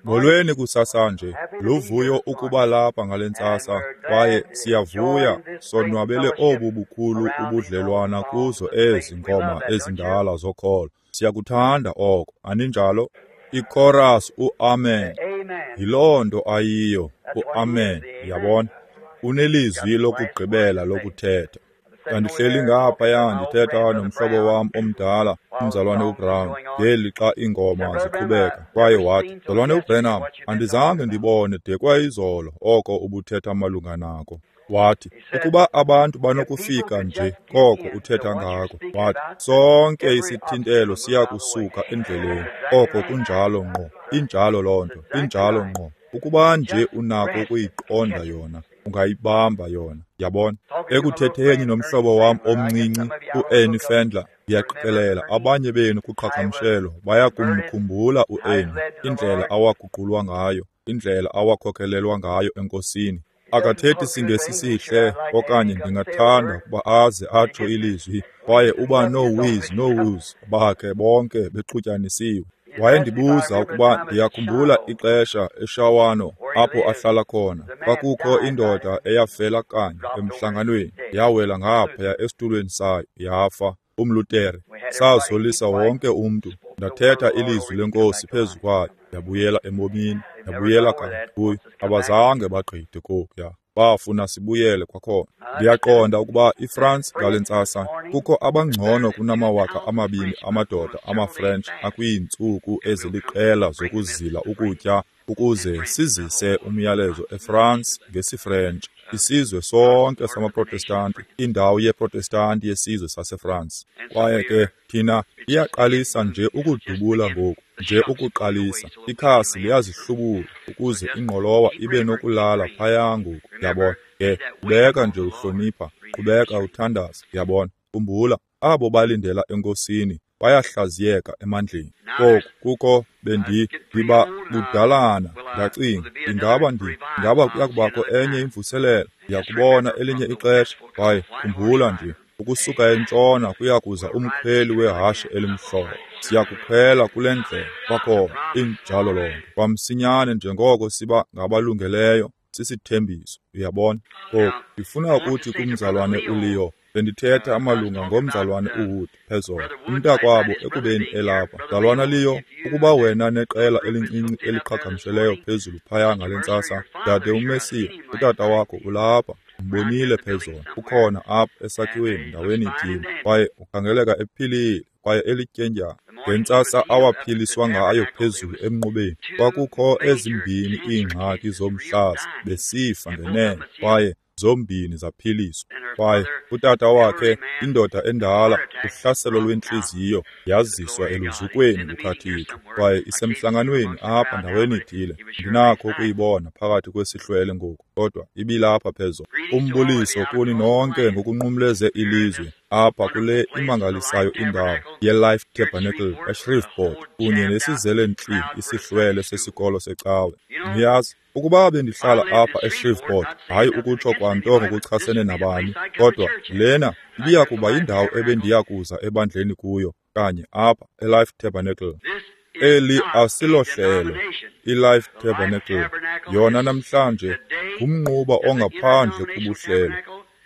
Molweni kusasanje, luvuyo ukuba lapha ngale ntsasa, kwaye siyavuya sonwabele obu bukhulu ubudlelwana kuzo ezi ngoma ezindala zokholo. Siyakuthanda oko, aninjalo? Ichorus uAmen. Yiloo nto ayiyo, uAmen, yabona. Unelizwi lokugqibela lokuthetha. Ndandihleli ngaphaya ndithetha nomhlobo wam omdala, umzalwane uBrown, ngeli xa iingoma ziqhubeka, kwaye wathi, "Mzalwane uBranham, andizange ndibone de kwayizolo oko ubuthetha malunga nako." Wathi, "Ukuba abantu banokufika nje koko uthetha ngako," wathi, "sonke isithintelo siya kusuka endleleni." Oko kunjalo ngqo, injalo loo nto, injalo ngqo. Ukuba nje unako ukuyiqonda yona, ungayibamba yona, yabona. Ekuthetheni nomhlobo wam omncinci uErnie Fendler, ndiyaqikelela abanye benu kuqhagamshelo bayakumkhumbula uErnie, indlela awaguqulwa ngayo, indlela awakhokhelelwa ngayo eNkosini. Akathethi siNgesi sihle, okanye ndingathanda ukuba aze atsho ilizwi, kwaye uba noowiz noowuz bakhe bonke bexutyanisiwe. Wayendibuza ukuba ndiyakhumbula ixesha eShawano apho ahlala khona. Kwakukho indoda eyafela kanye emhlanganweni, yawela ngaphaya esitulweni sayo, yafa, umLutere. Sazolisa wonke umntu. Ndathetha ilizwi leNkosi phezu kwayo, yabuyela ebomini, yabuyela kanye kuyo. Abazange bagqithe kokuya, bafuna sibuyele kwakhona. Ndiyaqonda ukuba iFrance ngale ntsasa kukho abangcono kunama-2000 amadoda amaFrench akwiintsuku eziliqela zokuzila ukutya ukuze sizise umyalezo eFrance ngesiFrentshi. Isizwe sonke samaProtestanti, indawo yeProtestanti yesizwe saseFrance. Kwaye ke thina iyaqalisa nje ukudubula ngoku, nje ukuqalisa. Ikhasi liyazihlubula ukuze ingqolowa ibe nokulala phaya ngoku, yabona. Ke qhubeka nje uhlonipha, qhubeka uthandaza, yabona. Khumbula, abo balindela eNkosini bayahlaziyeka emandleni. Oku kukho ndiba budalana, ndacinga, ingaba kuyakubakho enye imvuselelo, ndiyakubona elinye ixesha. Kwaye khumbula nje, ukusuka entshona kuyakuza umkhweli wehashe elimhlophe. Siyakukhwela kule ndlela kwakhona, injalo loo nto. Kwamsinyane njengoko siba ngabalungeleyo, sisithembiso, uyabona. Ngoku ndifuna ukuthi kumzalwane uLeo, bendithetha amalunga ngomzalwane uWood phezolo, umntakwabo ekubeni elapha. Mzalwana Leo, ukuba wena neqela elincinci eliqhagamsheleyo phezulu phaya ngale ntsasa, dade uMesiya, utata wakho ulapha, umbonile phezolo, ukhona apha esakhiweni ndaweni ithile, kwaye ukhangeleka ephilile kwaye elityendyana. Ngentsasa awaphiliswa ngayo phezulu emnqubeni, kwakukho ezimbini iingxaki zomhlaza, besifa ngenene, kwaye zombini zaphiliswa. Kwaye utata wakhe, indoda endala, uhlaselo lwentliziyo, yaziswa eluzukweni lukaThixo, kwaye isemhlanganweni apha ndaweni ithile. Ndinakho ukuyibona phakathi kwesihlwele ngoku, kodwa ibilapha phezolo. Umbuliso kuni nonke ngokunqumleze ilizwe apha kule imangalisayo indawo yeLife Tabernacle eShreveport, kunye nesizele ntli isihlwele sesikolo secawe. Niyazi, ukuba bendihlala apha eShreveport, hayi ukutsho kwanto ngokuchasene nabani, kodwa lena ibiya kuba yindawo ebendiya kuza ebandleni kuyo, kanye apha eLife Tabernacle. Eli asilohlelo, iLife Tabernacle yona namhlanje ngumnquba ongaphandle kubuhlelo.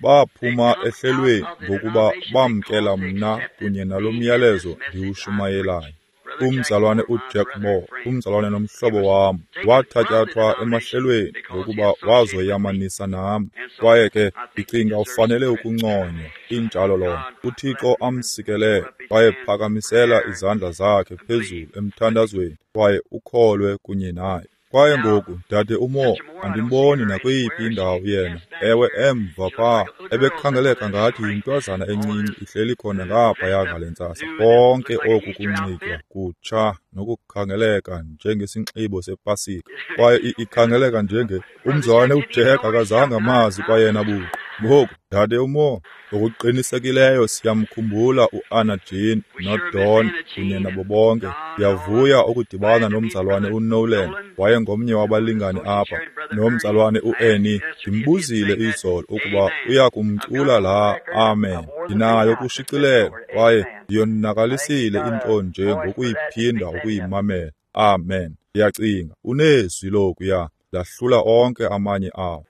Baphuma ehlelweni ngokuba bamkela mna kunye nalo myalezo ndiwushumayelayo. Umzalwane uJack Moore, umzalwane nomhlobo wam, wathatyathwa emahlelweni ngokuba wazoyamanisa nam. Kwaye ke ndicinga ufanele ukunconywa, injalo loo nto. UThixo amsikelele, kwaye phakamisela izandla zakhe phezulu emthandazweni kwaye ukholwe kunye naye. Kwaye ngoku, dade uMoore, andimboni nakweyiphi indawo yena. Ewe, emva phaa, ebekhangeleka ngathi yintwazana encinci ihleli khona ngaphaya ngale ntsasa. Konke oku kunxitywa kutsha nokukhangeleka njengesinxibo sePasika. Kwaye ikhangeleka njenge umzalwane uJack akazange amazi kwayena buqu. Ngoku, dade uMoore, ngokuqinisekileyo siyamkhumbula uAnna Jean noDon kunye nabo bonke. Ndiyavuya ukudibana nomzalwane uNolan, wayengomnye wabalingani apha, nomzalwane uErnie. Ndimbuzile izolo ukuba uyakumcula laa Amen. Ndinayo kushicilelo, kwaye ndiyonakalisile into nje ngokuyiphinda ukuyimamela. Amen. Ndiyacinga unezwi lokuya lahlula onke amanye awo.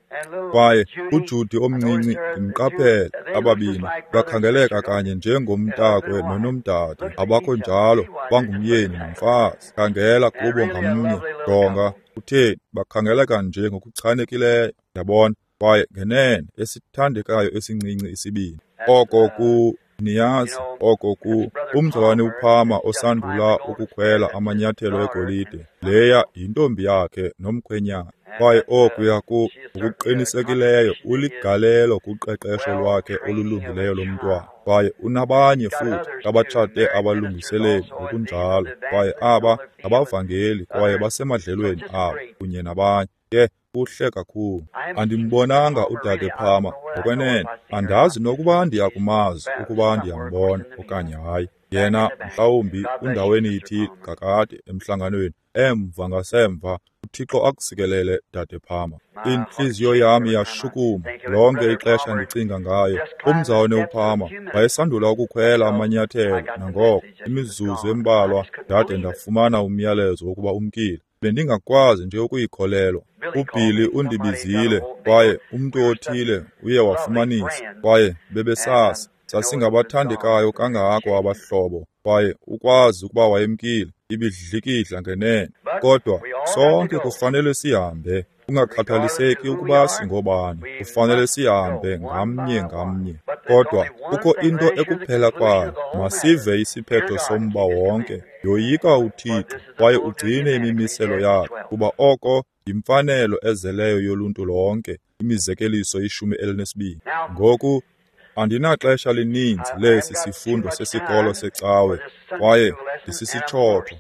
Kwaye uJudy omncinci ndimqaphele, ababini bakhangeleka kanye njengomntakwe nonomdade, abakho njalo, bangumyeni nomfazi. Khangela kubo ngamnye, jonga, kutheni, bakhangeleka nje ngokuchanekileyo, yabona. Kwaye ngenene esithandekayo esincinci isibini. Oko ku, niyazi, oko ku, umzalwane uPalmer osandula ukukhwela amanyathelo egolide, leya yintombi yakhe nomkhwenyana. Kwaye okuya ku, ngokuqinisekileyo uligalelo kuqeqesho lwakhe olulungileyo lomntwana. Kwaye unabanye futhi abatshate abalungiseleli ngokunjalo, kwaye aba ngabavangeli kwaye basemadlelweni abo kunye nabanye. Ke kuhle kakhulu. Andimbonanga udade Palmer ngokwenene, andazi nokuba ndiyakumazi ukuba ndiyambona okanye hayi. Yena mhlawumbi undaweni ithile kakade emhlanganweni, emva ngasemva. UThixo akusikelele, dade Palmer. Intliziyo yam iyashukuma lonke ixesha ndicinga ngayo. Umzalwane uPalmer wayesandula ukukhwela amanyathelo nangoko, imizuzu embalwa ndade ndafumana umyalezo wokuba umkile. Bendingakwazi nje ukuyikholelwa. UBilly undibizile, kwaye umntu othile uye wafumanisa, kwaye bebesasi sasingabathandekayo kangako abahlobo, kwaye ukwazi ukuba wayemkile, ibidlikidla ngenene. Kodwa sonke kufanele sihambe, kungakhathaliseki ukuba singobani, kufanele sihambe ngamnye ngamnye. Kodwa kukho into ekuphela kwayo, masive isiphetho somba wonke. Yoyika uThixo kwaye ugcine imimiselo yakhe, kuba oko yimfanelo ezeleyo yoluntu lonke. Imizekeliso 12. Ngoku andinaxesha lininzi lesi sifundo sesikolo secawe, kwaye ndisisitshotho.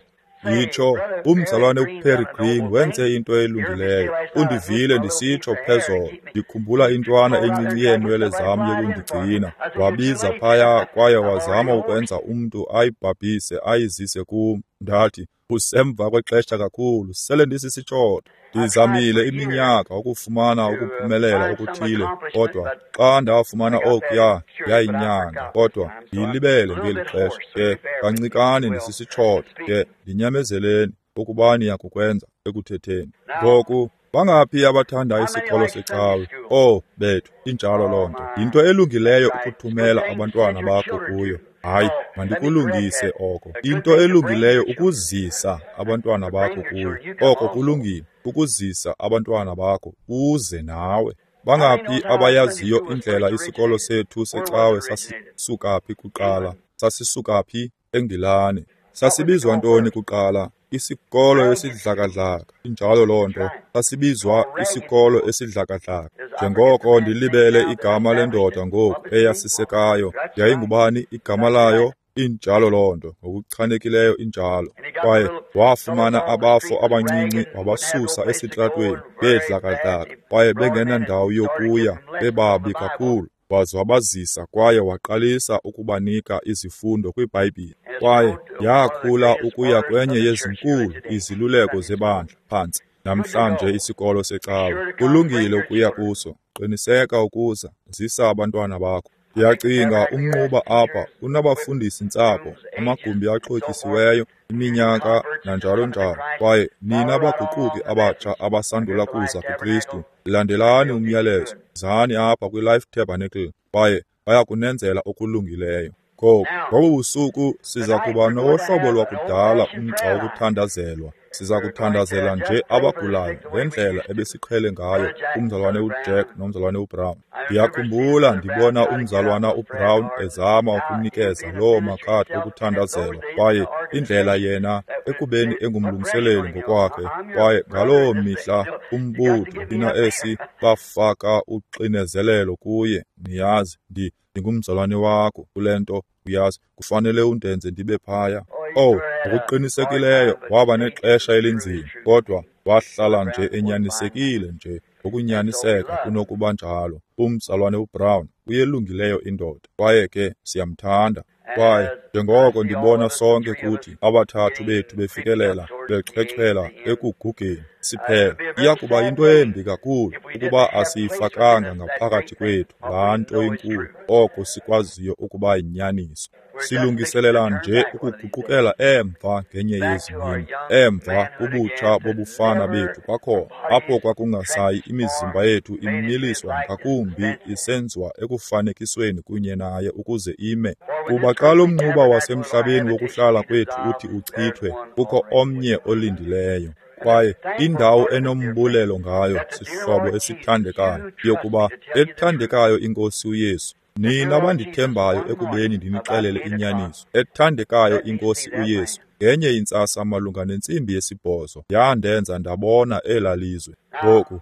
Yitsho, umzalwane uPerry Green wenze into elungileyo. Undivile ndisitsho phezolo, ndikhumbula intwana encinci yeenwele zam yokundigcina. Wabiza phaya kwaye wazama ukwenza umntu ayibhabhise ayizise kum. Ndathi, usemva kwexesha kakhulu, sele ndisisitshotho. Ndizamile iminyaka ukufumana ukuphumelela okuthile, kodwa xa ndafumana okuya yayinyanga, kodwa ndiyilibele ngeli xesha. Ke kancikane ndisisitshotho, ke ndinyamezeleni ukuba niyakukwenza ekuthetheni. Ngoku bangaphi abathanda isikolo secawe? Oh bethu, injalo loo nto. Yinto elungileyo ukuthumela abantwana bakho kuyo. Hayi, mandikulungise oko. Into elungileyo ukuzisa abantwana bakho kuyo. Oko kulungile, ukuzisa abantwana bakho uze nawe. Bangaphi abayaziyo indlela isikolo sethu secawe sasisuka phi kuqala? Sasisuka phi? eNgilane. Sasibizwa ntoni kuqala? Isikolo esidlakadlaka. Injalo loo nto. Sasibizwa isikolo esidlakadlaka. Njengoko ndilibele igama lendoda ngoku eyasisekayo, yayingubani igama layo? Injalo loo nto, ngokuchanekileyo injalo. Kwaye wafumana abafo abancinci wabasusa esitratweni bedlakadlaka, kwaye bengenandawo yokuya, bebabi kakhulu. Waze wabazisa kwaye waqalisa ukubanika izifundo kwiBhayibhile. Kwaye yakhula ukuya kwenye yezinkulu iziluleko zebandla phantsi namhlanje isikolo secawe. Kulungile ukuya kuso, qiniseka ukuza, zisa abantwana bakho. Ndiyacinga umnquba apha unabafundisi ntsapho, amagumbi axhotyisiweyo, iminyaka nanjalo njalo. Kwaye nina baguquki abatsha abasandula kuza kuKristu, landelani umyalezo, zani apha kwiLife Tabernacle, kwaye bayakunenzela okulungileyo. Ngoku, ngobu busuku siza kuba nowohlobo lwakudala umgca wokuthandazelwa. Siza kuthandazela nje abagulayo ngendlela ebesiqhele ngayo umzalwane uJack nomzalwane uBrown. Ndiyakhumbula ndibona umzalwana uBrown ezama ukunikeza loo makhadi okuthandazelwa, kwaye indlela yena ekubeni engumlungiseleli ngokwakhe, kwaye ngaloo mihla umbutho thina esi bafaka uxinezelelo kuye. Niyazi, ndingumzalwane wakho kule nto, uyazi, kufanele undenze ndibe phaya. Oh, ngokuqinisekileyo waba nexesha elinzima, kodwa wahlala nje enyanisekile nje ngokunyaniseka kunokuba njalo. Umzalwane uBrown uyelungileyo indoda, kwaye ke siyamthanda. Kwaye njengoko ndibona sonke kuthi abathathu bethu befikelela bechwechwela ekugugeni siphela, iya kuba yinto embi kakhulu ukuba asiyifakanga ngaphakathi kwethu laa nto inkulu, oko sikwaziyo ukuba yinyaniso. Silungiselela nje ukuguqukela emva ngenye yezi mini, emva kubutsha bobufana bethu kwakhona, apho kwakungasayi imizimba yethu imiliswa ngakumbi isenziwa ekufanekisweni kunye naye ukuze ime. Kuba xa lo mnquba wasemhlabeni wokuhlala kwethu uthi uchithwe, kukho omnye olindileyo. Kwaye indawo enombulelo ngayo, sihlobo esithandekayo, yokuba ethandekayo iNkosi uYesu, nina bandithembayo ekubeni ndinixelele inyaniso, ethandekayo iNkosi uYesu, ngenye intsasa malunga 8:30 yandenza ndabona elaa lizwe. Ngoku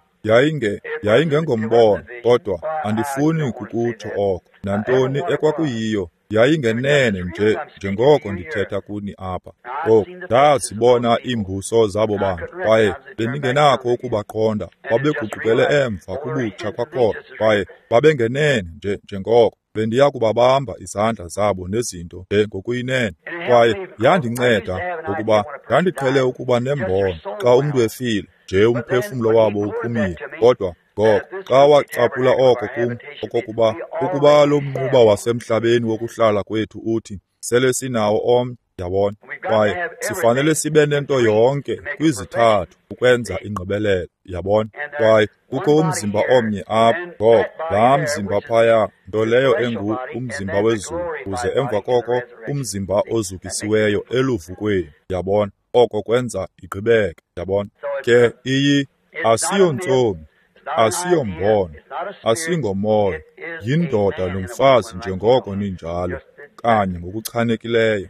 yayingengombono, kodwa andifuni kukutsho oko. Nantoni ekwakuyiyo, yayingenene nje njengoko ndithetha kuni apha. Ngoku ndazibona iimbuso zabo bantu, kwaye bendingenakho ukubaqonda. Babeguqukele emva kubutsha kwakhona, kwaye babengenene nje njengoko bendiya kubabamba izandla zabo nezinto nje ngokuyinene. Kwaye yandinceda ngokuba ndandiqhele ukuba nembono xa umntu efile, nje umphefumlo wabo uphumile. Kodwa ngoko xa wacaphula oko kum, okokuba ukuba lo mnquba wasemhlabeni wokuhlala kwethu uthi sele sinawo omnye, yabona, kwaye sifanele sibe nento yonke kwizithathu ukwenza ingqibelelo, yabona. Kwaye kukho umzimba omnye apha, ngoko laa mzimba phaya, nto leyo engu umzimba wezulu, uze emva koko umzimba ozukisiweyo eluvukweni, yabona. Oko kwenza igqibeke, yabona. Ke iyi asiyontsomi, asiyombono, asingomoya, yindoda nomfazi njengoko ninjalo, kanye ngokuchanekileyo.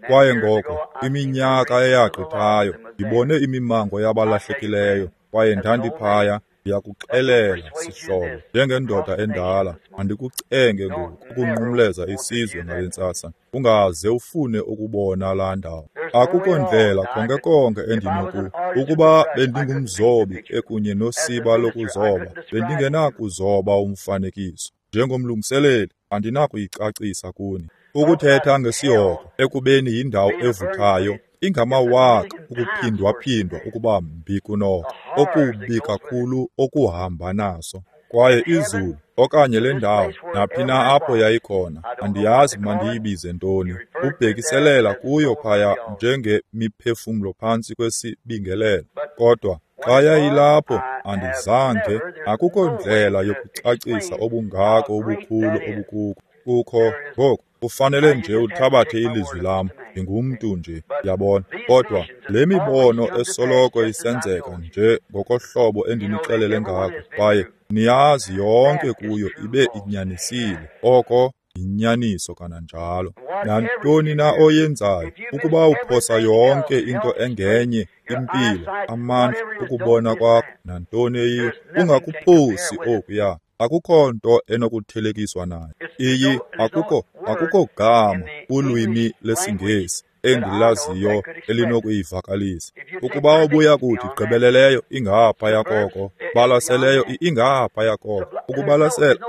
Kwaye ngoko iminyaka eyagqithayo ndibone imimango yabalahlekileyo, kwaye ndandiphaya. Ndiyakuxelela, sihlobo, njengendoda endala, andikucenge ngoku ukunqumleza isizwe ngale ntsasa. Ungaze ufune ukubona laa ndawo. Akukho ndlela konke konke endinoku. Ukuba bendingumzobi ekunye nosiba lokuzoba, bendingenakuzoba umfanekiso. Njengomlungiseleli, andinakuyicacisa kuni. Ukuthetha ngesihogo ekubeni yindawo evuthayo, ingamawaka ukuphindwaphindwa ukuba mbi kunoko, okubi kakhulu okuhamba naso. Kwaye izulu okanye le ndawo, naphi na apho yayikhona, andiyazi mandiyibize ntoni, ubhekiselela kuyo phaya njengemiphefumlo phantsi kwesibingelelo. Kodwa xa yayilapho, andizange, akukho ndlela yokucacisa obungako ubukhulu obukuko. Kukho ngoku kufanele nje uthabathe ilizwi lam, ndingumntu nje, yabona. Kodwa le mibono esoloko isenzeka nje ngokohlobo endinixelele ngako, kwaye niyazi yonke kuyo ibe inyanisile. Oko yinyaniso kananjalo. Nantoni na oyenzayo, ukuba uphosa yonke into engenye, impilo, amandla, ukubona kwakho, nantoni eyiyo, ungakuphosi okuya. Akukho nto enokuthelekiswa nayo. Iyi akukho gama kulwimi lesiNgesi endilaziyo elinokuyivakalisa. Ukuba ubuya kuthi gqibeleleyo ingaphaya koko, balaseleyo ingaphaya koko. Ukubalasela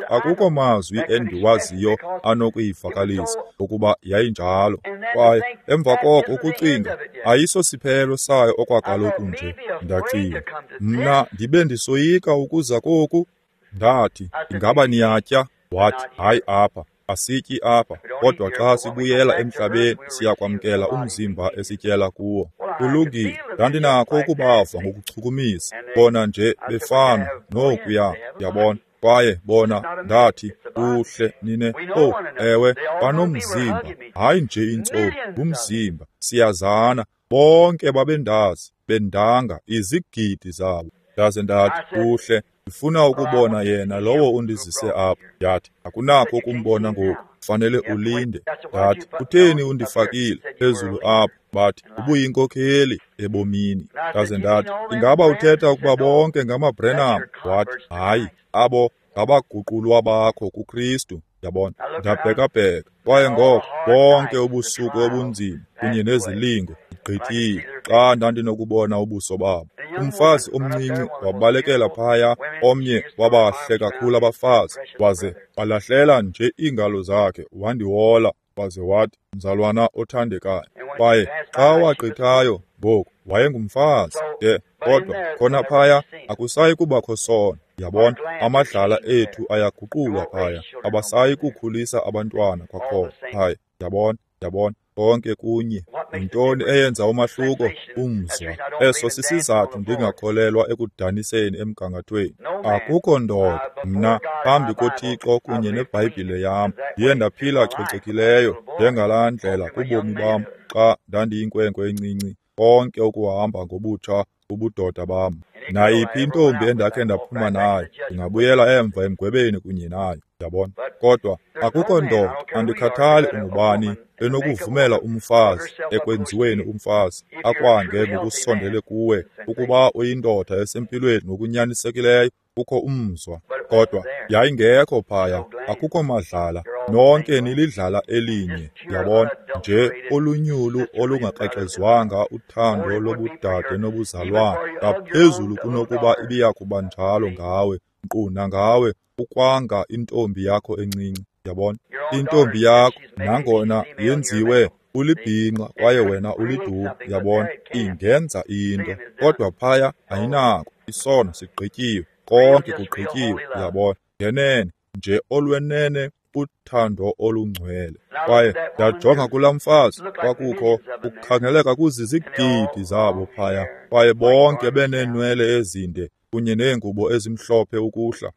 akukho mazwi endiwaziyo anokuyivakalisa ukuba yayinjalo. Kwaye emva koko ukucinga ayisosiphelo sayo okwakaloku nje. Ndacinga, mna ndibe ndisoyika ukuza koku. Ndathi, ingaba niyatya? Wathi, hayi apha, asityi apha, kodwa xa sibuyela emhlabeni siyakwamkela umzimba esityela kuwo. Kulungile, ndandinakho ukubava ngokuchukumisa, bona nje befana nokuya, yabona. Kwaye bona, ndathi, kuhle nine, oh, ewe, banomzimba, hayi nje intsomi, ngumzimba, siyazana. Bonke babendazi, bendanga izigidi zabo. Ndaze ndathi, kuhle, ndifuna ukubona yena lowo undizise apha. Yathi, akunakho ukumbona ngoku, fanele ulinde. Ndathi, kutheni undifakile phezulu apha? Bathi, ubuyinkokheli ebomini. Ndaze ndathi, ingaba uthetha ukuba bonke ngamaBrenham? Wathi, hayi, abo ngabaguqulwa bakho kuKristu. Yabona, ndabhekabheka. Kwaye ngoko bonke ubusuku obunzima kunye nezilingo igqithile xa ndandinokubona ubuso babo. Umfazi omncinci wabalekela phaya, omnye wabahle kakhulu abafazi, waze walahlela nje iingalo zakhe wandihola, waze wathi, mzalwana othandekayo. Kwaye xa wagqithayo ngoku wayengumfazi. De kodwa khona phaya akusayi kubakho sono. Yabona, amadlala ethu ayaguqulwa phaya, abasayi kukhulisa abantwana kwakhona phaya. Yabona, yabona, konke kunye. Yintoni eyenza umahluko? Umzwa. Eso sisizathu ndingakholelwa ekudaniseni emgangathweni. Akukho ndoda, mna, phambi koThixo kunye neBhayibhile yam, ndiye ndaphila cocekileyo njengalaa ndlela kubomi bam xa ndandiyinkwenkwe encinci, konke ukuhamba ngobutsha ubudoda bam. Nayiphi intombi endakhe ndaphuma nayo, ndingabuyela emva emgwebeni kunye nayo, yabona. Kodwa akukho ndoda, andikhathali ungubani, enokuvumela umfazi ekwenziweni umfazi akwange ngokusondele kuwe ukuba uyindoda esempilweni ngokunyanisekileyo, kukho umzwa. Kodwa yayingekho phaya, akukho madlala, nonke nilidlala elinye, yabona, nje olunyulu olungakrexezwanga uthando lobudade nobuzalwana, ngaphezulu kunokuba ibiya kuba njalo ngawe, nkqu nangawe, ukwanga intombi yakho encinci, yabona. Intombi yakho, nangona yenziwe ulibhinqa kwaye wena uliduna, yabona, ingenza into, kodwa phaya ayinako, isono sigqityiwe, konke kugqityiwe, yabona, ngenene nje olwenene uthando olungcwele. Kwaye ndajonga kulaa mfazi, kwakukho kukhangeleka kuzizigidi zabo phaya, kwaye bonke beneenwele ezinde kunye neengubo ezimhlophe ukuhla.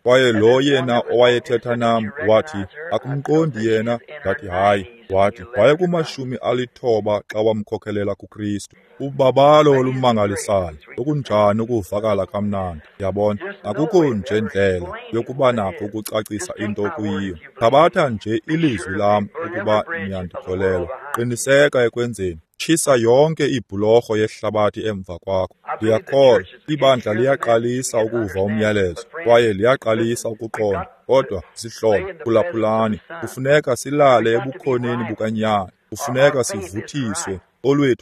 Kwaye lo yena owayethetha nam wathi, akumqondi yena? Ndathi, hayi. Wathi, wayeku-90 xa wamkhokelela kuKristu. Ubabalo olumangalisayo, okunjani ukuvakala kamnandi, yabona. Akukho nje ndlela yokuba nakho ukucacisa into kuyiyo. Thabatha nje ilizwi lam ukuba niyandikholelwa. Qiniseka ekwenzeni. Tshisa yonke ibhulorho yehlabathi emva kwakho. Ndiyakholwa ibandla liyaqalisa ukuva umyalezo kwaye liyaqalisa ukuqonda. Kodwa zihlobo, phulaphulani, kufuneka silale ebukhoneni bukaNyana. Kufuneka sivuthiswe.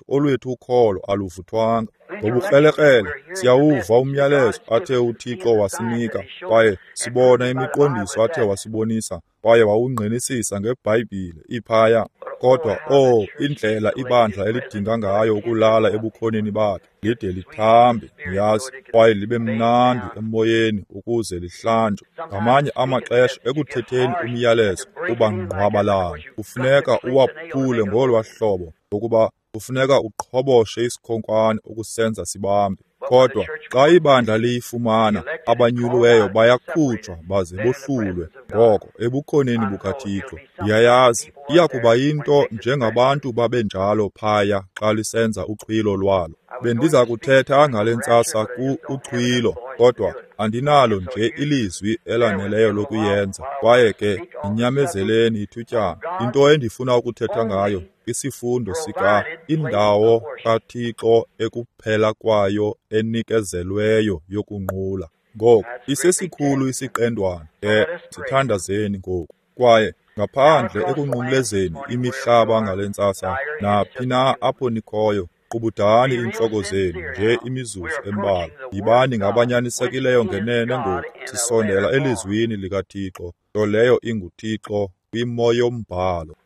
Olwethu ukholo aluvuthwanga. Ngobukrelekrele siyawuva umyalezo athe uThixo wasinika, kwaye sibona imiqondiso athe wasibonisa, kwaye wawungqinisisa ngeBhayibhile iphaya. Kodwa oh, indlela ibandla elidinga ngayo ukulala ebukhoneni bakhe, lide lithambe, niyazi, kwaye libe mnandi emoyeni ukuze lihlanjwe. Ngamanye amaxesha ekuthetheni umyalezo uba ngqwabalala, kufuneka uwaphule ngolwa hlobo, ngokuba kufuneka uqhoboshe isikhonkwane ukusenza sibambe. Kodwa xa ibandla liyifumana, abanyuliweyo bayakhutshwa baze bohlulwe ngoko ebukhoneni bukaThixo. Ndiyayazi iya kuba yinto njengabantu babenjalo phaya xa lisenza uxhwilo lwalo. Bendiza kuthetha ngale ntsasa ku-uxhwilo, kodwa andinalo nje ilizwi elaneleyo lokuyenza. Kwaye ke ninyamezeleni ithutyana. Into endifuna ukuthetha ngayo isifundo sika indawo kaThixo ekuphela kwayo enikezelweyo yokunqula. Ngoku isesikhulu isiqendwana, ke sithandazeni ngoku. Kwaye ngaphandle ekunqumlezeni imihlaba ngale ntsasa, naphi na apho nikhoyo, qubudani iintloko zenu nje imizuzu embalwa. Yibani ngabanyanisekileyo ngenene ngoku. Sisondela elizwini likaThixo, nto leyo inguThixo kwimo yombhalo.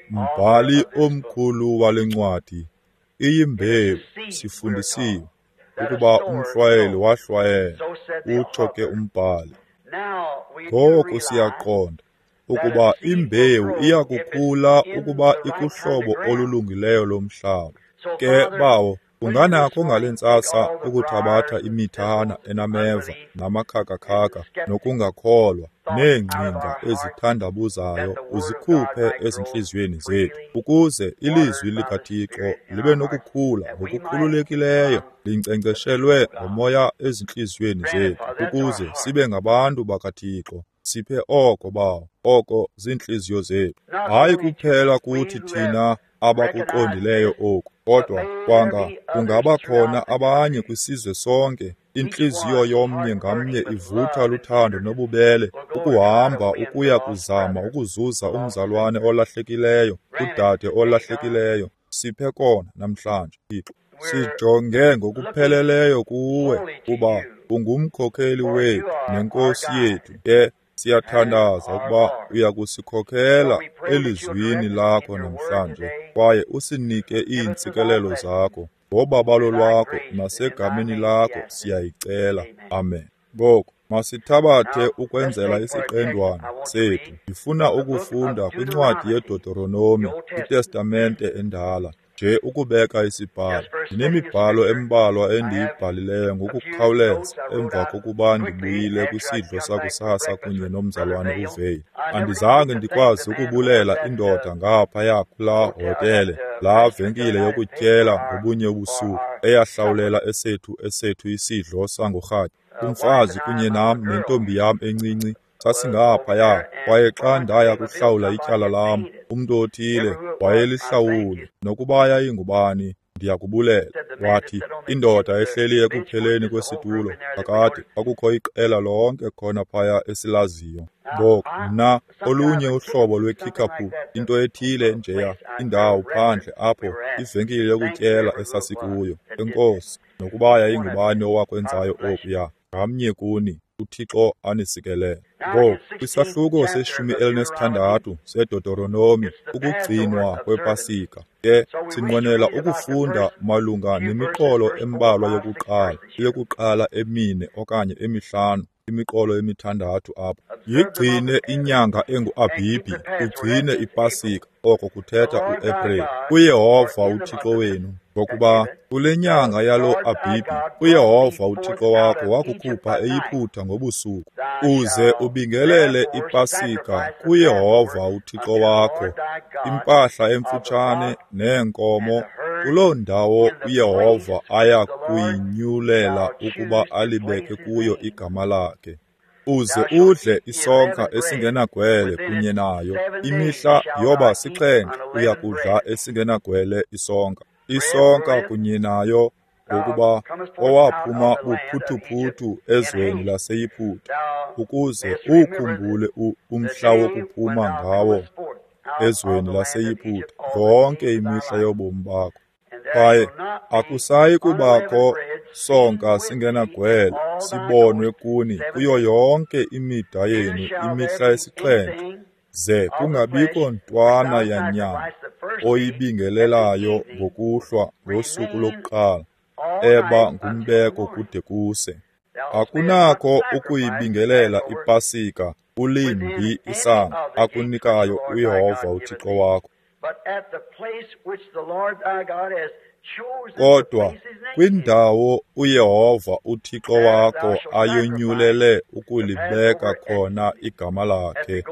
Mbhali omkhulu wale ncwadi, iyimbewu, sifundisiwe ukuba umhlwayeli wahlwayela, utsho ke umbhali. Ngoku siyaqonda ukuba imbewu iyakukhula ukuba ikuhlobo olulungileyo lomhlaba. Ke bawo, unganakho ngale ntsasa ukuthabatha imithana enameva namakhakakhaka nokungakholwa neengcinga ezithandabuzayo uzikhuphe ezintliziyweni zethu, ukuze ilizwi likaThixo libe nokukhula ngokukhululekileyo, linkcenkceshelwe ngomoya ezintliziyweni zethu, ukuze sibe ngabantu bakaThixo. Siphe oko, bawo, oko ziintliziyo zethu. Hayi kuphela kuthi thina abakuqondileyo oku, kodwa kwanga kungaba khona abanye kwisizwe sonke. Intliziyo yomnye ngamnye ivutha luthando nobubele, ukuhamba ukuya kuzama ukuzuza umzalwane olahlekileyo, udade olahlekileyo. Siphe kona namhlanje, Thixo. Sijonge ngokupheleleyo kuwe, kuba ungumkhokheli wethu nenkosi yethu. Ke Siyathandaza ukuba uyakusikhokela elizwini lakho namhlanje kwaye usinike iintsikelelo zakho. Ngobabalo lwakho nasegameni lakho siyayicela. Amen. Ngoku masithabathe ukwenzela isiqendwana sethu. Ndifuna ukufunda kwincwadi yeDeuteronomi, iTestamente endala, nje ukubeka isibhalo. Ndinemibhalo embalwa endiyibhalileyo ngokukhawuleza emva kokuba ndibuyile kwisidlo sakusasa kunye nomzalwane uVeyi. Andizange ndikwazi ukubulela indoda ngaphaya kulaa hotele, laa venkile yokutyela ngobunye ubusuku, eyahlawulela esethu isidlo sangorhatya. Umfazi kunye nam nentombi yam encinci sasingaphaya, kwaye xa ndaya kuhlawula ityala lam, umntu othile wayelihlawule, nokuba yayingubani, ndiyakubulela. Wathi indoda ehleli ekupheleni kwesitulo, kakade kwakukho iqela lonke khona phaya esilaziyo. Ngoku mna, olunye uhlobo lweKickapoo, into ethile njeya, indawo phandle apho, ivenkile yokutyela esasikuyo. Enkosi, nokuba yayingubani owakwenzayo okuya, ngamnye kuni, uThixo anisikelele. Ngoku, kwisahluko se-16 seDeuteronomi, ukugcinwa kwePasika, ke sinqwenela ukufunda malunga nemiqolo embalwa yokuqala emine okanye emihlanu, imiqolo emithandathu apha. Yigcine inyanga enguAbhibhi, ugcine iPasika, oko kuthetha uAprili, kuYehova uThixo wenu, ngokuba kule nyanga yalo Abhibhi uYehova uThixo wakho wakukhupha eYiputa ngobusuku. Uze ubingelele iPasika kuYehova uThixo wakho, impahla emfutshane neenkomo, kuloo ndawo uYehova aya kuyinyulela ukuba alibeke kuyo igama lakhe. Uze udle isonka esingenagwele kunye nayo. Imihla yoba 7 uya kudla esingenagwele isonka. Isonka kunye nayo, ngokuba owaphuma buphuthuphuthu ezweni laseYiputa, ukuze ukhumbule umhla wokuphuma ngawo ezweni laseYiputa yonke imihla yobomi bakho. Kwaye akusayi kubakho sonka singenagwele sibonwe kuni kuyo yonke imida yenu imihla 7, ze kungabikho ntwana yanyama oyibingelelayo ngokuhlwa ngosuku lokuqala, eba ngumbeko kude kuse. Akunakho ukuyibingelela iPasika ulimbi isango akunikayo uYehova uThixo wakho. Kodwa kwindawo uYehova uThixo wakho ayonyulele ukulibeka khona igama lakhe,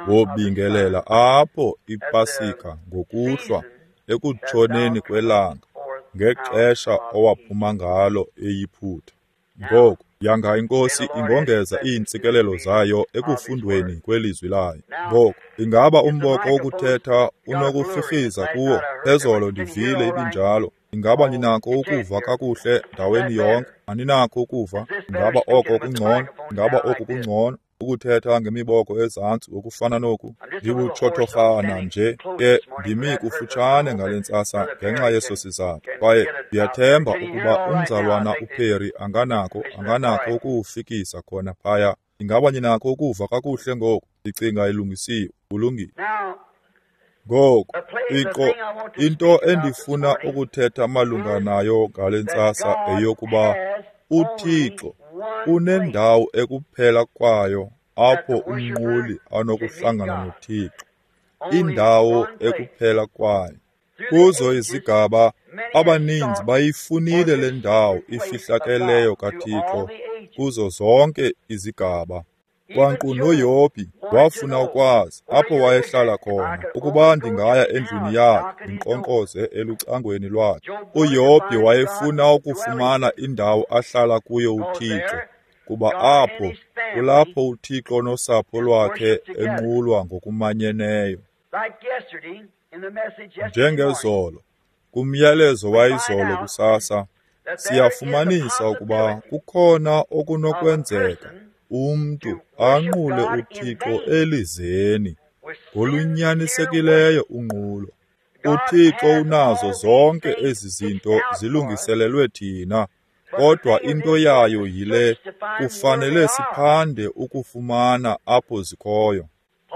wobingelela apho iPasika ngokuhlwa ekutshoneni kwelanga, ngexesha owaphuma ngalo eYiputa. Ngoku yanga iNkosi ingongeza iintsikelelo zayo ekufundweni kwelizwi layo. Ngoku ingaba umboko wokuthetha unokurhirhiza kuwo? Phezolo ndivile ibinjalo. Ingaba ninako ukuva kakuhle ndaweni yonke? Aninakho ukuva? Ingaba oko kungcono? Ingaba oku kungcono? Ukuthetha ngemiboko ezantsi ngokufana noku, ndibutshothorhana nje ke ndimi kufutshane ngale ntsasa ngenxa yeso sizathu. Kwaye ndiyathemba ukuba umzalwana uPerry anganako ukuwufikisa khona phaya. Ingaba ninakho ukuva kakuhle ngoku? Ndicinga ilungisiwe. Kulungile. Ngoku, into endifuna ukuthetha malunga nayo ngale ntsasa eyokuba uThixo unendawo ekuphela kwayo apho umnquli anokuhlangana noThixo, indawo ekuphela kwayo. Kuzo izigaba, abaninzi bayifunile le ndawo ifihlakeleyo kaThixo kuzo zonke izigaba. Kwankqu noYobhi wafuna ukwazi apho wayehlala khona, ukuba ndingaya endlwini yakhe ndinkqonkqoze elucangweni lwakhe. uYobhi wayefuna ukufumana indawo ahlala kuyo uThixo, kuba apho kulapho uThixo nosapho lwakhe enqulwa ngokumanyeneyo. Njengezolo, kumyalezo wayizolo kusasa, siyafumanisa ukuba kukhona okunokwenzeka umntu anqule uThixo elizeni ngolunyanisekileyo unqulo. uThixo unazo zonke ezi zinto zilungiselelwe thina, Kodwa into yayo yile, kufanele siphande ukufumana apho zikhoyo.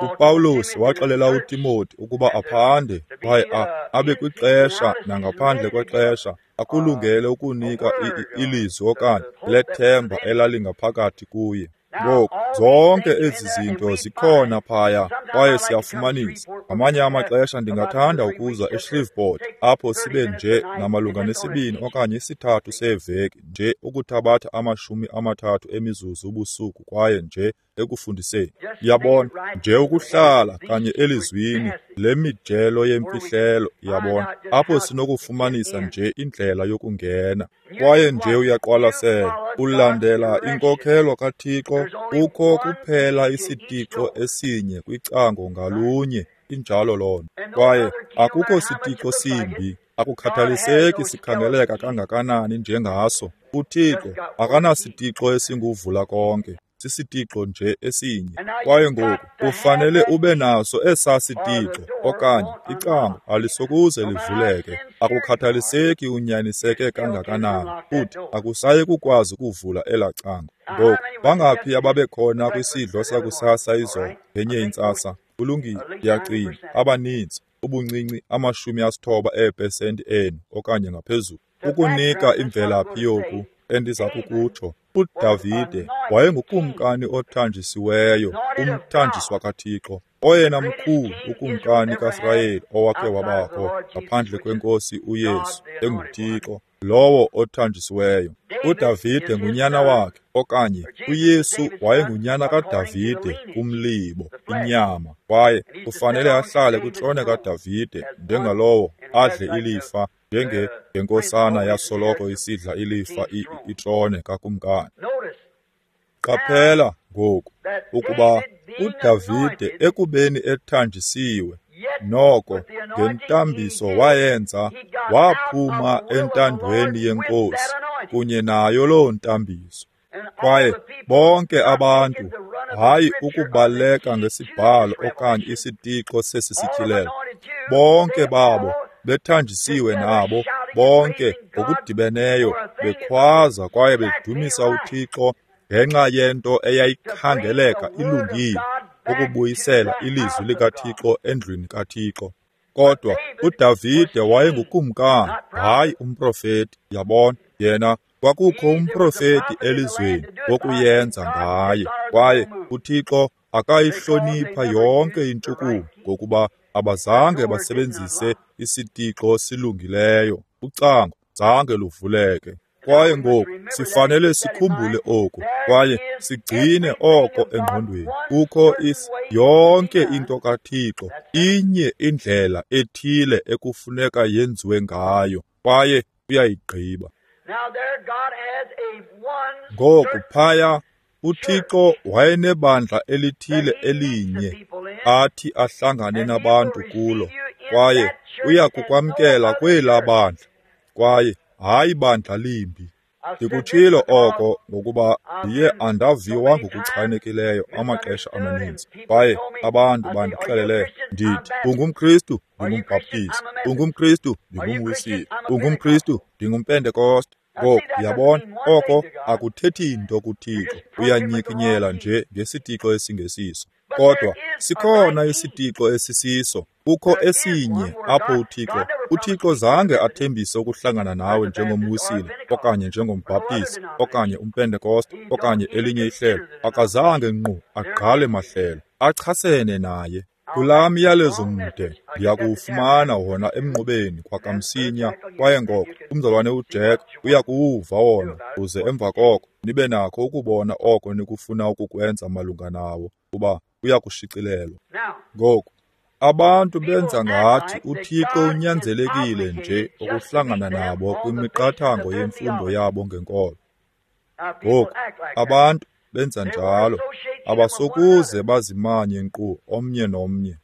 UPawulos waxelela uTimoti ukuba aphande kwaye abe kwixesha nangaphandle kwexesha, akulungele ukunika ilizwi okanye lethemba elalingaphakathi kuye. Ngoku zonke ezi zinto zikhona phaya kwaye siyafumanisa. Ngamanye amaxesha ndingathanda ukuza eShreveport apho sibe nje namalunga ne-2 okanye 3 seeveki nje ukuthabatha 30 emizuzu ubusuku kwaye nje ekufundiseni. Yabona, nje ukuhlala kanye elizwini le mijelo yemfihlelo, yabona, apho sinokufumanisa nje indlela yokungena. Kwaye nje uyaqwalasela, ulandela inkokhelo kaThixo. Kukho kuphela isitixo esinye kwicango ngalunye, injalo loo nto. Kwaye akukho sitixo simbi, akukhathaliseki sikhangeleka kangakanani njengaso. UThixo akanasitixo esinguvula konke, sisitixo nje esinye. Kwaye ngoku ufanele ube naso esaa sitixo okanye icango alisokuze livuleke. Akukhathaliseki unyaniseke kangakanani, futhi akusayi kukwazi ukuvula elaa cango. Ngoku bangaphi ababekhona kwisidlo sakusasa izolo ngenye intsasa? Kulungile, ndiyacinga abaninzi, ubuncinci 90% enu okanye ngaphezulu. Ukunika imvelaphi yoku endiza kukutsho, uDavide wayengukumkani othanjisiweyo, umthanjiswa kaThixo, oyena mkhulu ukumkani kaSirayeli owakhe wabakho ngaphandle kweNkosi uYesu enguThixo, lowo othanjisiweyo. uDavide ngunyana wakhe, okanye uYesu wayengunyana kaDavide kumlibo, inyama, kwaye kufanele ahlale kwitrone kaDavide njengalowo adle ilifa, njengenkosana yasoloko isidla ilifa itrone kakumkani. Qaphela ngoku ukuba uDavide ekubeni ethanjisiwe, noko ngentambiso wayenza, waphuma entandweni yeNkosi kunye nayo loo ntambiso. Kwaye bonke abantu, hayi ukubaleka ngesibhalo okanye isitixo sesi sityhilelo, bonke babo bethanjisiwe nabo bonke ngokudibeneyo bekhwaza kwaye bedumisa uThixo ngenxa yento eyayikhangeleka ilungile, ukubuyisela ilizwi likaThixo endlwini kaThixo. Kodwa uDavide wayengukumkani, hayi umprofeti. Yabona, yena kwakukho umprofeti elizweni wokuyenza ngaye, kwaye uThixo akayihlonipha yonke intshukumo ngokuba abazange basebenzise isitixo silungileyo, ucango zange luvuleke. Kwaye ngoku sifanele sikhumbule oku kwaye sigcine oko engqondweni. Kukho yonke into kaThixo inye indlela ethile ekufuneka yenziwe ngayo, kwaye uyayigqiba. Ngoku phaya uThixo wayenebandla elithile elinye athi ahlangane nabantu kulo, kwaye uyakukwamkela kwelaa bandla, kwaye hayi bandla limbi. Ndikutshilo oko ngokuba ndiye andaviwa ngokuchanekileyo amaxesha amaninzi, kwaye abantu bandixelele, ndithi, ungumKristu, ndingumbhaptizi, ungumKristu, ndingumWisile, ungumKristu, ndingumPentekoste. Ngoku yabona, oko akuthethi nto kuThixo, uyanyikinyela nje ngesitixo esingesiso. Kodwa sikhona isitixo esisiso, kukho esinye apho uThixo zange athembise ukuhlangana nawe njengomWisile okanye njengombhaptizi okanye umPentekoste okanye elinye ihlelo. Akazange ngqu agqale mahlelo achasene naye. Kulaa myalezo mde ndiyakuwufumana wona emnqubeni kwakamsinya, kwaye ngoko umzalwane uJack uyakuwuva wona, uze emva koko nibe nakho ukubona oko nikufuna ukukwenza malunga nawo, kuba uyakushicilelwa. Ngoku abantu benza ngathi uThixo unyanzelekile nje ukuhlangana nabo kwimiqathango yemfundo yabo ngenkolo. Ngoku abantu benza njalo, abasokuze bazimanye nkqu omnye nomnye.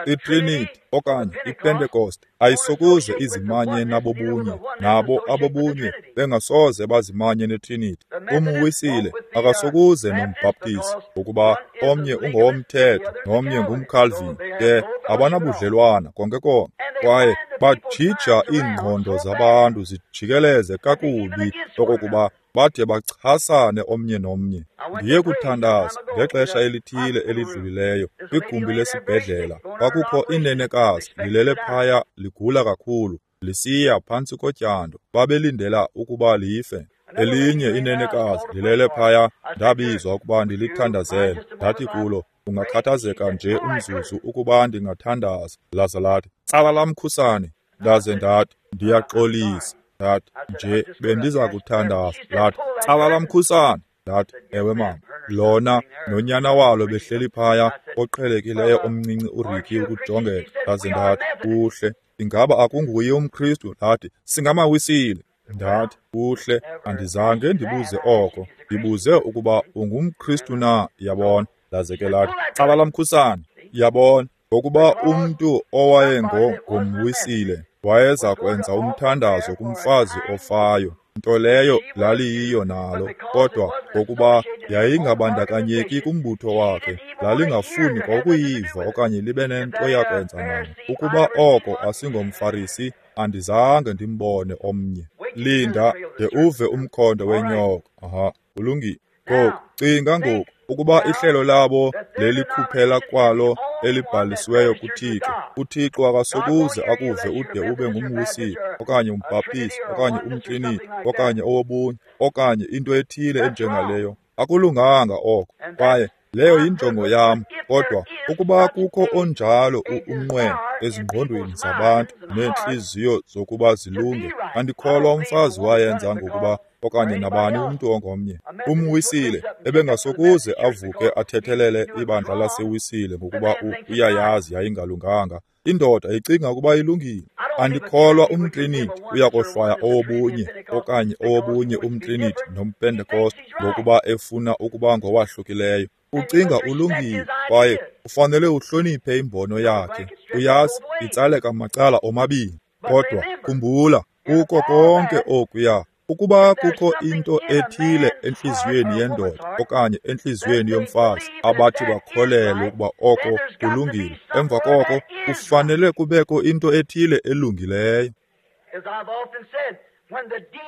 ITrinity okanye iPentecost ayisokuze izimanye nabobunye, nabo abobunye bengasoze bazimanye neTrinity. UmWisile akasokuze nombhaptizi, ngokuba omnye ungowomthetho nomnye ngumCalvin, ke abanabudlelwana konke konke. Kwaye Bajija iingqondo zabantu zijikeleze kakubi okokuba bade bachasane omnye nomnye. Ndiye kuthandaza ngexesha elithile elidlulileyo kwigumbi lesibhedlela. Kwakukho inenekazi lilele phaya ligula kakhulu, lisiya phantsi kotyando. Babelindela ukuba life. Elinye inenekazi lilele phaya, ndabizwa ukuba ndilithandazele. Ndathi kulo, ungakhathazeka nje umzuzu ukuba ndingathandaza. Laza lathi, tsala lamkhusane. Ndaze ndathi, ndiyaxolisa. Ndathi, nje bendiza kuthandaza. Lathi, tsala lamkhusane. Ndathi, ewe mama. Lona nonyana walo behleli phaya, oqhelekileyo omncinci uRicky ukujongeka. Ndaze ndathi, kuhle, ingaba akunguye umKristu? Lathi, singamawisile. Ndathi, kuhle, andizange ndibuze oko. Ndibuze ukuba ungumKristu na, yabona. Laze ke lathi, tsala lamkhusane. Yabona, ngokuba umntu owayengomwisile wayeza kwenza umthandazo kumfazi ofayo, nto leyo laliyiyo nalo, kodwa ngokuba yayingabandakanyeki kumbutho wakhe, lalingafuni kwakuyiva okanye libe nento yakwenza nayo. Ukuba oko asingomFarisi, andizange ndimbone omnye. Linda de uve umkhondo wenyoka. Aha, kulungile. Ngoku, cinga ngoku, ukuba ihlelo labo lelikhuphela kwalo elibhalisiweyo kuThixo, uThixo akasokuze akuve ude ube ngumwisile okanye umbhaptizi okanye umtriniti okanye owobunye okanye into ethile enjengaleyo. Akulunganga oko, kwaye leyo yinjongo yam. Kodwa ukuba kukho onjalo umnqweno ezingqondweni zabantu neentliziyo zokuba zilunge, andikholwa umfazi wayenza ngokuba okanye nabani umntu ongomnye. Umwisile ebengasokuze avuke athethelele ibandla lasewisile ngokuba uyayazi yayingalunganga. Indoda icinga ukuba ilungile. Andikholwa umtriniti uyakohlwaya owobunye okanye owobunye umtriniti nompentekoste ngokuba efuna ukuba ngowahlukileyo. Ucinga ulungile kwaye ufanele uhloniphe imbono yakhe. Uyazi, itsaleka macala omabini. Kodwa khumbula, kuko konke okuya, ukuba kukho into ethile entliziyweni yendoda okanye entliziyweni yomfazi abathi bakholelwe ukuba oko kulungile, emva koko kufanele kubekho into ethile elungileyo.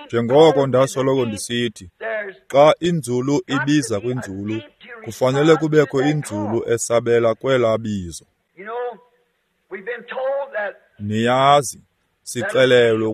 Njengoko ndasoloko ndisithi, xa inzulu ibiza kwinzulu, kufanele kubekho inzulu esabela kwelaa bizo. Niyazi, sixelelwe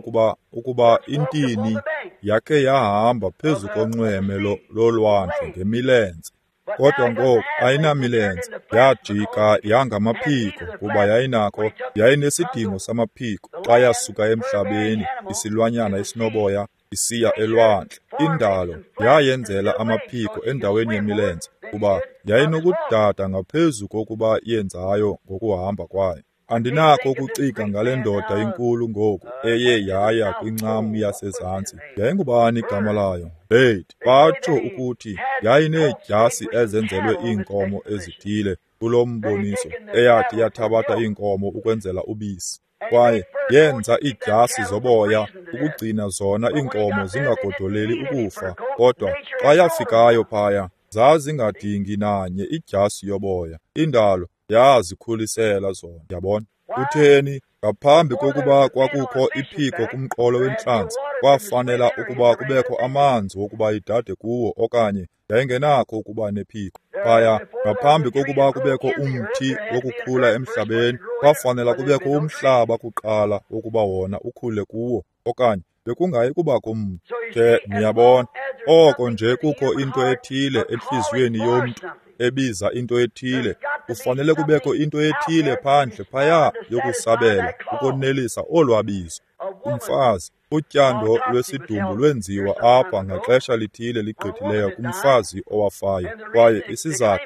ukuba intini yakhe yahamba phezu konxweme lolwandle ngemilenze. Kodwa ngoku ayinamilenze, yajika yangamaphiko kuba yayinakho, yayinesidingo samaphiko xa yasuka emhlabeni isilwanyana esinoboya isiya elwandle. Indalo yayenzela amaphiko endaweni yemilenze kuba yayinokudada ngaphezu kokuba yenzayo ngokuhamba kwayo. Andinakho ukucinga ngale ndoda inkulu ngoku eye yaya kwincam yasezantsi. Yayingubani igama layo? Bate. Batsho ukuthi yayineedyasi ezenzelwe iinkomo ezithile kulo mboniso, eyathi yathabatha iinkomo ukwenzela ubisi. Kwaye yenza iidyasi zoboya ukugcina zona iinkomo zingagodoleli ukufa. Kodwa xa yafikayo phaya, zazingadingi nanye idyasi yoboya. Indalo yazikhulisela zona, yabona. Kutheni? Ngaphambi kokuba kwakukho iphiko kumqolo wentlanzi, kwafanela ukuba kubekho amanzi wokuba idade kuwo okanye yayingenakho ukuba nephiko. Phaya, ngaphambi kokuba kubekho umthi wokukhula emhlabeni, kwafanela kubekho umhlaba kuqala wokuba wona ukhule kuwo okanye bekungayi kubakho mntu. Ke niyabona, oko nje kukho into ethile entliziyweni yomntu ebiza into ethile, kufanele kubekho into ethile phandle phaya yokusabela ukonelisa olwabizo. Umfazi, utyando lwesidumbu lwenziwa apha ngaxesha lithile ligqithileyo kumfazi owafayo, kwaye isizathu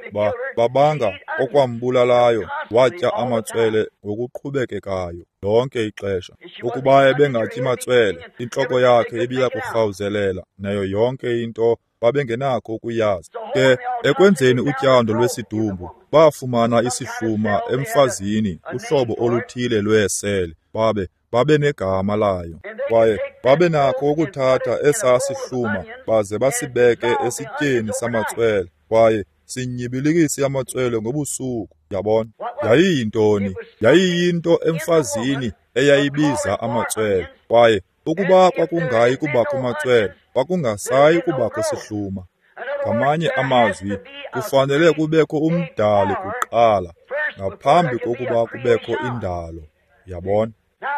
babanga okwambulalayo watya amatswele ngokuqhubekekayo lonke ixesha. Ukuba ebengatyi matswele, intloko yakhe ibiya kurhawuzelela nayo yonke into babengenakho ukuyazi. Ke ekwenzeni utyando lwesidumbu, bafumana isihluma emfazini, uhlobo oluthile lweesele, babe negama layo. Kwaye babe nakho ukuthatha esaa sihluma baze basibeke esityeni samatswele, kwaye sinyibilikise amatswele ngobusuku. Yabona, yayiyintoni? Yayiyinto emfazini eyayibiza amatswele, kwaye ukuba kwakungayi kubakho matswele, kwakungasayi kubakho sihluma. Ngamanye amazwi, kufanele kubekho umdali kuqala ngaphambi kokuba kubekho indalo. Yabona?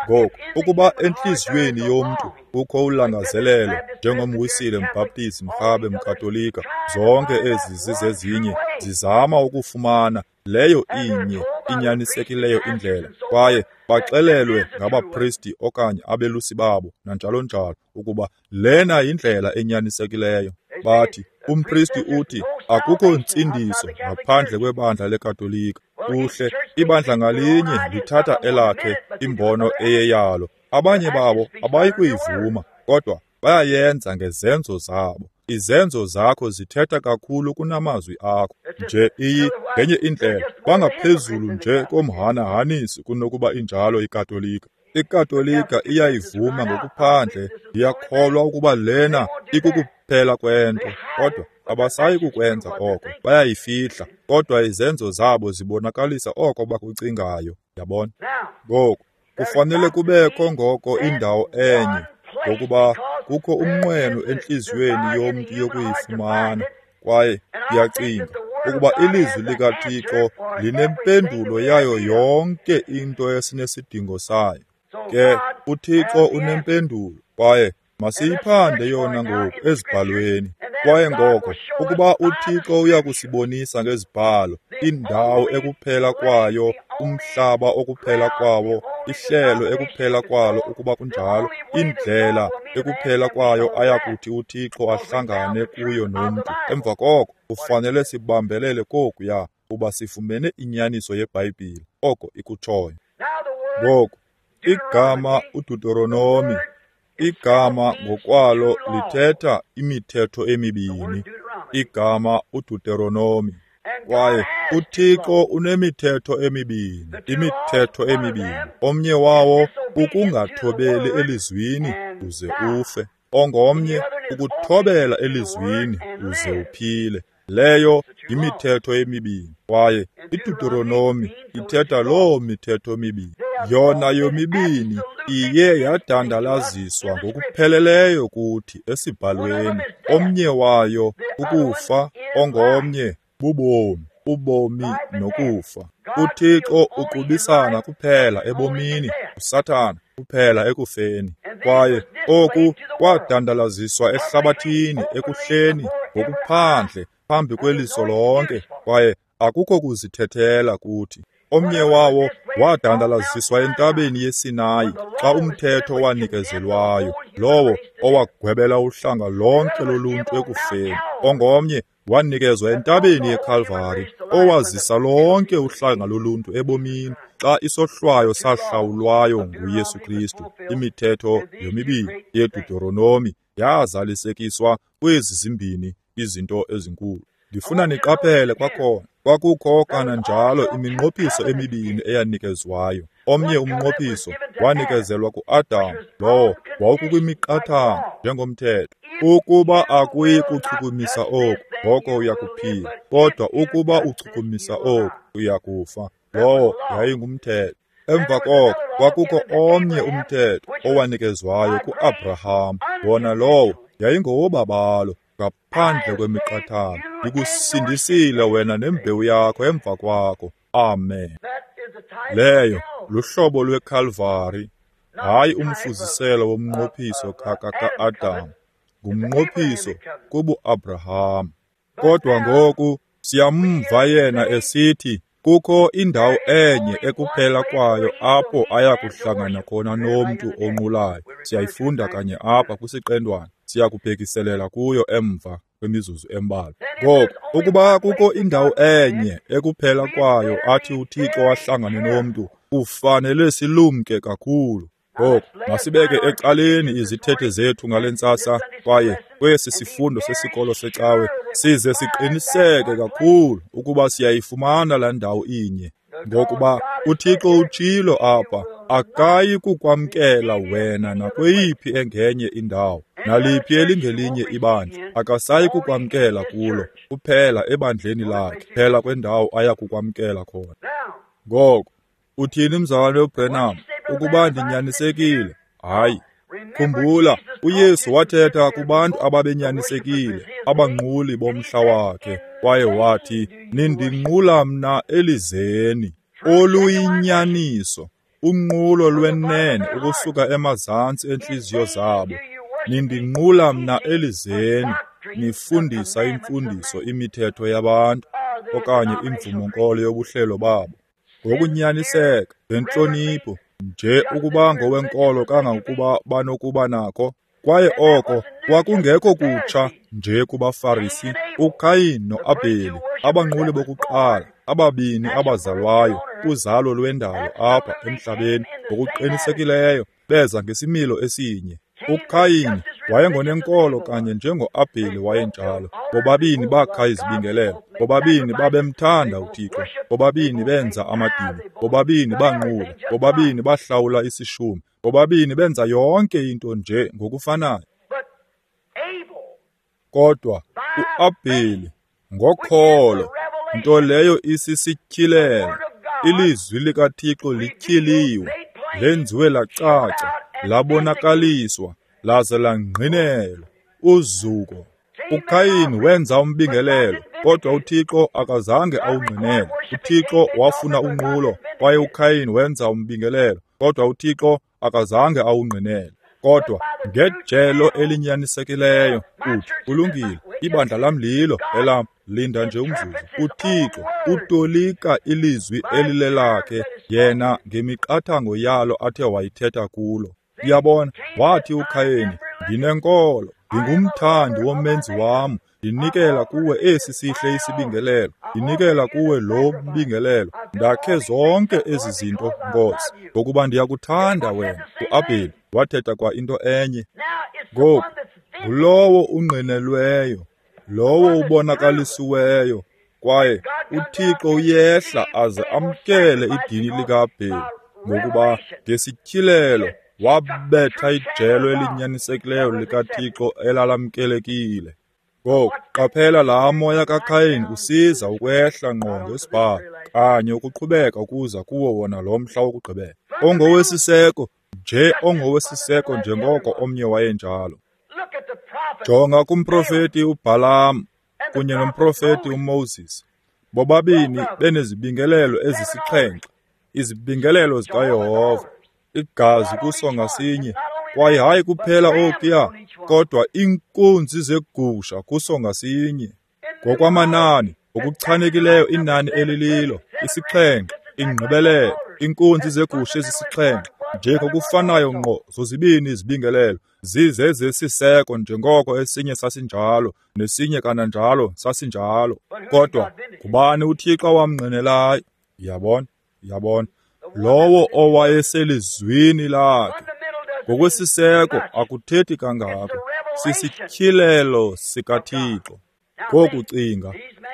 Ngoku, ukuba entliziyweni yomntu kukho ulangazelelo, njengomWisile, mBhaptizi, mRhabe, mKatolika, zonke ezi zizezinye zizama ukufumana leyo inye inyanisekileyo indlela, kwaye baxelelwe ngabapristi okanye abelusi babo nanjalo njalo ukuba lena yindlela enyanisekileyo. Bathi, umpristi uthi akukho ntsindiso ngaphandle kwebandla leKatolika. Kuhle, ibandla ngalinye lithatha elakhe imbono eyeyalo. Abanye babo abayi kuyivuma, kodwa bayayenza ngezenzo zabo. Izenzo zakho zithetha kakhulu kunamazwi akho. Nje iyi ngenye indlela, bangaphezulu nje komhanahanisi kunokuba injalo iKatolika. IKatolika iyayivuma ngokuphandle, ndiyakholwa ukuba lena ikukuphela kwento, kodwa abasayi kukwenza oko, bayayifihla, kodwa izenzo zabo zibonakalisa oko bakucingayo. Yabona? Ngoku, kufanele kubekho ngoko indawo enye, ngokuba kukho umnqweno entliziyweni yomntu yokuyifumana, kwaye ndiyacinga ukuba ilizwi likaThixo linempendulo yayo yonke into esinesidingo sayo. Ke uThixo unempendulo, kwaye masiyiphande yona ngoku ezibhalweni. Kwaye ngoko ukuba uThixo uyakusibonisa ngezibhalo indawo ekuphela kwayo, umhlaba okuphela kwawo, ihlelo ekuphela kwalo ukuba kunjalo, indlela ekuphela kwayo ayakuthi uThixo ahlangane kuyo nomntu, emva koko kufanele sibambelele kokuya kuba sifumene inyaniso yeBhayibhile, oko ikutshoyo. Ngoku, igama uDuteronomi, igama ngokwalo lithetha imithetho emibini, igama uDuteronomi. Kwaye uThixo unemithetho emibini, imithetho emibini. Omnye wawo ukungathobeli elizwini uze ufe, ongomnye ukuthobela elizwini uze uphile. Leyo yimithetho emibini, kwaye iDuteronomi ithetha loo mithetho mibini. Yona yomibini iye yadandalaziswa ngokupheleleyo kuthi esibhalweni. Omnye wayo ukufa, ongomnye bubomi, ubomi nokufa. UThixo uqubisana kuphela ebomini, uSathana kuphela ekufeni. Kwaye oku kwadandalaziswa ehlabathini ekuhleni ngokuphandle phambi kweliso lonke, kwaye akukho kuzithethela kuthi. Omnye wawo wadandalaziswa entabeni yeSinayi xa umthetho wanikezelwayo, lowo owagwebela uhlanga lonke loluntu ekufeni. Ongomnye wanikezwa entabeni yeKalvari, owazisa lonke uhlanga loluntu ebomini xa isohlwayo sahlawulwayo nguYesu Kristu. Imithetho yomibini yeDuteronomi yazalisekiswa kwezi zimbini izinto ezinkulu. Ndifuna niqaphele kwakhona, kwakukho kananjalo iminqophiso emibini eyanikezwayo. Omnye umnqophiso wanikezelwa kuAdam, lowo wawukukwimiqathango njengomthetho. Ukuba akuyi kuchukumisa oku, ngoko uyakuphila, kodwa ukuba uchukumisa oku, uyakufa. Lowo yayingumthetho. Emva koko kwakukho omnye umthetho owanikezwayo kuAbraham, wona lowo yayingowobabalo ngaphandle kwemiqathango. Ndikusindisile wena nembewu yakho emva kwakho. Amen. Leyo luhlobo lweKalvari, hayi umfuziselo womnqophiso ka-Adam, ngumnqophiso kubuAbraham. Kodwa ngoku siyamva yena esithi kukho indawo enye ekuphela kwayo apho ayakuhlangana khona nomntu onqulayo. Siyayifunda kanye apha kwisiqendwana, siyakubhekiselela kuyo emva kwemizuzu embalwa. Ngoko ukuba kukho indawo enye ekuphela kwayo athi uThixo ahlangane nomntu, kufanele silumke kakhulu. Ngoku masibeke ecaleni izithethe zethu ngale ntsasa, kwaye kwesi sifundo sesikolo secawe size siqiniseke kakhulu ukuba siyayifumana laa ndawo inye. Ngokuba uThixo utshilo apha, akayi kukwamkela wena nakweyiphi engenye indawo, naliphi elingelinye ibandla, akasayi kukwamkela kulo, kuphela ebandleni lakhe, phela kwendawo aya kukwamkela khona. Ngoko uthini mzalwane uBranham? Ukuba ndinyanisekile, hayi. Khumbula, uYesu wathetha kubantu ababenyanisekile, abanquli bomhla wakhe, kwaye wathi, "Nindinqula mna elizeni." Oluyinyaniso, unqulo lwenene ukusuka emazantsi entliziyo zabo. Nindinqula mna elizeni, nifundisa imfundiso imithetho yabantu, okanye imvumo-nkolo yobuhlelo babo. Ngokunyaniseka, ngentlonipho, nje ukuba ngowenkolo kangangokuba banokuba nako. Kwaye oko kwakungekho kutsha nje kubaFarisi, uKayin noAbheli, abanquli bokuqala, ababini abazalwayo kuzalo lwendalo apha emhlabeni, ngokuqinisekileyo beza ngesimilo esinye. uKayin wayengonenkolo kanye njengoAbheli wayenjalo. Bobabini bakha izibingelelo, bobabini babemthanda uThixo, bobabini benza amadini, bobabini banqula, bobabini bahlawula isishumi, bobabini benza yonke into nje ngokufanayo. Kodwa uAbheli ngokholo, nto leyo isisityhilelo, ilizwi likaThixo lityhiliwe, lenziwe lacaca, labonakaliswa, laze langqinelwa. Uzuko! uKayin wenza umbingelelo, kodwa uThixo akazange awungqinele. uThixo wafuna unqulo, kwaye uKayin wenza umbingelelo, kodwa uThixo akazange awungqinele. Kodwa ngejelo elinyanisekileyo uthi, kulungile, ibandla lam lilo elam. Linda nje umzuzu. uThixo utolika ilizwi elilelakhe yena ngemiqathango yalo athe wayithetha kulo. Uyabona, wathi uKhayeni, ndinenkolo, ndingumthandi womenzi wam, ndinikela kuwe esi sihle isibingelelo, ndinikela kuwe lo mbingelelo, ndakhe zonke ezi zinto, Nkosi, ngokuba ndiyakuthanda wena. uAbheli wathetha kwa into enye. Ngoku ngulowo ungqinelweyo, lowo ubonakalisiweyo, kwaye uThixo uyehla aze amkele idini likaAbheli, ngokuba ngesityhilelo wabetha ijelo elinyanisekileyo likaThixo elalamkelekile. Ngoku qaphela laa moya kaKayin usiza ukwehla ngqo ngesibhalo, kanye ukuqhubeka ukuza kuwo wona lo mhla wokugqibela. Ongowesiseko, nje ongowesiseko njengoko omnye wayenjalo. Jonga kumprofeti uBhalaam kunye nomprofeti uMoses, bobabini benezibingelelo ezisixhenxe, izibingelelo zikaYehova, igazi kuso ngasinye, kwaye hayi kuphela okuya, kodwa iinkunzi zegusha kuso ngasinye. Ngokwamanani, ngokuchanekileyo inani elililo, isixhenxe, ingqibelelo, iinkunzi zegusha ezisixhenxe, nje ngokufanayo ngqo zozibini izibingelelo, zizezesiseko njengoko esinye sasinjalo, nesinye kananjalo sasinjalo. Kodwa ngubani uThixo awamngqinelayo? Yabona, yabona, lowo owayeselizwini lakhe. Ngokwesiseko akuthethi kangako, sisityhilelo sikaThixo. Ngoku cinga,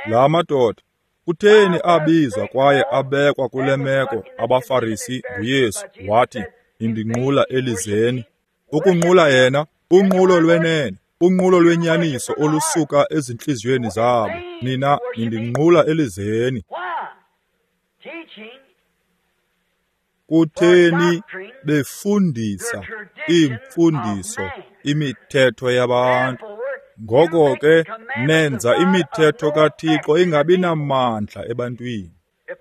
la madoda, kutheni abizwa kwaye abekwa kule meko abaFarisi nguYesu wathi, "Nindinqula elizeni." Ukunqula yena, unqulo lwenene, unqulo lwenyaniso olusuka ezintliziyweni zabo. Nina nindinqula elizeni. Kutheni befundisa iimfundiso, imithetho yabantu? Ngoko ke nenza imithetho kaThixo ingabi namandla ebantwini.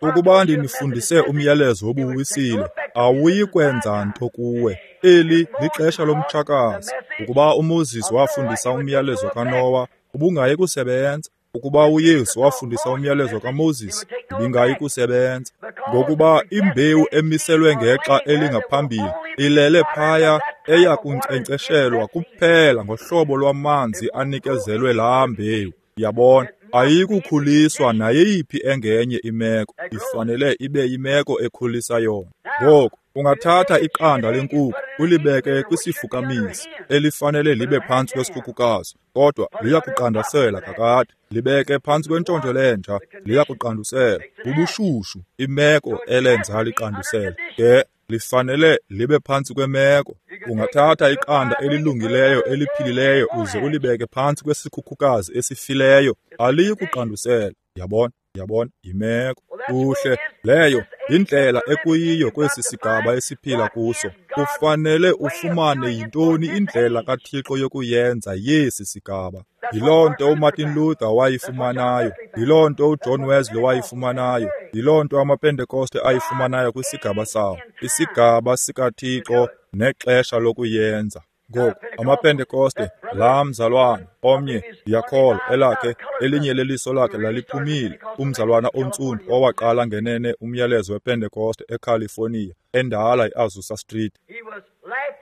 Ukuba ndinifundise umyalezo wobuwisile, awuyi kwenza nto kuwe. Eli lixesha lomtshakazi. Ukuba uMoses wafundisa umyalezo kaNowa, ubungayi kusebenza. Ukuba uYesu wafundisa umyalezo kaMoses, ibingayi kusebenza. Ngokuba imbewu emiselwe ngexa elingaphambili ilele phaya, eya kunkcenkceshelwa kuphela ngohlobo lwamanzi anikezelwe laa mbewu. Yabona, ayikukhuliswa nayeyiphi engenye imeko, ifanele ibe yimeko ekhulisa yona. Ngoku ungathatha iqanda lenkukhu ulibeke kwisifukamisi elifanele libe phantsi kwesikhukhukazi, kodwa liyakuqandasela kakade. Libeke phantsi kwentshontsho lenja, liyakuqandusela. Bubushushu imeko elenza liqandusele, ke lifanele libe phantsi kwemeko. Ungathatha iqanda elilungileyo eliphilileyo uze ulibeke phantsi kwesikhukhukazi esifileyo, aliyi kuqandusela. Yabona, yabona, yimeko. Kuhle, leyo Yindlela ekuyiyo kwesi sigaba esiphila kuso. Ufanele ufumane yintoni indlela kaThixo yokuyenza yesi sigaba. Yiloo nto uMartin Luther wayifumanayo, yiloo nto uJohn Wesley wayifumanayo, yiloo nto amaPentekoste ayifumanayo kwisigaba sawo, isigaba sikaThixo nexesha lokuyenza. Ngoku, amaPentekoste, laa mzalwana omnye, ndiyakholwa, elakhe elinye leliso lakhe laliphumile, umzalwana ontsundu owaqala ngenene umyalezo wePentekoste eCalifornia, endala iAzusa Street.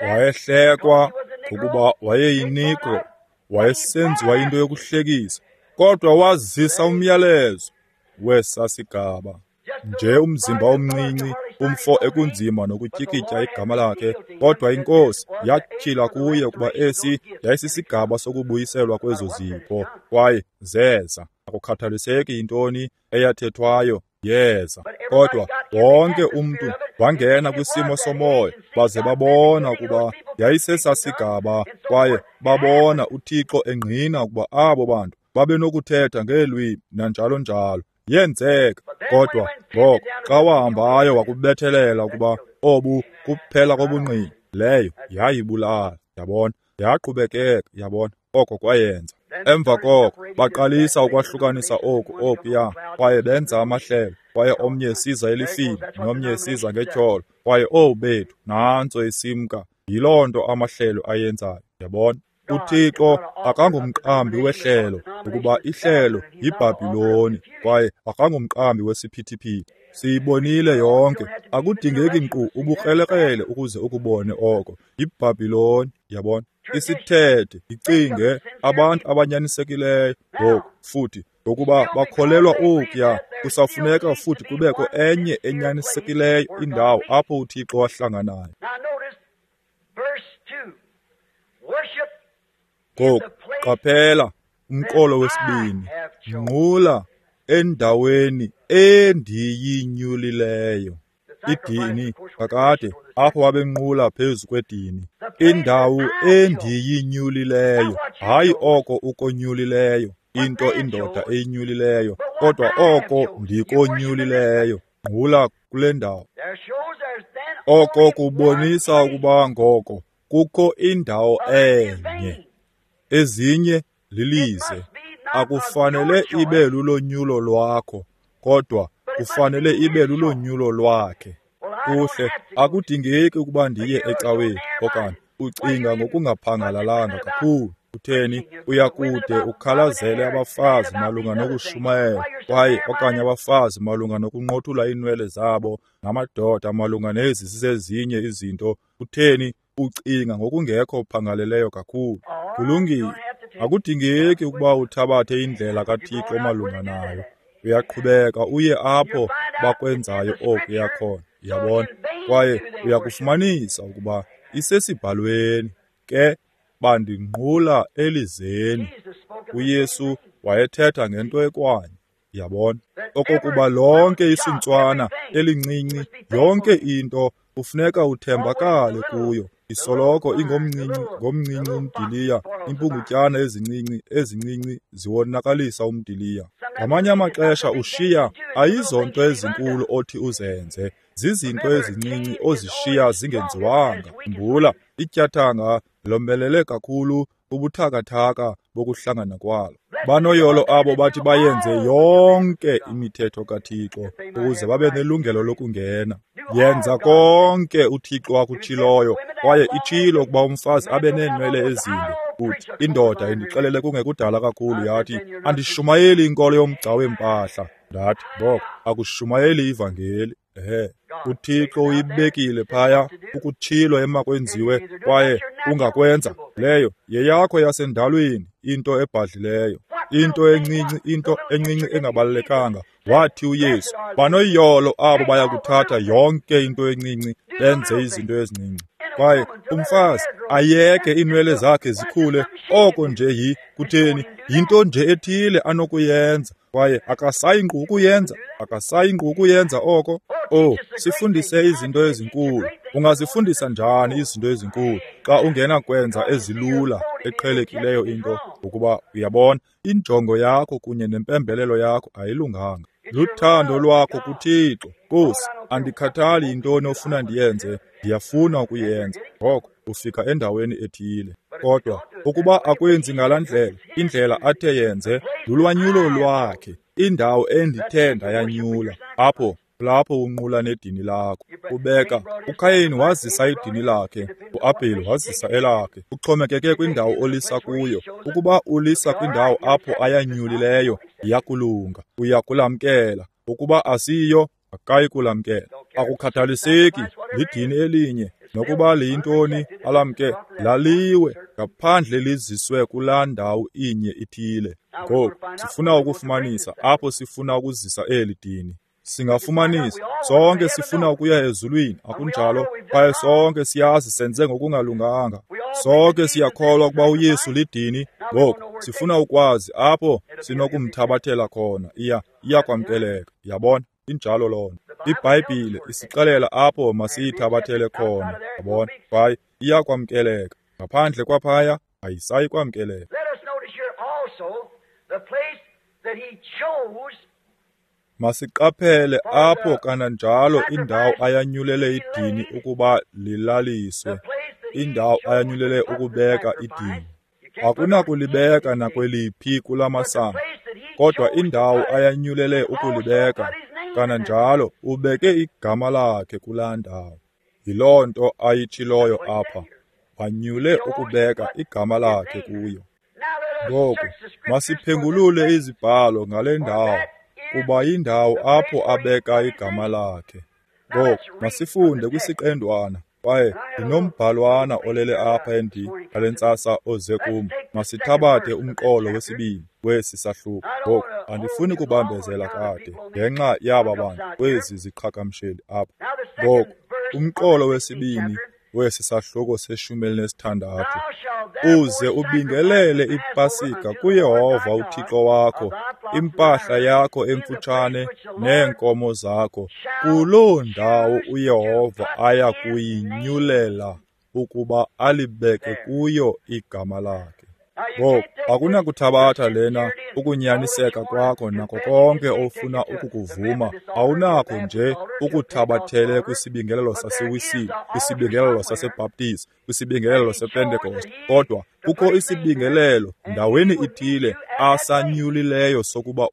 Wayehlekwa ngokuba wayeyiNegro, wayesenziwa into yokuhlekisa, kodwa wazisa umyalezo wesa sigaba. Nje umzimba omncinci, umfo ekunzima nokutyikitya igama lakhe, kodwa iNkosi yatyhila kuye ukuba esi yayisisigaba sokubuyiselwa kwezo zipho, kwaye zeza. Akukhathaliseki yintoni eyathethwayo, yeza. Kodwa wonke umntu wangena kwisimo somoya, baze babona ukuba yayisesasigaba, kwaye babona uThixo engqina ukuba abo bantu babenokuthetha ngeelwimi nanjalo njalo. Yenzeka. Kodwa ngoko xa wahambayo wakubethelela ukuba obu kuphela kobungqina, leyo yayibulala, yabona, yaqhubekeka, yabona, oko kwayenza. Emva koko baqalisa ukwahlukanisa oku okuya, kwaye benza amahlelo, kwaye omnye esiza elifini nomnye esiza ngetyholo, kwaye owu bethu, nantso isimka. Yiloo nto amahlelo ayenzayo, yabona. UThixo akangumqambi wehlelo, ukuba ihlelo yiBhabhiloni, kwaye akangumqambi wesiphithiphithi. Siyibonile yonke. Akudingeki nkqu ubukrelekrele ukuze ukubone oko. YiBhabhiloni, yabona. Isithethe, icinge, abantu abanyanisekileyo ngoku, futhi ngokuba bakholelwa okuya, kusafuneka futhi kubekho enye enyanisekileyo indawo apho uThixo wahlanganayo. Ngoku qaphela umqolo wesibini, nqula endaweni endiyinyulileyo. Idini kakade, apho babenqula phezu kwedini. Indawo endiyinyulileyo, hayi oko ukonyulileyo, into indoda eyinyulileyo, kodwa oko ndikonyulileyo. Nqula kule ndawo. Oko kubonisa ukuba ngoko kukho indawo enye, ezinye lilize. Akufanele ibe lulonyulo lwakho, kodwa kufanele ibe lulonyulo lwakhe. Kuhle, akudingeki ukuba ndiye ecaweni, okanye ucinga ngokungaphangalalanga kakhulu. Utheni, uyakude ukhalazele abafazi malunga nokushumayela, kwaye okanye abafazi malunga nokunqothula iinwele zabo, namadoda malunga nezi zizezinye izinto. Utheni, ucinga ngokungekho phangaleleyo kakhulu. Kulungile, akudingeki ukuba uthabathe indlela kaThixo malunga nayo. Uyaqhubeka uye apho bakwenzayo okuya khona, yabona, kwaye uyakufumanisa ukuba isesibhalweni. Ke bandinqula elizeni. UYesu wayethetha ngento ekwanye, yabona, okokuba lonke isuntswana elincinci, yonke into kufuneka uthembakale kuyo. Isoloko ingomncinci ngomncinci umdiliya, impungutyana ezincinci ezincinci ziwonakalisa umdiliya. Ngamanye amaxesha ushiya ayizonto ezinkulu othi uzenze, zizinto ezincinci ozishiya zingenziwanga. Khumbula, ityathanga lomelele kakhulu ubuthakathaka bokuhlangana kwalo. Banoyolo abo bathi bayenze yonke imithetho kaThixo ukuze babe nelungelo lokungena. Yenza konke uThixo akutshiloyo, kwaye itshilo ukuba umfazi abe neenwele ezinde. Uthi indoda indixelele kungekudala kakhulu, yathi andishumayeli inkolo yomgca weempahla. Ndathi ngoko akushumayeli ivangeli. Ehe, uThixo uyibekile phaya, ukutshilo emakwenziwe, kwaye ungakwenza. Leyo yeyakho yasendalweni, into ebhadlileyo, into encinci, into encinci engabalulekanga. Wathi uYesu, banoyolo abo bayakuthatha yonke into encinci benze izinto ezincinci. Kwaye umfazi ayeke iinwele zakhe zikhule, oko nje yi kutheni, yinto nje ethile anokuyenza, kwaye akasayi nkqu ukuyenza, akasayi nkqu ukuyenza oko. Oh, sifundise izinto ezinkulu. Ungazifundisa njani izinto ezinkulu xa ungenakwenza ezilula eqhelekileyo into? Ukuba uyabona, injongo yakho kunye nempembelelo yakho ayilunganga. Luthando lwakho kuThixo. Nkosi, andikhathali yintoni ofuna ndiyenze, ndiyafuna ukuyenza. Ngoko ufika endaweni ethile. Kodwa ukuba akwenzi ngalaa ndlela, indlela athe yenze, lulwanyulo lwakhe, indawo endithe ndayanyula. Apho lapho unqula nedini lakho. Ubeka uKhayini wazisa idini lakhe, uAbheli wazisa elakhe. Kuxhomekeke kwindawo olisa kuyo. Ukuba ulisa kwindawo apho ayanyulileyo, iyakulunga, uyakulamkela. Ukuba asiyo, akayi kulamkela. Akukhathaliseki lidini elinye nokuba liyintoni alamke, laliwe ngaphandle liziswe kulaa ndawo inye ithile. Ngoku sifuna ukufumanisa apho sifuna ukuzisa eli dini. Singafumanisa sonke sifuna ukuya ezulwini, akunjalo? Kwaye sonke siyazi senze ngokungalunganga. Sonke siyakholwa ukuba uYesu lidini. Ngoku sifuna ukwazi apho sinokumthabathela khona. Iyakwamkeleka. Yabona, injalo loo nto. IBhayibhile isixelela apho masiyithabathele khona. Yabona, kwaye iyakwamkeleka. Ngaphandle kwaphaya ayisayi kwamkeleka. Masiqaphele apho kananjalo indawo ayanyulele idini ukuba lilaliswe, indawo ayanyulele ukubeka idini. Akunakulibeka nakweliphi kula masango, kodwa indawo ayanyulele ukulibeka, kananjalo ubeke igama lakhe kulaa ndawo. Yiloo nto ayitshiloyo apha, wanyule ukubeka igama lakhe kuyo. Ngoku masiphengulule izibhalo ngale ndawo, kuba yindawo apho abeka igama lakhe. Ngoku masifunde kwisiqendwana, kwaye ndinombhalwana olele apha ngale ntsasa oze kum. Masithabathe umqolo wesibini wesi sahluko. Ngoku andifuni kubambezela kade ngenxa yaba bantu kwezi ziqhagamsheli apha. Ngoku umqolo wesibini wesi sahluko se-16. Uze ubingelele iPasika kuYehova uThixo wakho, impahla yakho emfutshane neenkomo zakho, kuloo ndawo uYehova aya kuyinyulela ukuba alibeke kuyo igama lakhe. Ngoku akunakuthabatha lena ukunyaniseka kwakho nako konke ofuna ukukuvuma. Awunakho nje ukuthabathele kwisibingelelo saseWisile, kwisibingelelo saseBaptist, kwisibingelelo sePentecost, kodwa kukho isibingelelo ndaweni ithile asanyulileyo sokuba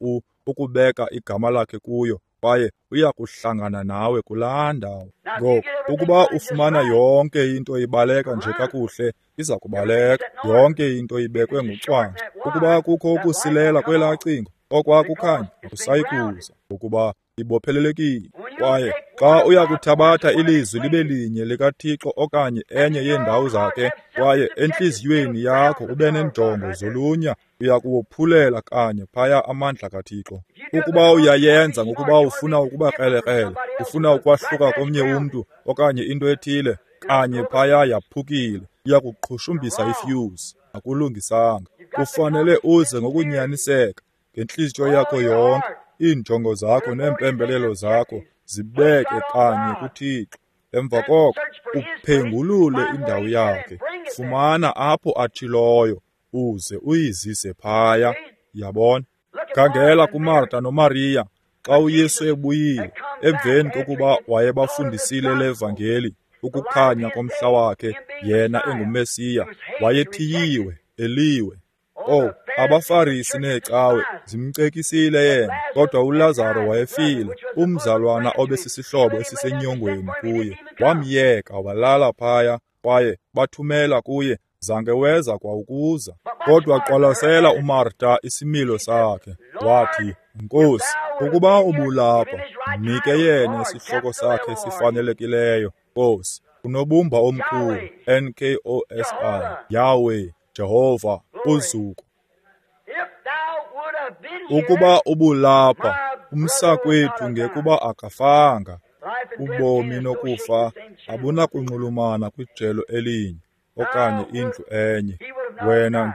ukubeka igama lakhe kuyo, kwaye uya kuhlangana nawe kulaa ndawo. Ngoku ukuba ufumana yonke into ibaleka nje kakuhle, iza kubaleka. Yonke into ibekwe ngocwangco. Ukuba kukho ukusilela kwelaa cingo, okwaa kukhanya akusayi kuza, ngokuba ibophelelekile. Kwaye xa uya kuthabatha ilizwi libe linye likaThixo okanye enye yeendawo zakhe, kwaye entliziyweni yakho ube nenjongo zolunya, uya kuwophulela kanye phaya amandla kaThixo. Ukuba uyayenza ngokuba ufuna ukuba krelekrele, ufuna ukwahluka komnye umntu okanye into ethile, kanye phaya yaphukile, iya kuqhushumbisa ifuse. Akulungisanga. Kufanele uze ngokunyaniseka ngentliziyo yakho yonke, iinjongo zakho neempembelelo zakho zibeke kanye kuThixo. Emva koko uphengulule indawo yakhe, fumana apho atshiloyo, uze uyizise phaya. Yabona? Khangela kuMarta noMariya xa uYesu ebuyile emveni kokuba wayebafundisile le vangeli, ukukhanya komhla wakhe, yena enguMesiya, wayethiyiwe, eliwe. Oh, abaFarisi neecawe zimcekisile yena, kodwa uLazaro wayefile, umzalwana obesisihlobo esisenyongweni kuye. Wamyeka walala phaya, kwaye bathumela kuye, zange weza kwa ukuza. Kodwa qwalasela uMarta isimilo sakhe, wathi, Nkosi, ukuba ubulapha, mnike yena isihloko sakhe esifanelekileyo. Nkosi, unobumba omkhulu, Nkosi, Yahweh, Jehova, uzuko. Ukuba ubulapha, umsakwethu ngekuba akafanga. Ubomi nokufa abunakunxulumana kwijelo elinye okanye indlu enye. Wena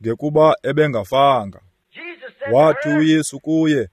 ngekuba ebengafanga. Wathi uYesu kuye,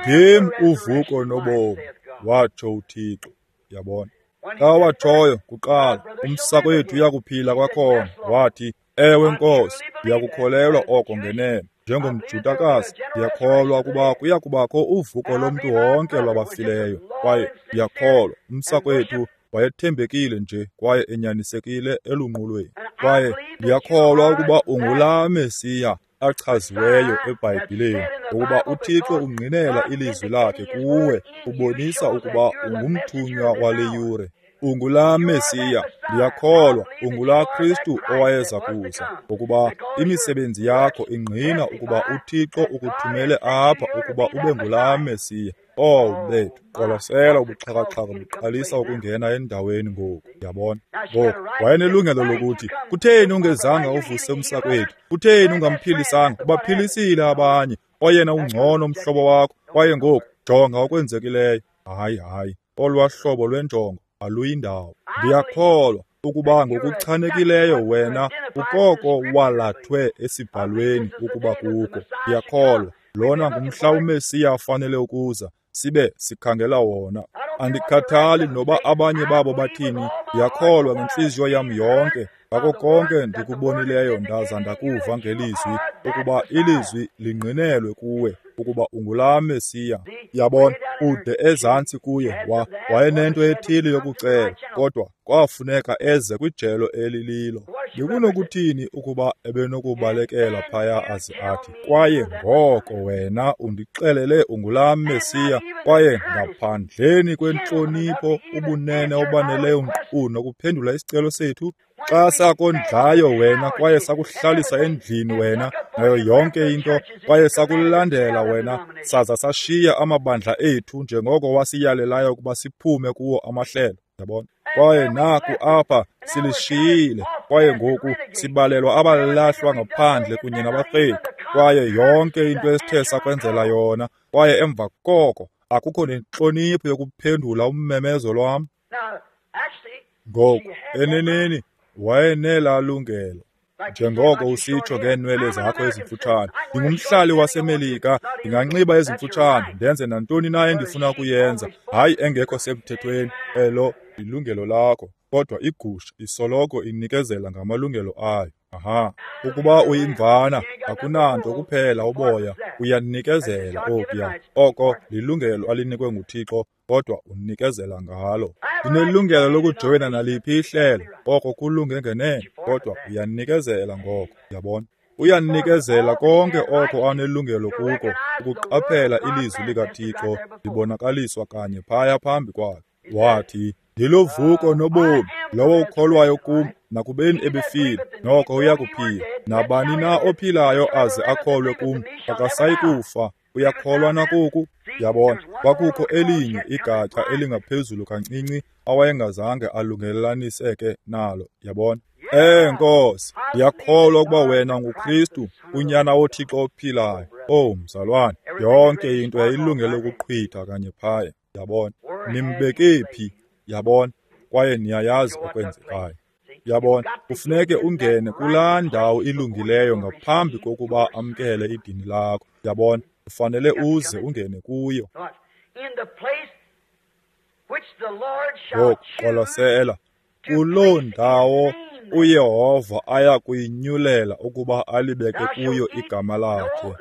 Ndim uvuko nobomi, watsho uThixo. Yabona? Xa watshoyo kuqala, umsakwethu uyakuphila kwakhona. Wathi, Ewe Nkosi, ndiyakukholelwa oko ngenene. NjengomJudakazi, ndiyakholwa ukuba kuya kubakho uvuko lomntu wonke lwabafileyo. Kwaye ndiyakholwa umsakwethu wayethembekile nje kwaye enyanisekile elunqulweni. Kwaye ndiyakholwa ukuba ungulaa Mesiya achaziweyo eBhayibhileni, ukuba uThixo ungqinela ilizwi lakhe kuwe, ubonisa ukuba ungumthunywa wale yure. Ungulaa Mesiya, ndiyakholwa ungulaa Kristu owayeza kuza, ngokuba imisebenzi yakho ingqina ukuba uThixo ukuthumele apha ukuba ube ngulaa Mesiya. Oh bethu, qwalasela ubuxhakaxhaka buqalisa ukungena endaweni ngoku, yabona. Ngoku wayenelungelo lokuthi, kutheni ungezanga uvuse umsakwethu? Kutheni ungamphilisanga? Ubaphilisile abanye, oyena ungcono umhlobo wakho. Kwaye ngoku jonga okwenzekileyo. Hayi, hayi, olwaa hlobo lwenjongo aluyindawo. Ndiyakholwa ukuba ngokuchanekileyo wena ukoko walathwe esibhalweni ukuba kukho. Ndiyakholwa lona ngumhla uMesiya afanele ukuza, sibe sikhangela wona. Andikhathali noba abanye babo bathini, ndiyakholwa ngentliziyo yam yonke ngako konke ndikubonileyo ndaza ndakuva ngelizwi, ukuba ilizwi lingqinelwe kuwe ukuba ungulaa Mesiya. Yabona, ude ezantsi kuye wayenento ethile yokucela, kodwa kwafuneka eze kwijelo elililo. Bekunokuthini ukuba ebenokubalekela phaya aze athi, kwaye ngoko wena undixelele ungulaa Mesiya, kwaye ngaphandleni kwentlonipho ubunene obaneleyo nkqu nokuphendula isicelo sethu? Xa sakondlayo wena kwaye sakuhlalisa endlini wena nayo yonke into, kwaye sakulandela wena saza sashiya amabandla ethu njengoko wasiyalelayo ukuba siphume kuwo amahlelo, yabona. Kwaye naku apha silishiyile, kwaye ngoku sibalelwa abalahlwa ngaphandle kunye nabarheqi, kwaye yonke into esithe sakwenzela yona, kwaye emva koko akukho nentlonipho yokuphendula ummemezo lwam. Ngoku eneneni wayenelaa lungelo, njengoko usitsho ngeenwele zakho ezimfutshane. Ndingumhlali waseMelika, ndinganxiba ezimfutshane, ndenze nantoni na endifuna ukuyenza, hayi engekho semthethweni. Elo lilungelo lakho, kodwa igusha isoloko inikezela ngamalungelo ayo. Aha, ukuba uyimvana akunanto kuphela uboya, uyanikezela okuya. Oko lilungelo alinikwe nguThixo, kodwa unikezela ngalo. Ndinelungelo lokujoyina naliphi ihlelo, oko kulunge ngenene, kodwa uyanikezela ngoko, yabona. Uyanikezela konke oko anelungelo kuko, ukuqaphela ilizwi likaThixo libonakaliswa kanye phaya phambi kwakhe. Wathi, ndiluvuko nobomi, lowo ukholwayo kum, nakubeni ebefile, noko uyakuphila. Nabani na ophilayo aze akholwe kum, akasayi kufa. Uyakholwa nakoku? Yabona, kwakukho elinye igatsha elingaphezulu kancinci awayengazange alungelelaniseke nalo, yabona. Nkosi, ndiyakholwa ukuba wena nguKristu, unyana woThixo ophilayo. Oh, mzalwane, yonke into yayilungele ukuqhwitha kanye phaya, yabona. Nimbeke phi, yabona, kwaye niyayazi okwenzekayo. Yabona, kufuneke ungene kulaa ndawo ilungileyo ngaphambi kokuba amkele idini lakho. Yabona, ufanele uze ungene kuyo. Ngoku qwalasela, kuloo ndawo uYehova aya kuyinyulela ukuba alibeke kuyo igama lakhe,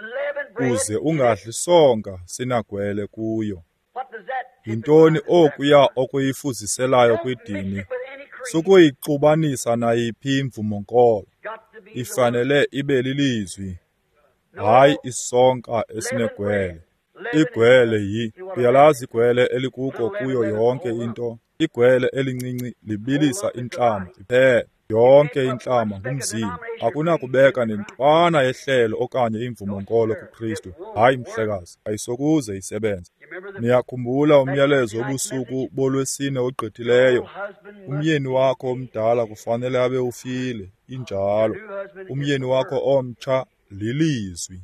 uze ungadli sonka sinagwele kuyo. Yintoni okuya okuyifuziselayo kwidini? Sukuyixubanisa nayiphi imvumo-nkolo. Ifanele ibe lilizwi, hayi isonka esinegwele. Igwele yi, uyalazi igwele elikuko kuyo yonke into. Igwele elincinci libilisa intlama iphela. Yonke intlama ngumzimba. Akunakubeka nentwana yehlelo okanye imvumo-nkolo kuKristu. Hayi mhlekazi, ayisokuze isebenze. Niyakhumbula umyalezo wobusuku bolwesine ogqithileyo? Umyeni wakho omdala kufanele abe ufile, injalo. Umyeni wakho omtsha lilizwi.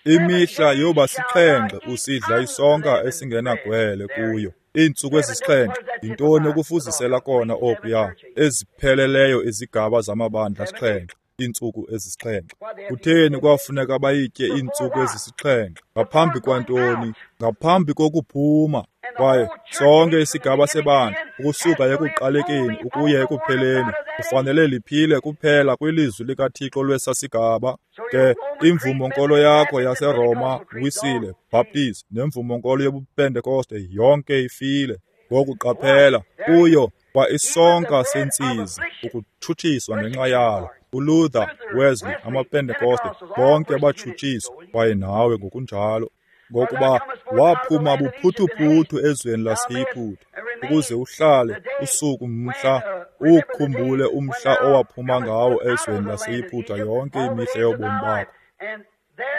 Imihla yoba sixhenxe usidla isonka esingenagwele kuyo. Iintsuku ezisixhenxe, yintoni okufuzisela kona okuya? Ezipheleleyo izigaba zamabandla sixhenxe. iintsuku ezisixhenxe. Kutheni kwafuneka bayitye iintsuku ezisixhenxe? Ngaphambi kwantoni? Ngaphambi kokuphuma. Kwaye sonke isigaba sebandla, ukusuka ekuqalekeni ukuya ekupheleni, kufanele liphile kuphela kwilizwi likaThixo lwesa sigaba. Ke imvumo-nkolo yakho yaseRoma, Wisile, Baptist nemvumo-nkolo yobuPentekoste yonke ifile. Ngoku qaphela, kuyo kwa isonka sentsizi, ukutshutshiswa ngenxa yalo. uLuther, Wesley, amaPentekoste, bonke batshutshiswa, kwaye nawe ngokunjalo. Ngokuba waphuma buphuthuphuthu ezweni laseYiputa, ukuze uhlale usuku mhla, uwukhumbule umhla owaphuma ngawo ezweni laseYiputa yonke imihla yobomi bakho.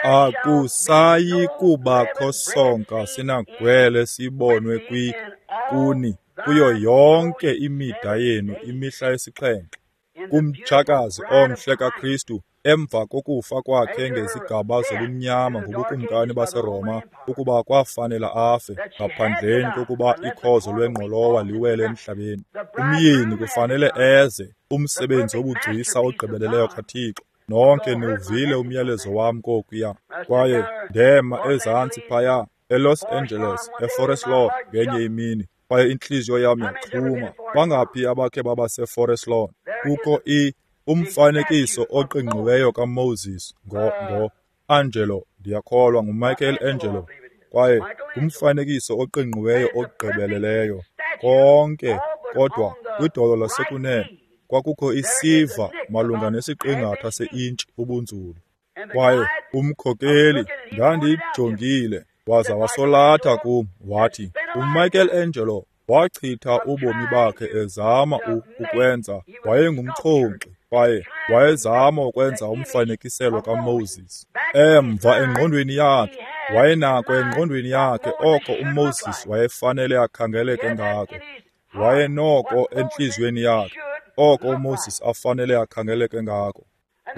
Akusayi kubakho sonka sinagwele sibonwe kuni kuyo yonke imida yenu imihla esixhenxe. Kumtshakazi omhle kaKristu, emva kokufa kwakhe ngezigaba zobumnyama ngobukumkani baseRoma, ukuba kwafanela afe ngaphandleni kokuba ikhozo lwengqolowa liwele emhlabeni. Umyeni kufanele eze, umsebenzi wobugcisa ogqibeleleyo kaThixo. Nonke niwuvile umyalezo wam kokuya. Kwaye ndema ezantsi phaya eLos Angeles, eForest Lawn ngenye imini, kwaye intliziyo yam yaxhuma. Bangaphi abakhe baba seForest Lawn? Kukho umfanekiso oqingqiweyo kaMoses ngo-Angelo, ndiyakholwa nguMichael Angelo, kwaye ngumfanekiso oqingqiweyo ogqibeleleyo konke, kodwa kwidolo lasekunene kwakukho isiva malunga nesiqingatha se-intshi ubunzulu. Kwaye umkhokeli, ndandiyijongile, waza wasolatha kum wathi, uMichael Angelo wachitha ubomi bakhe ezama ukwenza, wayengumxhonkxi kwaye wayezama ukwenza umfanekiselo kaMoses. Emva engqondweni yakhe, wayenako engqondweni yakhe oko uMoses wayefanele akhangeleke ngako. Wayenoko entliziyweni yakhe oko uMoses afanele akhangeleke ngako.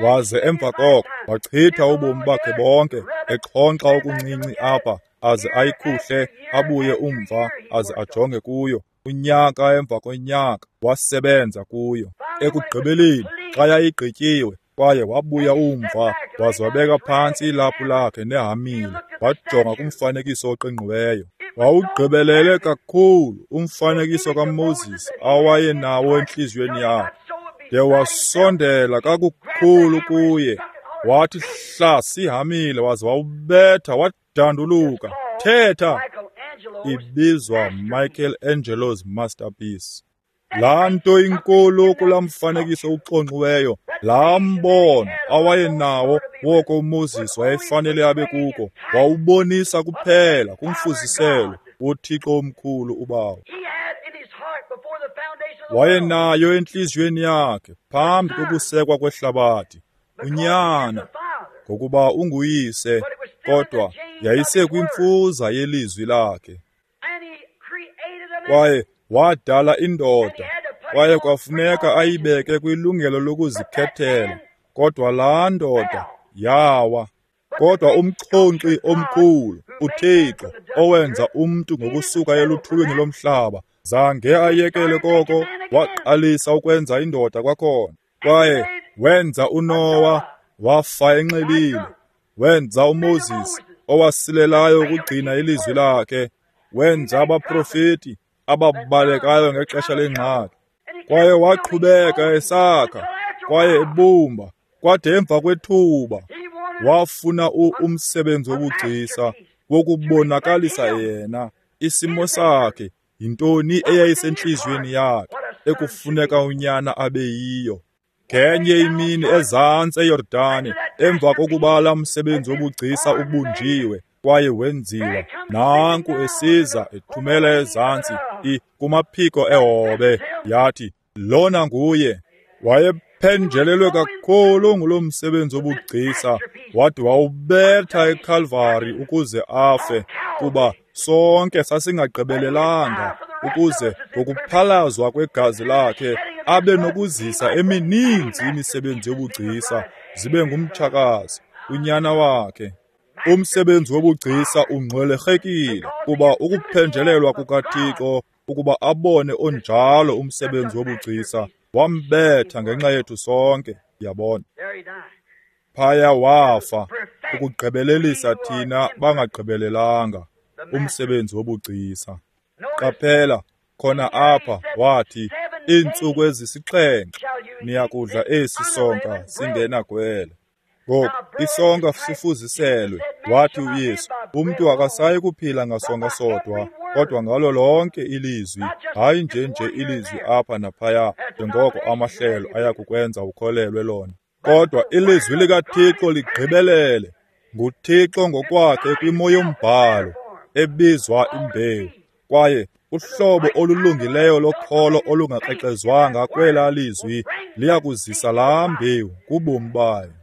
Waze emva koko wachitha ubomi bakhe bonke exhonkxa okuncinci apha, aze ayikhuhle, abuye umva, aze ajonge kuyo. Unyaka emva konyaka wasebenza kuyo. Ekugqibeleni xa yayigqityiwe, kwaye wabuya umva, waze wabeka phantsi ilaphu lakhe nehamile, wajonga kumfanekiso oqingqiweyo. Wawugqibelele kakhulu umfanekiso kaMoses awayenawo entliziyweni yakhe, de wasondela kakukhulu kuye, wathi hla ihamile, waze wawubetha wadanduluka, thetha. Ibizwa Michael Angelo's masterpiece. Laa nto inkulu kulaa mfanekiso uxonxiweyo, laa mbono awayenawo woko uMoses wayefanele abe kuko, wawubonisa kuphela kumfuziselo woThixo omkhulu uBawo. Wayenayo entliziyweni yakhe phambi kokusekwa kwehlabathi uNyana, ngokuba unguyise, kodwa yayisekwimfuza yelizwi lakhe. Kwaye wadala indoda, kwaye kwafuneka ayibeke kwilungelo lokuzikhethela, kodwa laa ndoda yawa. Kodwa umxhonkxi omkhulu, uThixo, owenza umntu ngokusuka eluthulwini lomhlaba, zange ayekele koko, waqalisa ukwenza indoda kwakhona. Kwaye wenza uNowa, wafa enxilile. Wenza uMoses, owasilelayo ukugcina ilizwi lakhe. Wenza abaprofeti ababalekayo ngexesha lengxaki. Kwaye waqhubeka esakha, kwaye ebumba, kwade emva kwethuba wafuna umsebenzi wobugcisa wokubonakalisa yena isimo sakhe, yintoni eyayisentliziyweni yakhe ekufuneka unyana abe yiyo. Ngenye imini ezantsi eYordani, emva kokuba laa msebenzi wobugcisa ubunjiwe kwaye wenziwa, nanku esiza ethumela ezantsi kumaphiko ehobe, yathi, lona nguye. Wayephenjelelwe kakhulu ngulo msebenzi wobugcisa, wade wawubetha eKalvari ukuze afe, kuba sonke sasingagqibelelanga, ukuze ngokuphalazwa kwegazi lakhe abe nokuzisa emininzi imisebenzi yobugcisa zibe ngumtshakazi, unyana wakhe. Umsebenzi wobugcisa ungxwelerhekile, kuba ukuphenjelelwa kukaThixo ukuba abone onjalo umsebenzi wobugcisa wambetha ngenxa yethu sonke. Yabona? Phaya wafa, ukugqibelelisa thina bangagqibelelanga, umsebenzi wobugcisa. Qaphela, khona apha wathi, iintsuku ezisixhenxe niyakudla esi sonka singenagwele. Ngoku, isonka sifuziselwe, wathi uYesu, umntu akasayi kuphila ngasonka sodwa, kodwa ngalo lonke ilizwi, hayi nje nje ilizwi apha naphaya, njengoko amahlelo ayakukwenza ukholelwe lona. Kodwa ilizwi likaThixo ligqibelele, nguThixo ngokwakhe kwimo yombhalo, ebizwa imbewu. Kwaye uhlobo olulungileyo lokholo olungakrexezwanga kwelaa lizwi liyakuzisa laa mbewu kubomi bayo.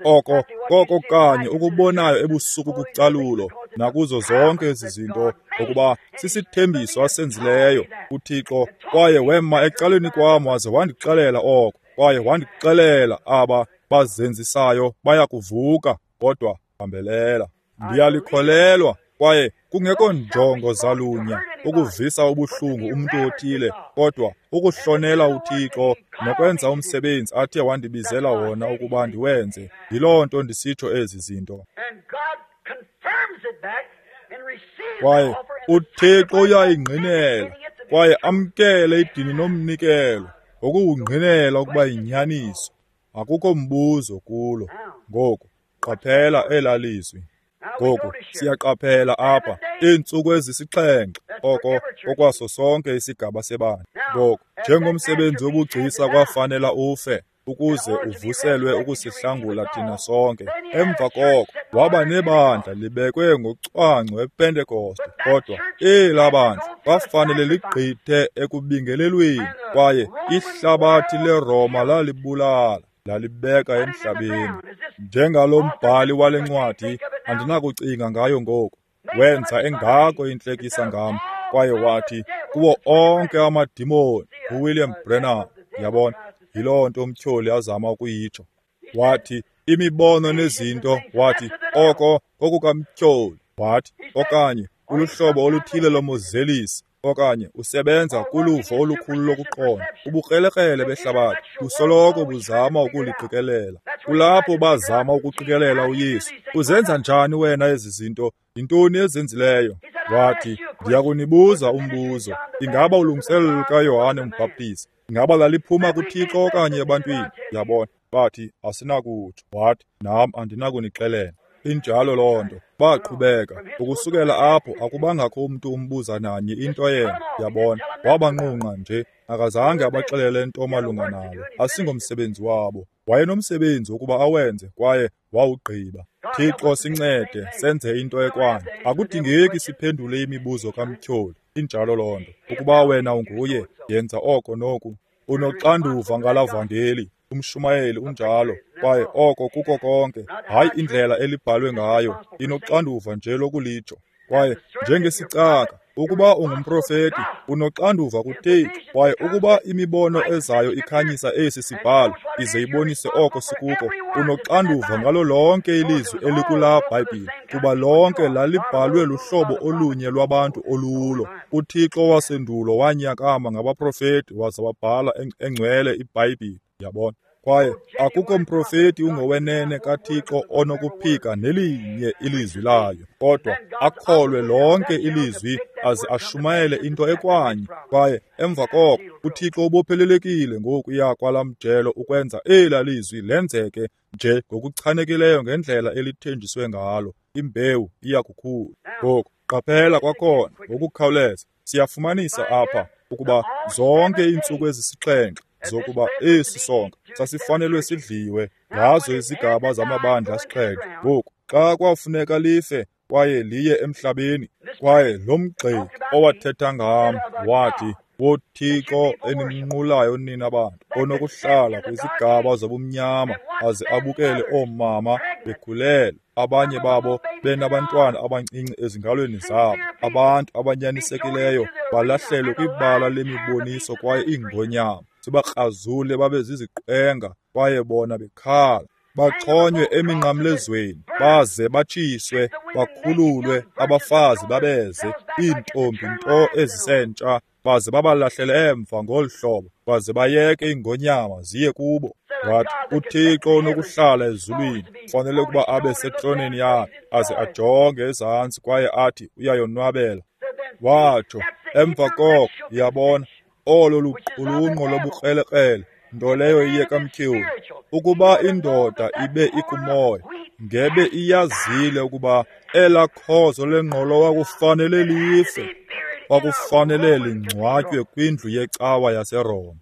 Oko koko kanye ukubonayo ebusuku kucalulo nakuzo zonke ezi zinto, ukuba sisithembiso asenzileyo uThixo. Kwaye wema ecaleni kwam waze wandixelela oko, kwaye wandixelela aba bazenzisayo bayakuvuka, kodwa bambelela. Ndiyalikholelwa, kwaye kungekho njongo zalunya ukuvisa ubuhlungu umntu othile, kodwa ukuhlonela uThixo nokwenza umsebenzi athe wandibizela wona ukuba ndiwenze. Yiloo nto ndisitsho ezi zinto. Kwaye uThixo uyayingqinela kwaye amkele idini nomnikelo ngokuwungqinela ukuba yinyaniso. Akukho mbuzo kulo. Ngoku qaphela elaa lizwi. Ngoku siyaqaphela apha iintsuku ezisixhenxe, oko okwaso sonke isigaba sebandla. Ngoku njengomsebenzi wobugcisa kwafanela ufe ukuze uvuselwe ukusihlangula thina sonke. Emva koko waba nebandla libekwe ngocwangco ePentekoste, kodwa elaa bandla kwafanele ligqithe ekubingelelweni, kwaye ihlabathi leRoma lalibulala, lalibeka emhlabeni. Njengalo mbhali wale ncwadi, andinakucinga ngayo ngoku, wenza engako intlekisa ngam, kwaye wathi kuwo onke amadimoni, uWilliam Branham. Yabona, yiloo nto umtyholi azama ukuyitsho. Wathi imibono nezinto, wathi oko kokukamtyholi, wathi okanye uluhlobo oluthile lomozelisi, okanye usebenza kuluvo olukhulu lokuqonda. Ubukrelekrele behlabathi busoloko buzama ukuliqikelela. Kulapho bazama ukuqikelela uYesu. Uzenza njani wena ezi zinto? Yintoni ezenzileyo? Wathi, ndiyakunibuza umbuzo. Ingaba ulungiselelo lukaYohane uMbhaptizi, ingaba laliphuma kuThixo okanye ebantwini? Yabona, bathi asinakutsho. Wathi, nam andinakunixelela. Injalo loo nto. Baqhubeka. Ukusukela apho akubangakho umntu umbuza nanye into yena. Yabona, wabanqunqa nje. Akazange abaxelele nto malunga nalo. Asingomsebenzi wabo. Wayenomsebenzi wokuba awenze kwaye wawugqiba. Thixo sincede senze into ekwayo. Akudingeki siphendule imibuzo kamtyholi. Injalo loo nto. Ukuba wena unguye, yenza oko noku. Unoxanduva ngalaa vangeli. Umshumayeli unjalo, kwaye oko kuko konke. Hayi indlela elibhalwe ngayo, inoxanduva nje lokulitsho. Kwaye njengesicaka, ukuba ungumprofeti, unoxanduva kuThixo. Kwaye ukuba imibono ezayo ikhanyisa esi sibhalo, ize ibonise oko sikuko, unoxanduva ngalo lonke ilizwi elikulaa Bhayibhile, kuba lonke lalibhalwe luhlobo olunye lwabantu olulo. UThixo wasendulo wanyakama ngabaprofeti waza wabhala engcwele iBhayibhile. Yabona? Kwaye akukho mprofeti ungowenene kaThixo onokuphika nelinye ilizwi layo, kodwa akholwe lonke ilizwi aze ashumayele into ekwanye. Kwaye emva koko uThixo ubophelelekile ngokuya kwalaa mjelo ukwenza elaa lizwi lenzeke nje ngokuchanekileyo ngendlela elithenjiswe ngalo. Imbewu iyakukhula. Ngoku qaphela kwakhona ngokukhawuleza, siyafumanisa apha ukuba zonke iintsuku ezisixhenxe zokuba esi sonka sasifanelwe sidliwe ngazo izigaba zamabandla asixhenxe. Ngoku xa kwafuneka life kwaye liye emhlabeni, kwaye lo mgxeki owathetha ngam wathi, woThixo enimnqulayo nina bantu, onokuhlala kwizigaba zobumnyama aze abukele oomama bekhulelwe, abanye babo benabantwana abancinci ezingalweni zabo, abantu abanyanisekileyo balahlelwe kwibala lemiboniso kwaye iingonyama zibakrazule babe ziziqwenga, kwaye bona bekhala, baxhonywe eminqamlezweni, baze batshiswe, bakhululwe, abafazi babeze, iintombi nto ezisentsha, baze babalahlele emva ngolu hlobo, baze bayeke iingonyama ziye kubo. Wathi, uThixo onokuhlala ezulwini ufanele ukuba abe setroneni yakhe aze ajonge ezantsi kwaye athi uyayonwabela. Watsho, emva koko, yabona, olo luqulunqo lobukrelekrele, nto leyo iye kamtyholi. Ukuba indoda ibe ikumoya, ngebe iyazile ukuba elaa khozo lengqolowa kufanele life, kwakufanele lingcwatywe kwindlu yecawa yaseRoma.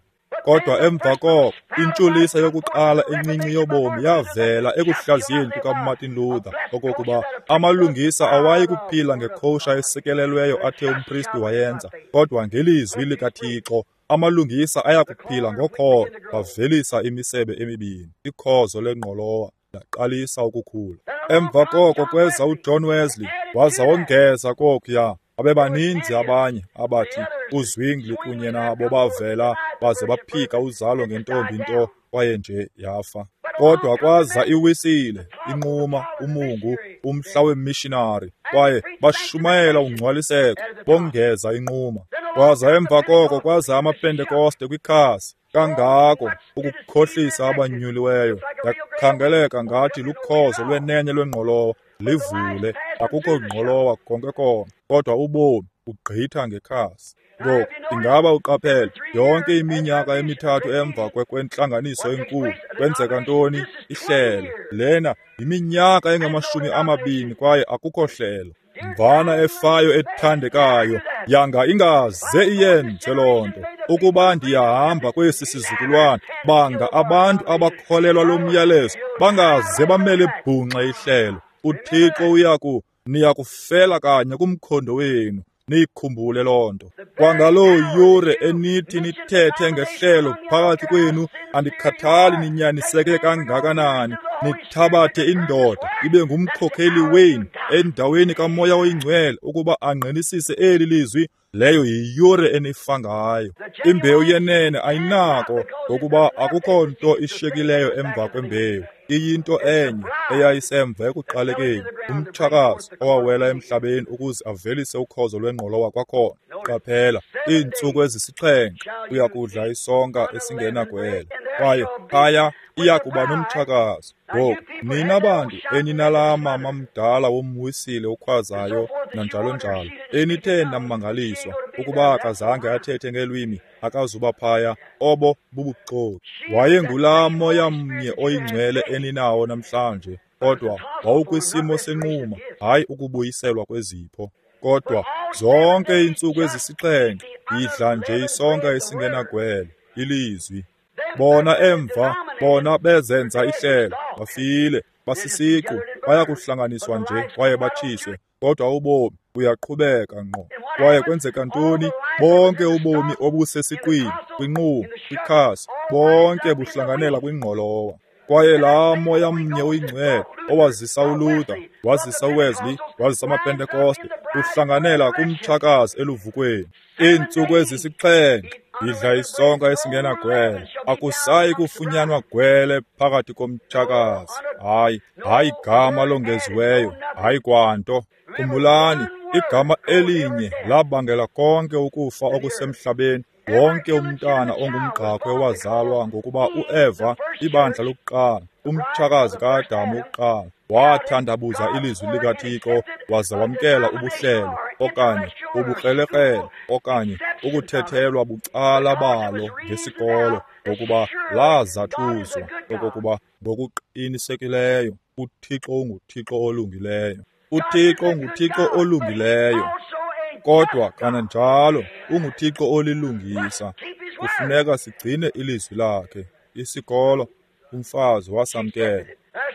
Kodwa emva koko, intshulisa yokuqala encinci yobomi yavela ekuhlaziyeni kukaMartin Luther okokuba amalungisa awayi kuphila ngekhosha esikelelweyo athe umpristi wayenza, kodwa ngelizwi likaThixo amalungisa ayakuphila ngokholo. Bavelisa imisebe emibini, ikhozo lengqolowa laqalisa ukukhula. Emva koko kweza uJohn Wesley, waza wongeza kokuya. Babebaninzi abanye abathi uZwingli kunye nabo bavela baze baphika uzalo ngentombi nto kwaye nje yafa. Kodwa kwaza iWisile, inquma, umungu, umhla wemishinari, kwaye bashumayela ungcwaliseko, bongeza inquma. Kwaza emva koko kwaza amaPentekoste kwikhasi, kangako ukukhohlisa abanyuliweyo. Yakhangeleka ngathi lukhozo lwenene lwengqolowa, livule, akukho ngqolowa konke konke, kodwa ubomi ugqitha ngekhasi. Ngoku, ingaba uqaphele, yonke iminyaka emithathu emva kwentlanganiso enkulu, kwenzeka ntoni? Ihlelo. Lena yiminyaka engama-20 kwaye akukho hlelo. Mvana efayo ethandekayo, yanga ingaze iyenze loo nto. Ukuba ndiyahamba kwesi sizukulwana, banga abantu abakholelwa lo myalezo bangaze bamele bhunxe ihlelo. UThixo niyakufela kanye kumkhondo wenu. Niyikhumbule loo nto. Kwangaloo yure enithi nithethe ngehlelo phakathi kwenu, andikhathali ninyaniseke kangakanani, nithabathe indoda ibe ngumkhokheli wenu endaweni kaMoya oyiNgcwele ukuba angqinisise eli lizwi, leyo yiyure enifa ngayo. Imbewu yenene ayinako, ngokuba akukho nto ishiyekileyo emva kwembewu. Iyinto enye eyayisemva ekuqalekeni, umtshakazi owawela emhlabeni ukuze avelise ukhozo lwengqolowa kwakhona. Qaphela, iintsuku ezisixhenxe uya kudla isonka esingenagwele, kwaye phaya iya kuba nomtshakazi. Ngoku, nina bantu eninalaa mama mdala womwisile ukhwazayo nanjalo njalo, enithe namangaliswa ukuba akazange athethe ngelwimi, akazuba phaya, obo bubuxoki. Wayengulaa moya mnye oyingcwele eninawo namhlanje, kodwa wawukwisimo senquma, hayi ukubuyiselwa kwezipho. Kodwa zonke iintsuku ezisixhenxe yidla nje isonka esingenagwele, ilizwi. Bona emva, bona bezenza ihlelo, bafile, basisiqu, bayakuhlanganiswa nje kwaye batshiswe, kodwa ubomi buyaqhubeka ngqo. Kwaye kwenzeka ntoni? Bonke ubomi obusesiqwini, kwinquma, kwikhasi, bonke buhlanganela kwingqolowa. Kwaye laa moya mnye oyingcwele owazisa uLuther, wazisa uWesley, wazisa amaPentekoste, uhlanganela kumtshakazi eluvukweni. Iintsuku ezisixhenxe yidla isonka esingenagwele, akusayi kufunyanwa gwele phakathi komtshakazi. Hayi, hayi gama longeziweyo, hayi kwanto. Khumbulani, igama elinye labangela konke ukufa okusemhlabeni. Wonke umntana ongumgqakhwe wazalwa ngokuba uEva, ibandla lokuqala, umtshakazi kaAdamu wokuqala, wathandabuza ilizwi likaThixo waza wamkela ubuhlelo okanye ubukrelekrele okanye ukuthethelwa bucala balo ngesikolo, ngokuba lazathuzwa okokuba ngokuqinisekileyo uThixo unguThixo olungileyo. UThixo unguThixo olungileyo, kodwa kananjalo unguThixo olilungisa. Kufuneka sigcine ilizwi lakhe. Isikolo, umfazi wasamkela.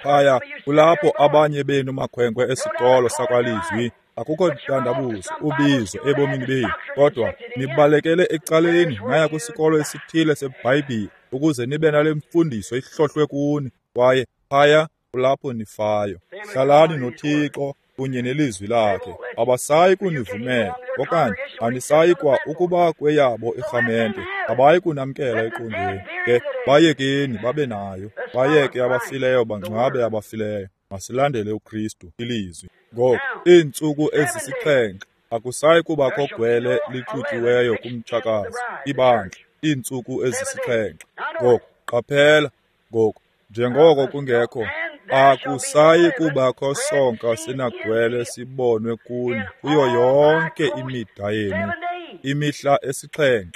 Phaya kulapho abanye benu makhwenkwe esikolo sakwalizwi, akukho ntandabuzo ubizo ebomini benu, kodwa nibalekele ecaleni naya kwisikolo esithile seBhayibhile ukuze nibe nale mfundiso ihlohlwe kuni, kwaye phaya kulapho nifayo. Hlalani noThixo kunye nelizwi lakhe. Abasayi kunivumela okanye anisayi kwa ukuba kweyabo irhamente, abayi kunamkela eqongeni. Ke bayekeni babe nayo, bayeke abafileyo bangcwabe abafileyo. Masilandele uKristu, ilizwi. Ngoku, iintsuku ezisixhenxe akusayi kubakho gwele lixutyiweyo kumtshakazi, ibandla, iintsuku ezisixhenxe. Ngoku qaphela, Ngoku, njengoko kungekho, akusayi kubakho sonka sinagwele sibonwe kuni kuyo yonke imida yenu, imihla 7.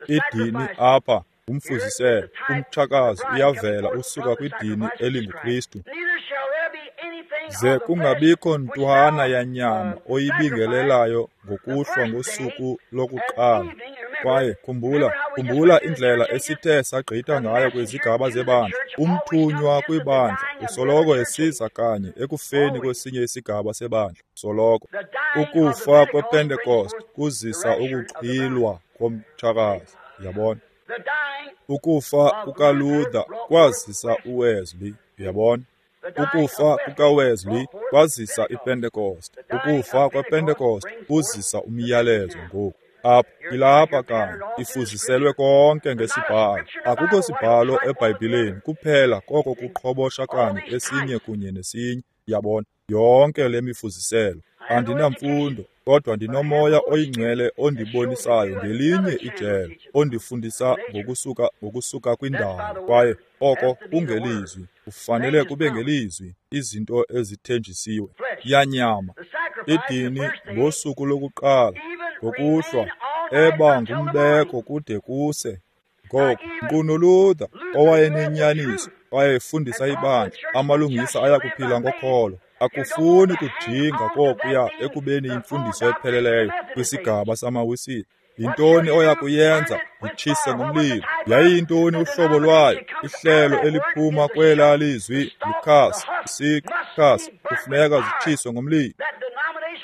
Idini apha ngumfuziselo, umtshakazi uyavela usuka kwidini elinguKristu. Ze kungabikho ntwana yanyama oyibingelelayo ngokuhlwa ngosuku lokuqala. Kwaye khumbula indlela esithe sagqitha ngayo kwizigaba zebandla. Umthunywa kwibandla usoloko esiza kanye ekufeni kwesinye isigaba sebandla, soloko. Ukufa kwePentecost kuzisa ukuxhilwa komtshakazi, yabona. Ukufa kukaLuther kwazisa uWesley, yabona. Ukufa kukaWesley kwazisa iPentecost. Ukufa kwePentecost kuzisa umyalezo ngoku. Apha ilapha kanye, ifuziselwe konke ngesibhalo. Akukho sibhalo eBhayibhileni kuphela koko kuqhobosha kanye esinye kunye nesinye, yabona. Yonke le mifuziselo. Andinamfundo, kodwa ndinoMoya oyiNgcwele ondibonisayo ngelinye ijelo, ondifundisa ngokusuka kwindalo, kwaye oko kungelizwi, kufanele kube ngelizwi, izinto ezithenjisiwe. Yanyama, idini ngosuku lokuqala, ngokuhlwa, eba ngumbeko kude kuse. Ngoku, nkqu noLuther, owayenenyaniso, wayefundisa ibandla, amalungisa ayakuphila ngokholo. Akufuni kujinga kokuya ekubeni yimfundiso epheleleyo kwisigaba samaWisile. Yintoni oya kuyenza? Yitshise ngomlilo. Yayiyintoni uhlobo lwayo? Ihlelo eliphuma kwelaa lizwi likhasi, isiqu, khasi, kufuneka zitshiswe ngomlilo.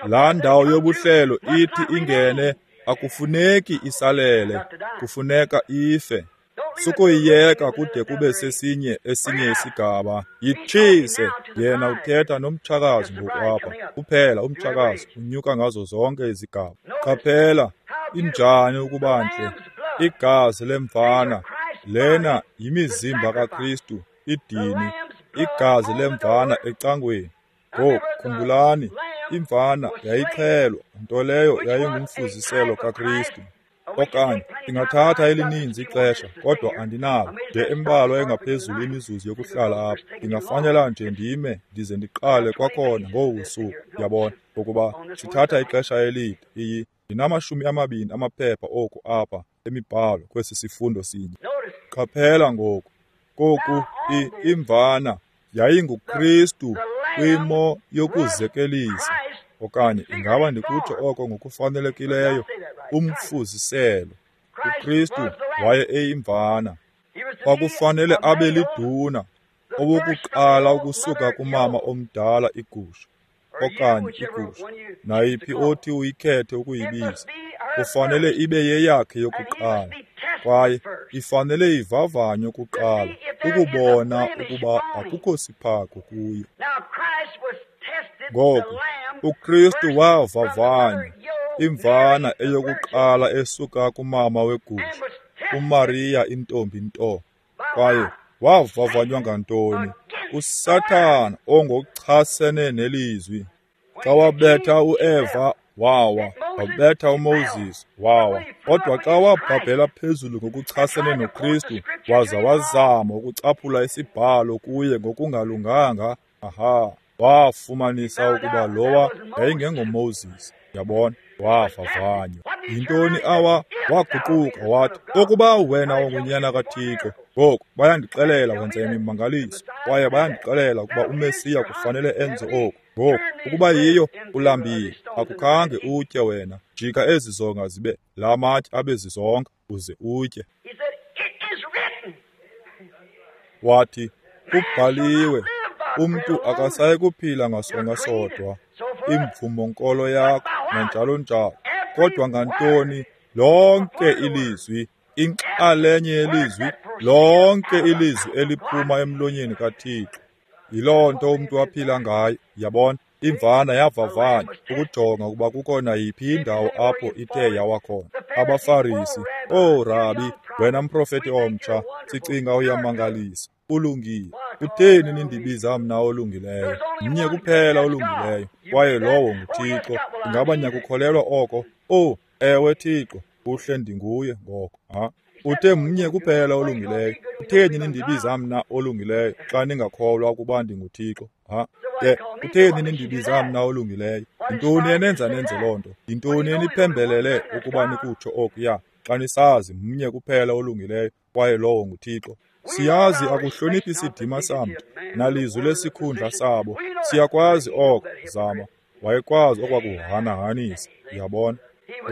Laa ndawo yobuhlelo ithi ingene, akufuneki isalele, kufuneka ife. Sukuyiyeka kude kube sesinye esinye isigaba. Yitshise. Yena uthetha nomtshakazi ngoku apha. Kuphela umtshakazi unyuka ngazo zonke izigaba. Qaphela, injani ukuba ntle. Igazi lemvana, lena yimizimba kaKristu, idini, igazi lemvana ecangweni. Ngoku khumbulani, imvana yayixhelwa, nto leyo yayingumfuziselo kaKristu. Okanye ndingathatha elininzi ixesha, kodwa andinalo nje embalwa engaphezulu imizuzu yokuhlala apha. Ndingafanela nje ndime ndize ndiqale kwakhona ngobu suku, yabona, ngokuba sithatha ixesha elide. Ndinama-20 amaphepha oku apha emibhalo kwesi sifundo sinye. Qaphela ngoku, koku imvana yayinguKristu kwimo yokuzekelisa, okanye ingaba ndikutsho oko ngokufanelekileyo, umfuziselo. uKristu waye eyimvana. Kwakufanele abe liduna, owokuqala ukusuka kumama omdala igusha, okanye igusha, nayiphi othi uyikhethe ukuyibiza, kufanele ibe yeyakhe yokuqala, kwaye ifanele ivavanywe kuqala ukubona ukuba akukho siphako kuyo. Ngoku, uKristu wavavanywa, imvana eyokuqala esuka kumama wegusha, uMariya intombi nto. Kwaye wavavanywa ngantoni? USathana ongochasene nelizwi. Xa wabetha uEva, wawa. Wabetha uMoses, wawa. Kodwa xa wabhabhela phezulu ngokuchasene noKristu, waza wazama ukucaphula isibhalo kuye ngokungalunganga, aha, wafumanisa ukuba lowa yayingengoMoses. Yabona, wavavanywa. Yintoni awa? Waguquka wathi, ukuba wena ungunyana kaThixo, ngoku bayandixelela wenza imimangaliso, kwaye bayandixelela ukuba uMesiya kufanele enze oku. Ngoku, ukuba yiyo, ulambile, akukhange utye wena. Jika ezi zonga zibe la matye abe zizonka, uze utye. Wathi, kubhaliwe, umntu akasayi kuphila ngasonka sodwa, imvumo-nkolo yakho, nanjalo njalo. Kodwa ngantoni? Lonke ilizwi, inxalenye yelizwi, lonke ilizwi eliphuma emlonyeni kaThixo. Yiloo nto umntu aphila ngayo, yabona. Imvana yavavanywa ukujonga ukuba kukho nayiphi indawo apho ithe yawa khona. AbaFarisi, "Oh Rabi, wena mprofeti omtsha, sicinga uyamangalisa, ulungile. Kutheni nindibiza mna olungileyo? Mnye kuphela olungileyo, kwaye lowo nguThixo. Ingaba niyakukholelwa oko? Oh, ewe Thixo, kuhle ndinguye ngoko." Ha? Uthe mnye kuphela olungileyo. Kutheni nindibiza mna olungileyo xa ningakholwa ukuba ndinguThixo? Ha? Ke kutheni nindibiza mna olungileyo? Yintoni enenza nenze loo nto? Yintoni eniphembelele ukuba nikutsho okuya xa nisazi mnye kuphela olungileyo kwaye lowo nguThixo? Siyazi akuhloniphi sidima samntu nalizwi lesikhundla sabo. Siyakwazi oko. Zama. Wayekwazi okwakuhanahanisa, yabona.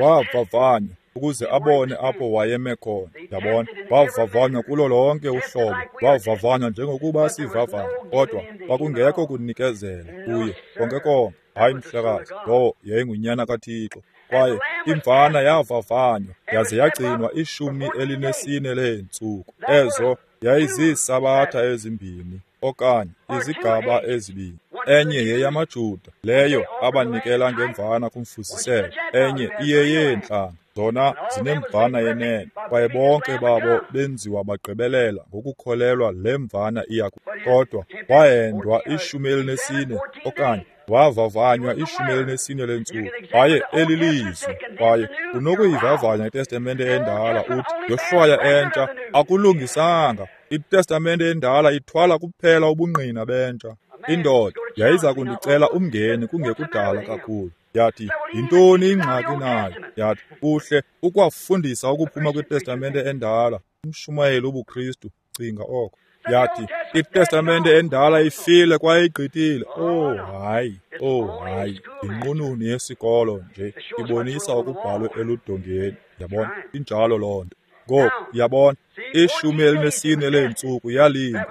Wavavanywa ukuze abone apho wayeme khona, yabona. Wavavanywa kulo lonke uhlobo, wavavanywa njengokuba sivavanywa, kodwa kwakungekho kunikezela kuye konke konke. Hayi mhlekazi, lowo yayingunyana kaThixo. Kwaye imvana yavavanywa yaze yagcinwa 14 leentsuku. Ezo yayiziisabatha ezimbini okanye izigaba ezibini. Enye yeyamaJuda, leyo abanikela ngemvana kumfuziselo, enye iyeyeentlanga, zona zinemvana yenene. Kwaye bonke babo benziwa bagqibelela ngokukholelwa le mvana iya. Kodwa wahendwa 14 okanye wavavanywa 14 leentsuku. Kwaye elilizwi, kwaye unokuyivavanya iTestamente endala uthi yohlwaya entsha akulungisanga. ITestamente endala ithwala kuphela ubungqina bentsha. Indoda yayiza kundicela umngeni kungekudala kakhulu. Yathi, yintoni ingxaki nayo? Yathi, kuhle ukwafundisa ukuphuma kwiTestamente endala, umshumayeli wobuKristu, cinga oko. Yathi, iTestamente endala ifile kwaye igqithile. Oh hayi, oh hayi, yinqununu yesikolo nje, ibonisa okubhalwe eludongeni. Yabona, injalo loo nto. Ngoku, yabona, 14 leentsuku yalinda.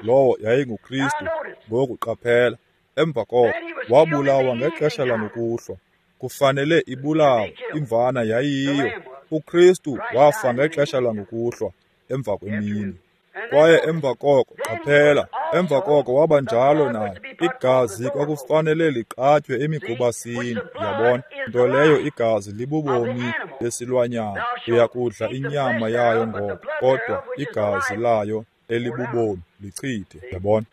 Lowo yayinguKristu. Ngoku qaphela, emva koko wabulawa ngexesha langokuhlwa. Kufanele ibulawe, imvana yayiyiyo. uKristu wafa ngexesha langokuhlwa, emva kwemini. Kwaye emva koko, qaphela, emva koko waba njalo naye. Igazi kwakufanele liqatywe emigubasini, yabona, nto leyo igazi libubomi besilwanyana. Uyakudla inyama yayo ngoko, kodwa igazi layo elibubomi lichithe, yabona.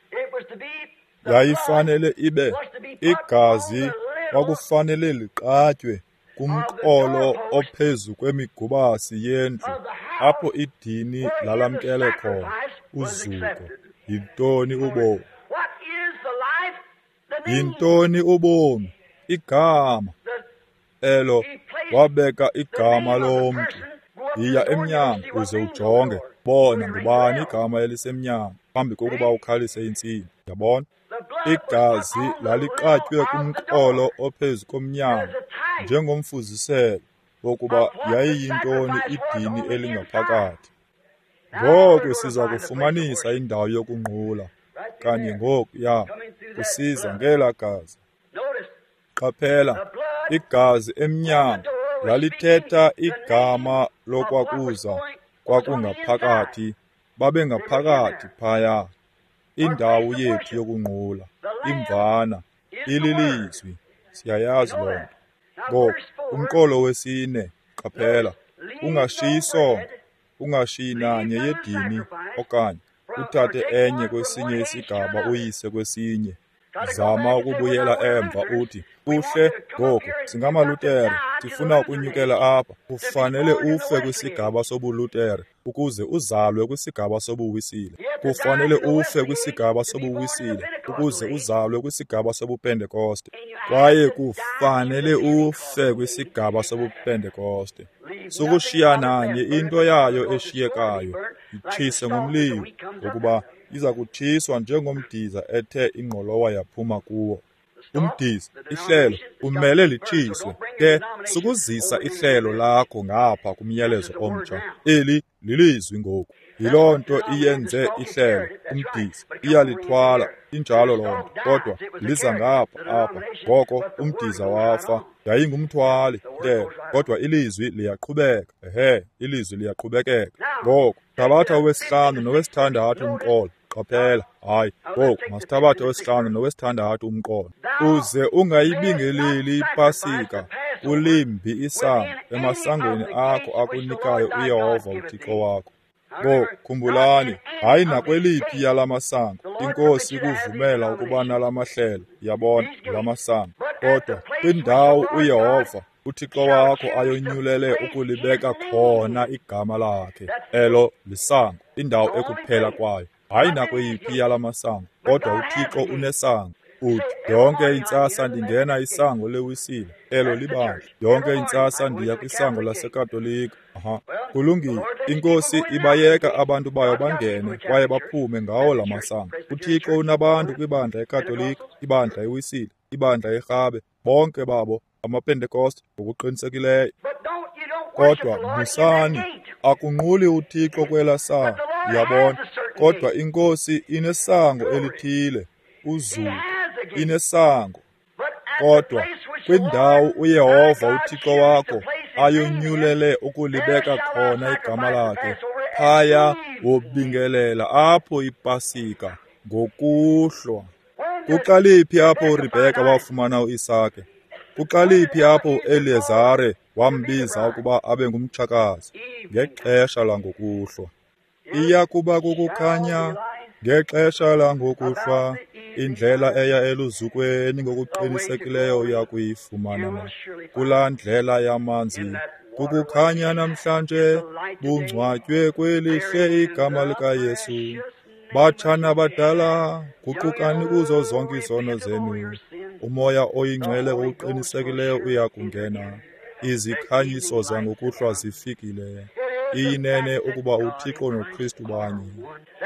Yayifanele ibe igazi kwakufanele liqatywe kumqolo ophezu kwemigubasi yendlu apho idini lalamkele khona. Uzuko. Yintoni ubomi? Yintoni ubomi? Igama elo wabeka igama lomntu. Yiya emnyango uze ujonge, bona ngubani igama elisemnyango phambi kokuba ukhalise intsini, yabona. Igazi laliqatywe kumqolo ophezu komnyango njengomfuziselo wokuba yayiyintoni idini elingaphakathi. Ngoku siza kufumanisa indawo yokunqula kanye ngoku ya kusiza ngela gazi. Qaphela, igazi emnyango lalithetha igama lokwakuza kwakungaphakathi, babengaphakathi phaya. Indawo yethu yokunqula, imvana, ililizwi, siyayazi loo nto. Ngoku, umqolo wesine, qaphela, ungashiyi songo, ungashiyi nanye yedini okanye uthathe enye kwesinye isigaba uyise kwesinye. Zama ukubuyela emva uthi, kuhle ngoku singamaLutere, sifuna ukunyukela apha. Kufanele ufe kwisigaba sobuLutere ukuze uzalwe kwisigaba sobuWisile. Kufanele ufe kwisigaba sobuWisile ukuze uzalwe kwisigaba sobuPentekoste. Kwaye kufanele ufe kwisigaba sobuPentekoste. Sukushiya nanye into yayo eshiyekayo, itshise ngomlilo, ngokuba iza kutshiswa njengomdiza ethe ingqolowa yaphuma kuwo. Umdiza, ihlelo, umele litshiswe. Ke sukuzisa ihlelo lakho ngapha kumyalezo omtsha. Eli lilizwi ngoku. Yiloo nto iyenze ihlelo, umdiza, iyalithwala, injalo loo nto, kodwa liza ngapha apha. Ngoko umdiza wafa, yayingumthwali ihlelo, kodwa ilizwi liyaqhubeka. Ehe, ilizwi liyaqhubekeka. Ngoku thabatha owesihlanu nowesithandathu umqolo. Qaphela, hayi, ngoku masithabathe owesihlanu nowesithandathu umqolo. Uze ungayibingeleli iPasika kulimbi isango emasangweni akho akunikayo uYehova uThixo wakho. Ngoku khumbulani, hayi nakweliphi yala masango iNkosi ikuvumela ukuba nala mahlelo, yabona, la masango, kodwa kwindawo uYehova uThixo wakho ayonyulele ukulibeka khona igama lakhe. Elo lisango, indawo ekuphela kwayo. Hayi nakweyiphi yala masango, kodwa uThixo unesango. Uthi, yonke intsasa ndingena isango leWisile, elo libandla. Yonke intsasa ndiya kwisango laseKatolika. Aha, kulungile. INkosi ibayeka abantu bayo bangene kwaye baphume ngawo la masango. UThixo unabantu kwibandla eKatolika, ibandla eWisile, ibandla eRhabe, bonke babo amaPentekoste ngokuqinisekileyo. Kodwa musani, akunquli uThixo kwela sango, uyabona. Kodwa iNkosi inesango elithile, uzuko, inesango. Kodwa kwindawo uYehova uThixo wakho ayonyulele ukulibeka khona igama lakhe, phaya wobingelela apho iPasika ngokuhlwa. Kuqaliphi apho uRebheka wafumana uIsake? Kuqaliphi apho uEliyezare wambiza ukuba abe ngumtshakazi? Ngexesha langokuhlwa. Iya kuba kukukhanya ngexesha langokuhlwa, indlela eya eluzukweni ngokuqinisekileyo uya kuyifumana na. Kulaa ndlela yamanzi kukukhanya namhlanje, bungcwatywe kwelihle igama likaYesu. Batshana badala, guqukani kuzo zonke izono zenu. UMoya oyiNgcwele ngokuqinisekileyo uya kungena. Izikhanyiso zangokuhlwa zifikile. Iyinene ukuba uThixo noKristu banye.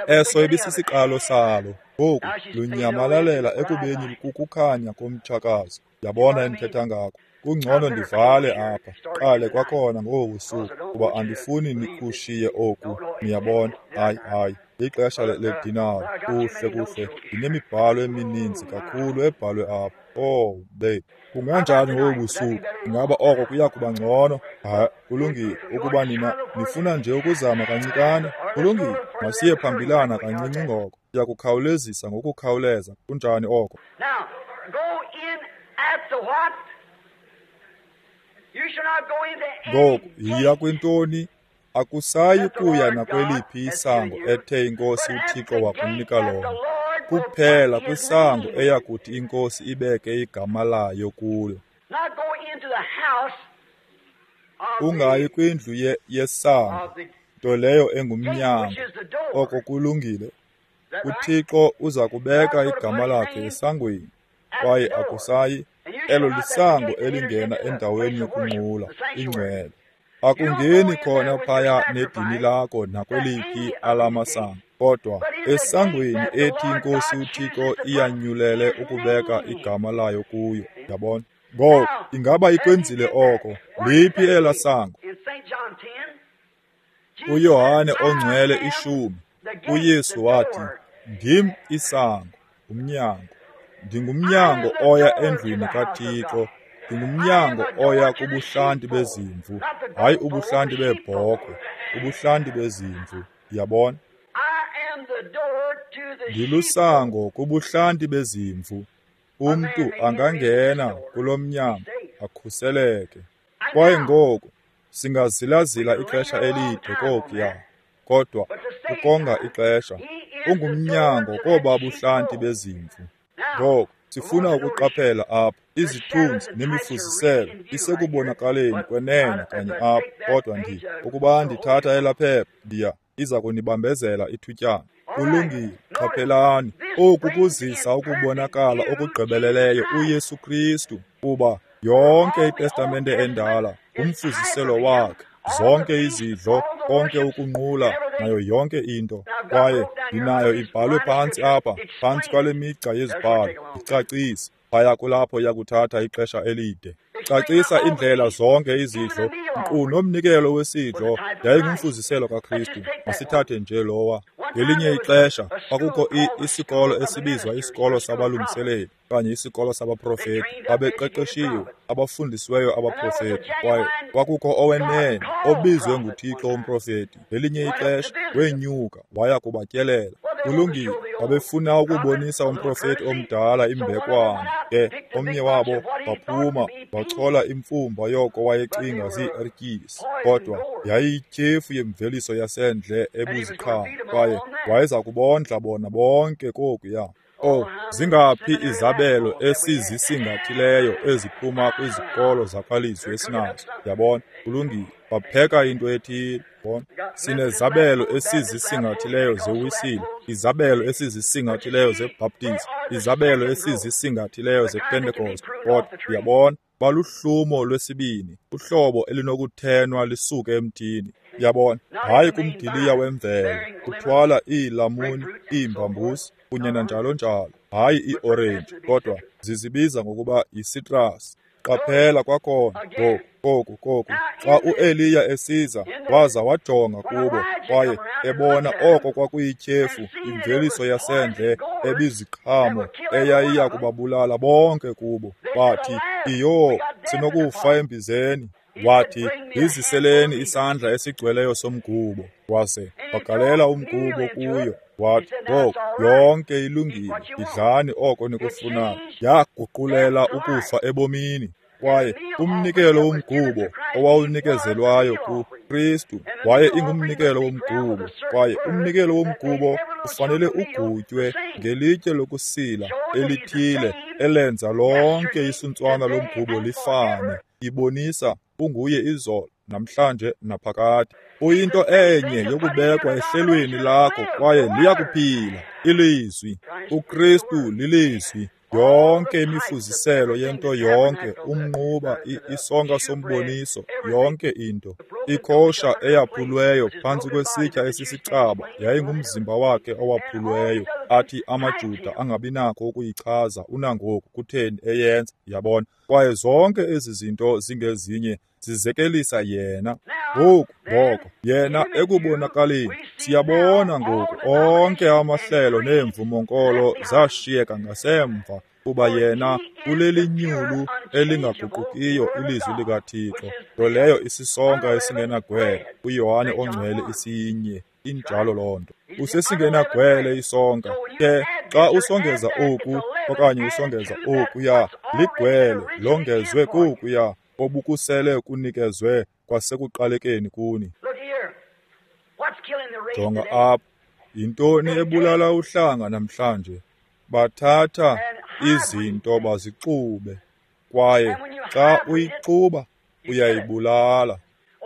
Eso ibisisiqalo salo. Ngoku lunyamalalela ekubeni kukukhanya komtshakazi. Yabona endithetha ngako. Kungcono ndivale apha, qale kwakhona ngobu busuku, kuba andifuni nikushiye oku. Niyabona? Hayi, hayi. Ixesha ledinari. Kuhle, kuhle. Ndinemibhalo emininzi kakhulu ebhalwe apha. Oh, babe. Kunganjani ngobu busuku? Ingaba oko kuya kuba ngcono? Hayi, kulungile. Ukuba nina nifuna nje ukuzama kancikane, kulungile. Masiye phambilana kancinci ngoko. Siya kukhawulezisa ngokukhawuleza. Kunjani oko? Ngoku, yiya kwintoni? Akusayi kuya nakweliphi isango ethe iNkosi uThixo wakunika lona, kuphela kwisango eyakuthi iNkosi ibeke igama layo kulo. Ungayi kwindlu yesango, nto leyo engumnyango. Oko kulungile. UThixo uza kubeka igama lakhe esangweni, kwaye akusayi. Elo lisango elingena endaweni yokunqula, ingcwele. Akungeni khona phaya nedini lakho nakweliphi alamasango, kodwa esangweni ethi iNkosi uThixo iyanyulele ukubeka igama layo kuyo. Yabona? Ngoku, ingaba ikwenzile oko? Liphi ela sango? UYohane oNgcwele 10, uYesu wathi, ndim isango, umnyango. Ndingumnyango oya endlwini kaThixo. Ndingumnyango oya kubuhlanti bezimvu, hayi ubuhlanti beebhokhwe, ubuhlanti bezimvu. Yabona? Ndilusango kubuhlanti bezimvu. Umntu angangena kulo mnyango akhuseleke. Kwaye ngoku singazilazila ixesha elide kokuya, kodwa ukonga ixesha, ungumnyango koba buhlanti bezimvu. Ngoku sifuna ukuqaphela apha izithunzi nemifuziselo isekubonakaleni kwenene kanye apha, kodwa ukuba ndithatha elaa phepha ndiya iza kunibambezela ithutyana. Kulungile, qaphelani. Oku kuzisa ukubonakala okugqibeleleyo uYesu Kristu, kuba yonke iTestamente endala ngumfuziselo wakhe, zonke izidlo, konke ukunqula, nayo yonke into. Kwaye ndinayo ibhalwe phantsi apha, phantsi kwale migca yezibhalo, icacise. Phaya kulapho yakuthatha ixesha elide. Cacisa indlela zonke izidlo, nkqu nomnikelo wesidlo yayingumfuziselo kaKristu. Masithathe nje lowa. Ngelinye ixesha kwakukho isikolo esibizwa isikolo sabalungiseleli okanye isikolo sabaprofeti. Babeqeqeshiwe, abafundisiweyo abaprofeti. Kwaye kwakukho owenene obizwe nguThixo umprofeti. Ngelinye ixesha wenyuka waya kubatyelela. Kulungile, babefuna ukubonisa umprofeti omdala imbekwana. Ke omnye wabo waphuma wachola imfumba yoko wayecinga zii-ertyisi, kodwa yayiyityhefu yemveliso yasendle ebuziqhamo, kwaye wayeza kubondla bona bonke kokuya. Oh, zingaphi izabelo esizisingathileyo eziphuma kwizikolo zakwalizwi esinazo. Yabona, kulungile, bapheka into ethile. Yabona, sinezabelo esizisingathileyo zeWisile, izabelo esizisingathileyo zeBaptist, izabelo esizisingathileyo zePentecost. Kodwa uyabona, baluhlumo lwesibini, uhlobo elinokuthenwa lisuke emthini. Yabona, hayi kumdiliya wemvelo, uthwala iilamuni, iimbambusi kunye nanjalo njalo, hayi iorenji, kodwa zizibiza ngokuba yisitrasi. Qaphela kwakhona ngoku koku xa uEliya esiza waza wajonga kubo kwaye ebona oko kwakuyityhefu, imveliso yasendle ebiziqhamo eyayiya kubabulala bonke kubo, bathi, "Iyo, sinokufa embizeni." Wathi, "Yiziseleni isandla esigcweleyo somgubo." Waze wagalela umgubo kuyo. Wathi, "Ngoku yonke ilungile, idlani oko nikufunayo." Yaguqulela ukufa ebomini. Kwaye umnikelo womgubo owawunikezelwayo kuKristu waye ingumnikelo womgubo, kwaye umnikelo womgubo ufanele ugutywe ngelitye lokusila elithile elenza lonke isuntswana lomgubo lifane, ibonisa unguye izolo, namhlanje naphakade. Uyinto enye yokubekwa ehlelweni lakho kwaye liyakuphila ilizwi. uKristu lilizwi. Yonke imifuziselo yento yonke, umnquba, isonka somboniso, yonke into. Ikosha eyaphulweyo phantsi kwesitya esisicaba yayingumzimba wakhe owaphulweyo, athi amaJuda angabinakho ukuyichaza unangoku kutheni eyenza, yabona. Kwaye zonke ezi zinto zingezinye zizekelisa yena. Ngoku ngoko yena ekubonakaleni, siyabona ngoku onke amahlelo neemvumonkolo zashiyeka ngasemva, kuba yena ulelinyulu elingaguqukiyo ilizwi likaThixo, nto leyo isisonka esingenagwele, uYohane ongcwele isinye. Injalo loo nto. Usesingenagwele isonka. Ke xa usongeza oku okanye usongeza okuya, ligwele longezwe kokuya obukusele kunikezwe kwasekuqalekeni kuni. Jonga apha, yintoni ebulala uhlanga namhlanje? Bathatha izinto bazixube, kwaye xa uyixuba uyayibulala.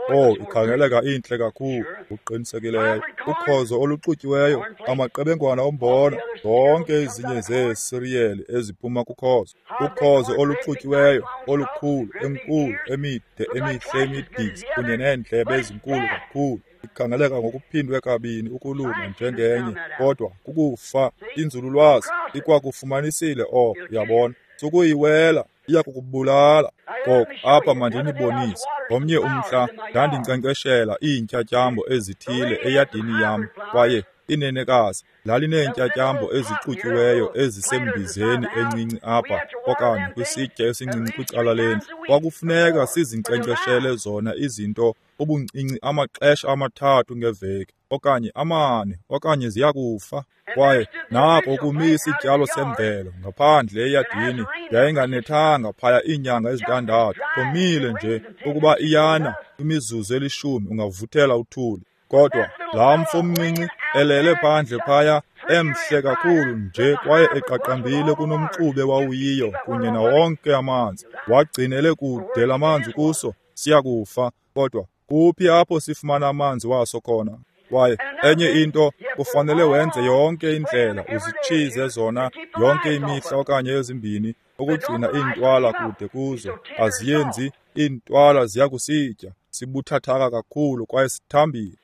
Oh, ikhangeleka intle kakhulu, uqinisekileyo. Ukhozo oluxutyiweyo, amaqebengwana ombona, zonke ezinye zeesiriyeli eziphuma kukhozo. Ukhozo oluxutyiweyo, olukhulu, enkulu, emide, emihle, imidisi, kunye neendlebe ezinkulu kakhulu. Ikhangeleka ngokuphindwe kabini ukulunga njengenye, kodwa kukufa. Inzululwazi ikwakufumanisile oko, uyabona. Sukuyiwela, iyakukubulala. Ngoku apha mandinibonise. Ngomnye umhla ndandinkcenkceshela iintyatyambo ezithile eyadini yam, kwaye inenekazi lalineentyatyambo ezixutyiweyo ezisembizeni encinci apha okanye kwisitya esincinci kwicala lendlu. Kwakufuneka sizinkcenkceshele zona izinto ubuncinci amaxesha 3 ngeveki okanye 4, okanye ziyakufa. Kwaye nako kumi isityalo semvelo ngaphandle eyadini, yayinganethanga phaya iinyanga ezi-6, komile nje. Ukuba iyana imizuzu eli-10 ungavuthela uthuli. Kodwa laa mfo mncinci elele phandle phaya, emhle kakhulu nje kwaye eqaqambile kunomxube wawuyiyo kunye nawonke amanzi, wagcinele kude la manzi kuso, siyakufa. Kodwa kuphi apho sifumana amanzi waso khona? Kwaye enye into, kufanele wenze yonke indlela, uzitshize zona yonke imihla okanye ezimbini, ukugcina iintwala kude kuzo. Aziyenzi, iintwala ziyakusitya, sibuthathaka kakhulu kwaye sithambile.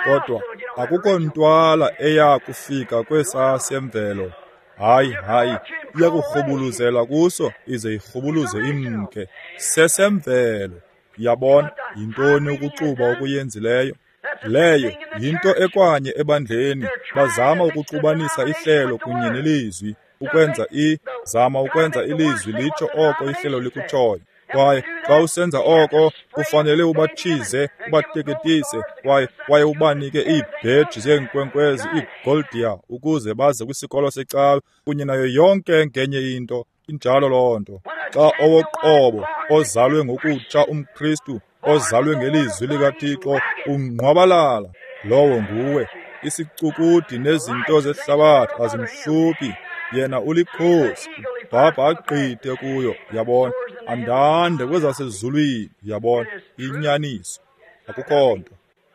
Kodwa akukho ntwala eya kufika kwesaa semvelo. Hayi, hayi, iyakurhubuluzela kuso ize irhubuluze imke. Sesemvelo. Yabona yintoni ukuxuba okuyenzileyo? Leyo yinto ekwanye ebandleni. Bazama ukuxubanisa ihlelo kunye nelizwi, ukwenza zama ukwenza ilizwi litsho oko ihlelo likutshoyo. Kwaye xa usenza oko, kufanele ubatshize, ubateketise, kwaye ubanike iibheji zeenkwenkwezi, iigoldia, ukuze baze kwisikolo secawe kunye nayo yonke ngenye into. Injalo loo nto. Xa owoqobo ozalwe ngokutsha umKristu, ozalwe ngelizwi likaThixo, ungqwabalala, lowo nguwe. Isicukudi nezinto zehlabathi azimhluphi. Yena ulikhosi, ubhabha agqithe kuyo, yabona, andande kwezasezulwini, yabona, inyaniso. Akukho nto.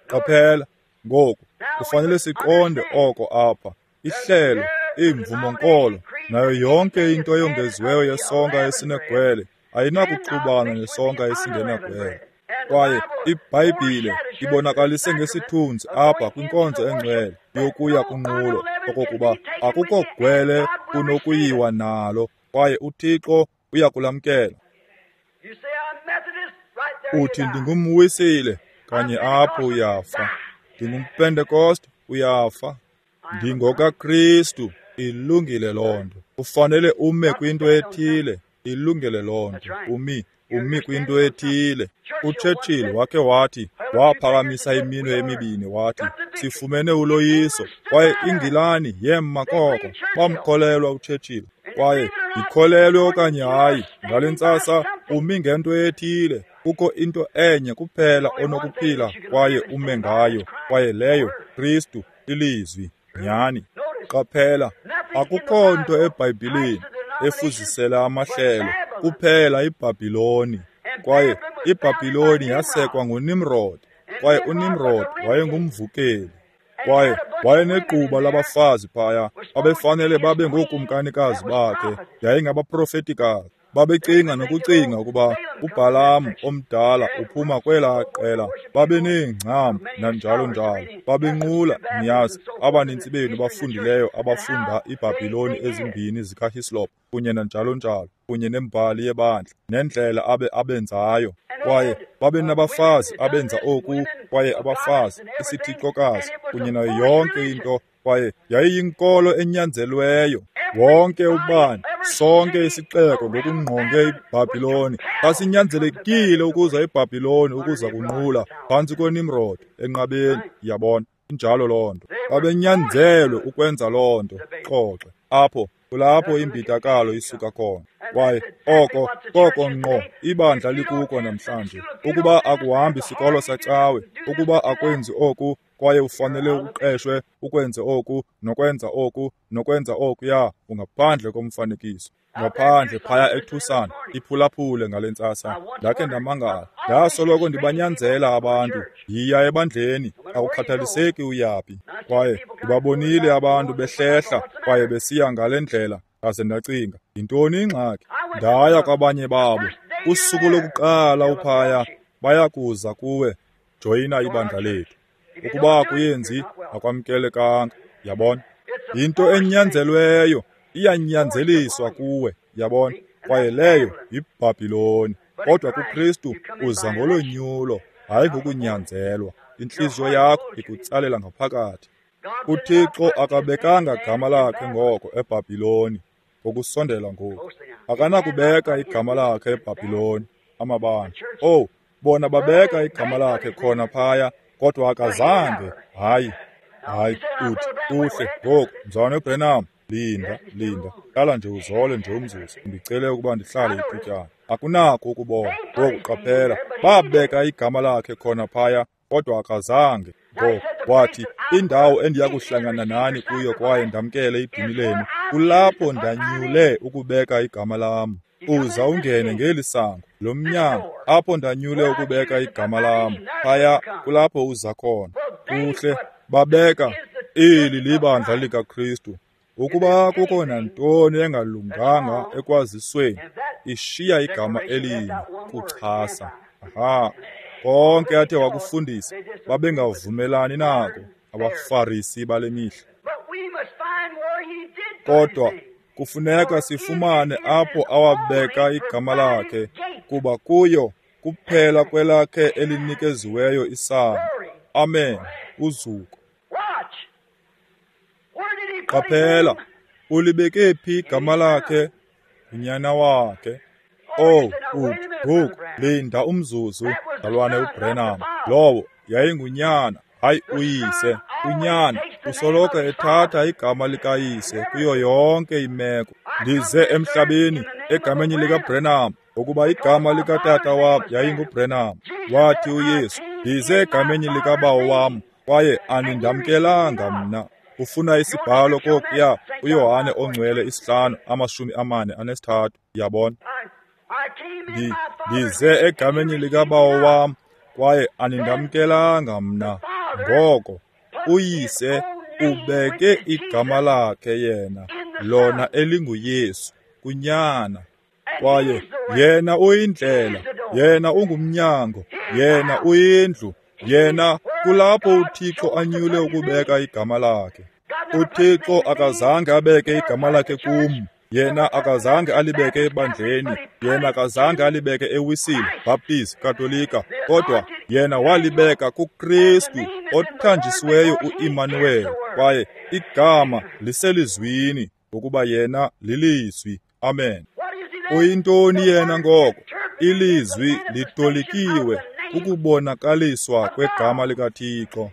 Qaphela, ngoku, kufanele siqonde oko apha. Ihlelo, iimvumo-nkolo, nayo yonke into eyongeziweyo yesonka esinegwele ayinakuxubana nesonka esingenagwele. Kwaye iBhayibhile ibonakalise ngesithunzi apha kwinkonzo engcwele yokuya kunqulo okokuba akukho gwele kunokuyiwa nalo, kwaye uThixo uyakulamkela. Uthi ndingumwisile, kanye apho uyafa. NdingumPentekoste, uyafa. NdingokaKristu, ilungile loo nto. Ufanele ume kwinto ethile, ilungile loo nto. Umi kwinto ethile. UChurchill wakhe wathi, waphakamisa iminwe emibini wathi, sifumene uloyiso, kwaye iNgilani yema koko. Bamkholelwa uChurchill. Kwaye ndikholelwe okanye hayi, ngale ntsasa umi ngento ethile. Kukho into enye kuphela onokuphila kwaye ume ngayo, kwaye leyo Kristu, ilizwi. Nyhani. Qaphela, akukho nto eBhayibhileni efuzisela amahlelo, kuphela iBhabhiloni. Kwaye iBhabhiloni yasekwa nguNimrod, kwaye uNimrod wayengumvukeli. Kwaye wayenegquba labafazi phaya, babefanele babe ngookumkanikazi bakhe, yayingabaprofetikazi. Babecinga nokucinga ukuba uBhalamu omdala uphuma kwelaa qela. Babeneengcambu nanjalo njalo. Babenqula, niyazi, abanintsi benu bafundileyo abafunda iBhabhiloni ezimbini zikaHislop kunye nanjalo njalo, kunye nembali yebandla, nendlela abenzayo. Kwaye babenabafazi abenza oku, kwaye abafazi, isithixokazi, kunye nayo yonke into, kwaye yayiyinkolo enyanzelweyo. Wonke ubani, sonke isixeko ngokungqonge iBhabhiloni, sasinyanzelekile ukuza eBhabhiloni ukuza kunqula phantsi kweNimrod enqabeni, yabona. Injalo loo nto. Babenyanzelwe ukwenza loo nto. Xoxe. Apho kulapho imbidakalo isuka khona. Kwaye oko koko ngqo ibandla likuko namhlanje. Ukuba akuhambi sikolo sacawe, ukuba akwenzi oku, kwaye ufanele uqeshwe ukwenze oku, nokwenza oku, nokwenza okuya, ungaphandle komfanekiso. Ngaphandle phaya eTucson, iphulaphule ngale ntsasa. Ndakhe ndamangala. Ndasoloko ndibanyanzela abantu, yiya ebandleni, akukhathaliseki uyaphi. Kwaye ndibabonile abantu behlehla kwaye besiya ngale ndlela, ndaze ndacinga, yintoni ingxaki? Ndaya kwabanye babo. Usuku lokuqala uphaya, bayakuza kuwe, joyina ibandla lethu. Ukuba akuyenzi, akwamkelekanga, yabona. Yinto enyanzelweyo, iyanyanzeliswa kuwe, yabona. Kwaye leyo yiBhabhiloni. Kodwa kuKristu uza ngolonyulo, hayi ngokunyanzelwa. Intliziyo yakho ikutsalela ngaphakathi. UThixo akabekanga gama lakhe ngoko eBhabhiloni, ngokusondela ngoku. Akanakubeka igama lakhe eBhabhiloni, amabandla. Oh, bona babeka igama lakhe khona phaya, kodwa akazange. Hayi, hayi, uthi, uhle, ngoku, mzalwane uBrenham, linda, linda, hlala nje uzole nje umzuzu, ndicele ukuba ndihlale ithutyana. Akunako ukubona. Ngoku qaphela, babeka igama lakhe khona phaya, kodwa akazange. Ngoku wathi, indawo endiya kuhlangana nani kuyo kwaye ndamkele idini lenu, kulapho ndanyule ukubeka igama lam. Uza ungene ngeli sango, lo mnyango, apho ndanyule ukubeka igama lam, phaya kulapho uza khona. Kuhle, babeka, eli libandla likaKristu. Ukuba kukho nantoni engalunganga ekwazisweni, ishiya igama elinye kuchasa. Aha. Konke athe wakufundisa, babengavumelani nako abaFarisi bale mihla. Kodwa kufuneka sifumane apho awabeka igama lakhe, kuba kuyo kuphela kwelakhe elinikeziweyo isango. Amen. Uzuko. Qaphela, ulibeke phi igama lakhe? Unyana wakhe. Oh, uthi, ngoku, linda umzuzu, mzalwane uBrenham. Lowo yayingunyana, hayi uyise. Unyana usoloko ethatha igama likayise kuyo yonke imeko. Ndize emhlabeni egameni likaBrenham, ngokuba igama likatata wam yayinguBrenham. Wathi uYesu, ndize egameni likabawo wam, kwaye anindamkelanga mna. Ufuna isibhalo kokuya uYohane oNgcwele 5:43, yabona. Ndize egameni likaBawo wam, kwaye anindamkelanga mna. Ngoko uYise ubeke igama lakhe yena, lona elinguYesu, kuNyana. Kwaye yena uyindlela, yena ungumnyango, yena uyindlu, yena kulapho uThixo anyule ukubeka igama lakhe. UThixo akazange abeke igama lakhe kum. Yena akazange alibeke ebandleni, yena akazange alibeke eWisile, Baptist, Katolika, kodwa yena walibeka kuKristu othanjisiweyo uImmanuel, kwaye igama liselizwini, ngokuba yena lilizwi. Amen. Uyintoni yena ngoko? Ilizwi litolikiwe kukubonakaliswa kwegama likaThixo.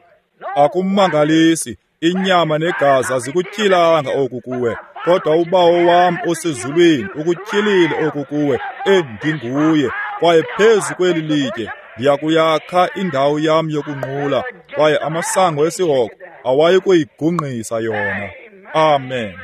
Akumangalisi, inyama negazi azikutyhilanga oku kuwe, kodwa uBawo wam osezulwini ukutyhilile oku kuwe, endinguye. Kwaye phezu kweli litye ndiyakuyakha indawo yam yokunqula, kwaye amasango esihogo awayi kuyigungqisa yona. Amen.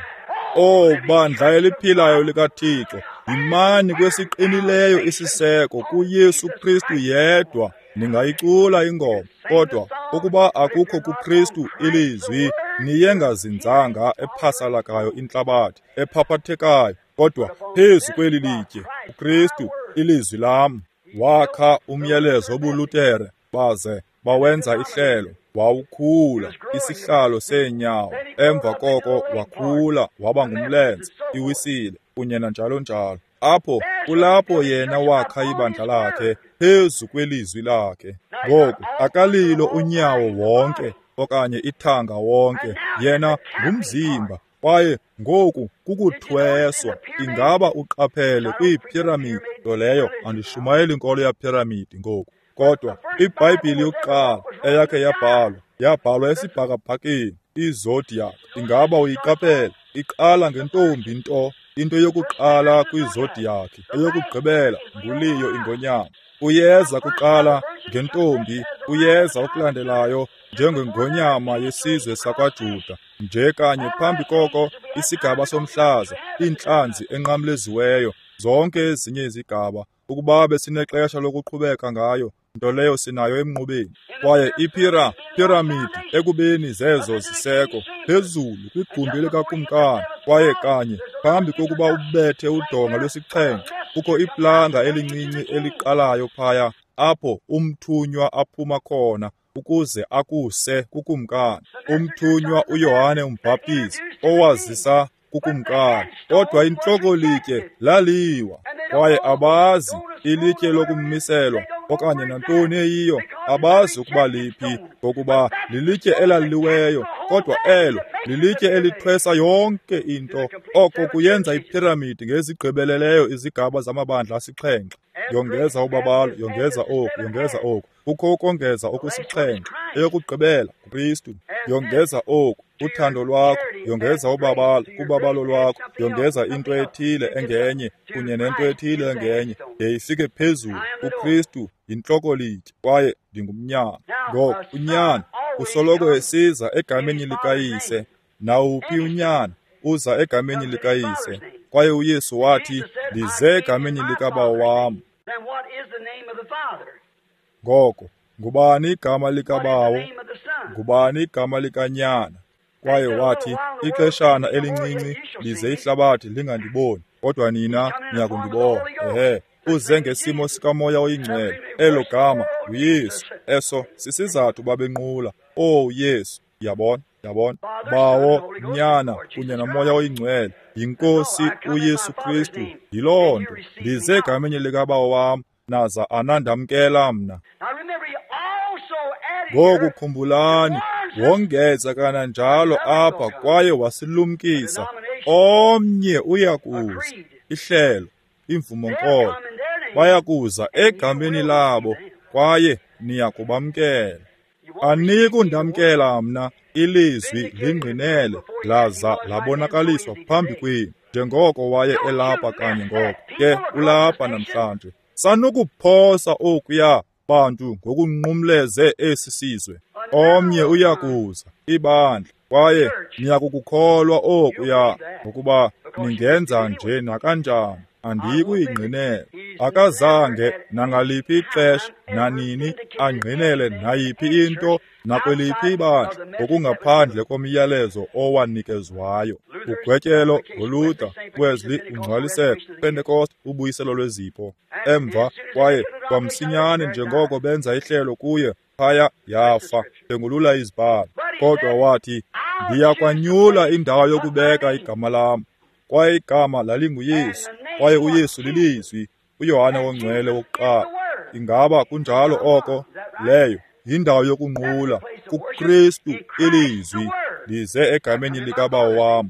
O bandla eliphilayo likaThixo, yimani kwesiqinileyo isiseko kuYesu Kristu yedwa. Ningayicula ingoma, kodwa ukuba akukho kuKristu ilizwi, niyengazinzanga ephasalakayo intlabathi ephaphathekayo, kodwa phezu kweli litye uKristu ilizwi lam. Wakha umyalezo wobuLutere, baze bawenza ihlelo, wawukhula isihlalo seenyawo, emva koko wakhula waba ngumlenze, iWisile, kunye nanjalo njalo. Apho kulapho yena wakha ibandla lakhe phezu kwelizwi lakhe. Ngoku akalilo unyawo wonke okanye ithanga wonke, yena ngumzimba. Kwaye ngoku kukuthweswa. Ingaba uqaphele kwiiphiramidi? Nto leyo andishumayeli inkolo yaphiramidi ngoku, kodwa iBhayibhile yokuqala eyakhe yabhalwa, yabhalwa esibhakabhakeni, izodiac. Ingaba uyiqaphele? Iqala ngentombi nto, into yokuqala kwizodiac, eyokugqibela nguLiyo ingonyama. Uyeza kuqala ngentombi, uyeza okulandelayo njengengonyama yesizwe sakwaJuda, nje kanye phambi koko isigaba somhlaza, iintlanzi enqamleziweyo, zonke ezinye izigaba. Ukuba besinexesha lokuqhubeka ngayo, nto leyo sinayo emnqubeni. Kwaye iphiramidi ekubeni zezo ziseko phezulu kwigumbi likakumkani, kwaye kanye phambi kokuba ubethe udonga lwesixhenxe, kukho iplanga elincinci eliqalayo phaya, apho umthunywa aphuma khona ukuze akuse kukumkani. Umthunywa uYohane uMbhaptizi owazisa kukumkani, kodwa intlokolitye laliwa, kwaye abazi ilitye lokummiselwa okanye nantoni eyiyo, abazi ukuba liphi, ngokuba lilitye elaliweyo, kodwa elo lilitye elithwesa yonke into. Oko kuyenza iphiramidi ngezigqibeleleyo izigaba zamabandla asixhenxe. Yongeza ubabalo, yongeza oku, yongeza oku. Kukho ukongeza okusixhenxe, eyokugqibela kuKristu. Yongeza oku, uthando lwakho, yongeza ubabalo kubabalo lwakho, yongeza into ethile engenye kunye nento ethile engenye, de ifike phezulu. UKristu yintlokolitye, kwaye ndingumnyana. Ngoko unyana usoloko esiza egameni likaYise. Nawuphi unyana uza egameni likaYise. Kwaye uYesu wathi, ndize egameni likaBawo wam. Ngoko ngubani igama likaBawo? Ngubani igama likaNyana? Kwaye wathi, ixeshana elincinci lize ihlabathi lingandiboni, kodwa nina niyakundibona. Ehe, uze ngesimo sikaMoya oyiNgcwele. Elo gama nguYesu. Eso sisizathu babenqula. Oh Yesu, yabona, yabona. Bawo, Nyana kunye noMoya oyiNgcwele, yiNkosi uYesu Kristu. Yiloo nto, ndize egameni likaBawo wam, naza anandamkela mna. Ngoku khumbulani, wongeza kananjalo apha kwaye wasilumkisa, omnye uyakuza, ihlelo, imvumo-nkolo, bayakuza egameni labo, kwaye niyakubamkela. Anikundamkela mna, ilizwi lingqinele laza labonakaliswa phambi kwenu, njengoko waye elapha kanye ngoko, ke ulapha namhlanje. Sanukuphosa okuya bantu ngokunqumleze esi sizwe. Omnye uyakuza, ibandla, Kwaye niyakukukholwa okuya, ngokuba ningenza nje nakanjani. Andiyikuyingqinela. Akazange nangaliphi ixesha nanini angqinele nayiphi into nakweliphi ibandla ngokungaphandle komyalezo owanikezwayo. Ugwetyelo ngoLuther, Wesley, ungcwaliseko, Pentecost, ubuyiselo lwezipho. Emva kwaye kwamsinyane njengoko benza ihlelo kuye, phaya yafa, phengulula izibhalo. Kodwa wathi, ndiyakwanyula indawo yokubeka igama lam. Kwaye igama lalinguYesu, kwaye uYesu lilizwi, uYohane oNgcwele wokuqala. Ingaba kunjalo oko? Leyo yindawo yokunqula kuKristu ilizwi. Ndize egameni likaBawo wam.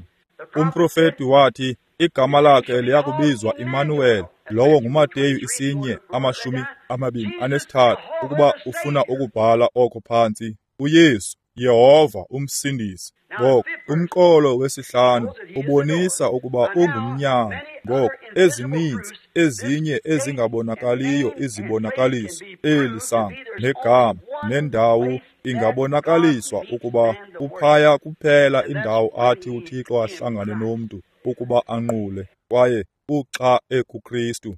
Umprofeti wathi igama lakhe liyakubizwa Immanuel, lowo nguMateyu 1:23, ukuba ufuna ukubhala oko phantsi. uYesu, Yehova umsindisi. Ngoku umqolo wesihlanu ubonisa ukuba ungumnyango. Ngoku ezininzi ezinye ezingabonakaliyo izibonakaliso, eli sango negama nendawo ingabonakaliswa ukuba kuphaya kuphela indawo athi uThixo ahlangane nomntu ukuba anqule, kwaye uxa ekuKristu.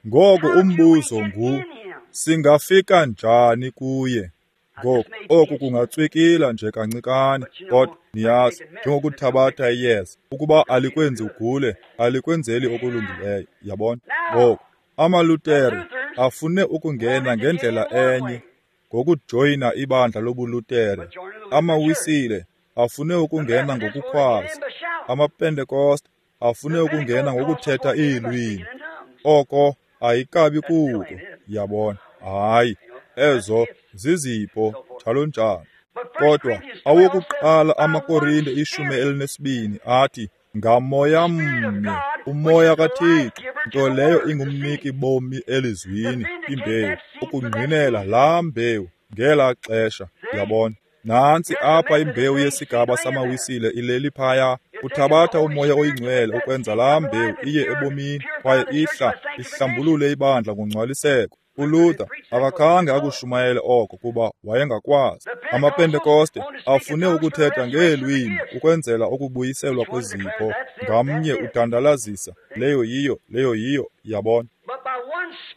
Ngoku umbuzo ngu, singafika njani kuye? Ngoku oku kungatswikila nje kancikane, kodwa niyazi, njengokuthabatha iyeza, ukuba alikwenzi ugule, alikwenzeli okulungileyo, yabona. Ngoku amaLutere afune ukungena ngendlela enye ngokujoyina ibandla lobuLutere. AmaWisile afune ukungena ngokukhwaza. AmaPentekoste afune ukungena ngokuthetha iilwimi. Oko ayikabi kuko, yabona. Hayi, ezo zizipho njalo njalo. Kodwa awokuqala amaKorinte 12 athi ngamoya mnye, umoya kaThixo, nto leyo ingumniki bomi elizwini, imbewu, ukungqinela laa mbewu ngelaa xesha, yabona. Nantsi apha imbewu yesigaba samaWisile ileli phaya. Uthabatha umoya oyingcwele ukwenza laa mbewu iye ebomini, kwaye ihla ihlambulule ibandla ngongcwaliseko. uLuther akakhange akushumayele oko kuba wayengakwazi. AmaPentekoste afune ukuthetha ngeelwimi ukwenzela ukubuyiselwa kwezipho. Ngamnye udandalazisa leyo yiyo, leyo yiyo, yabona.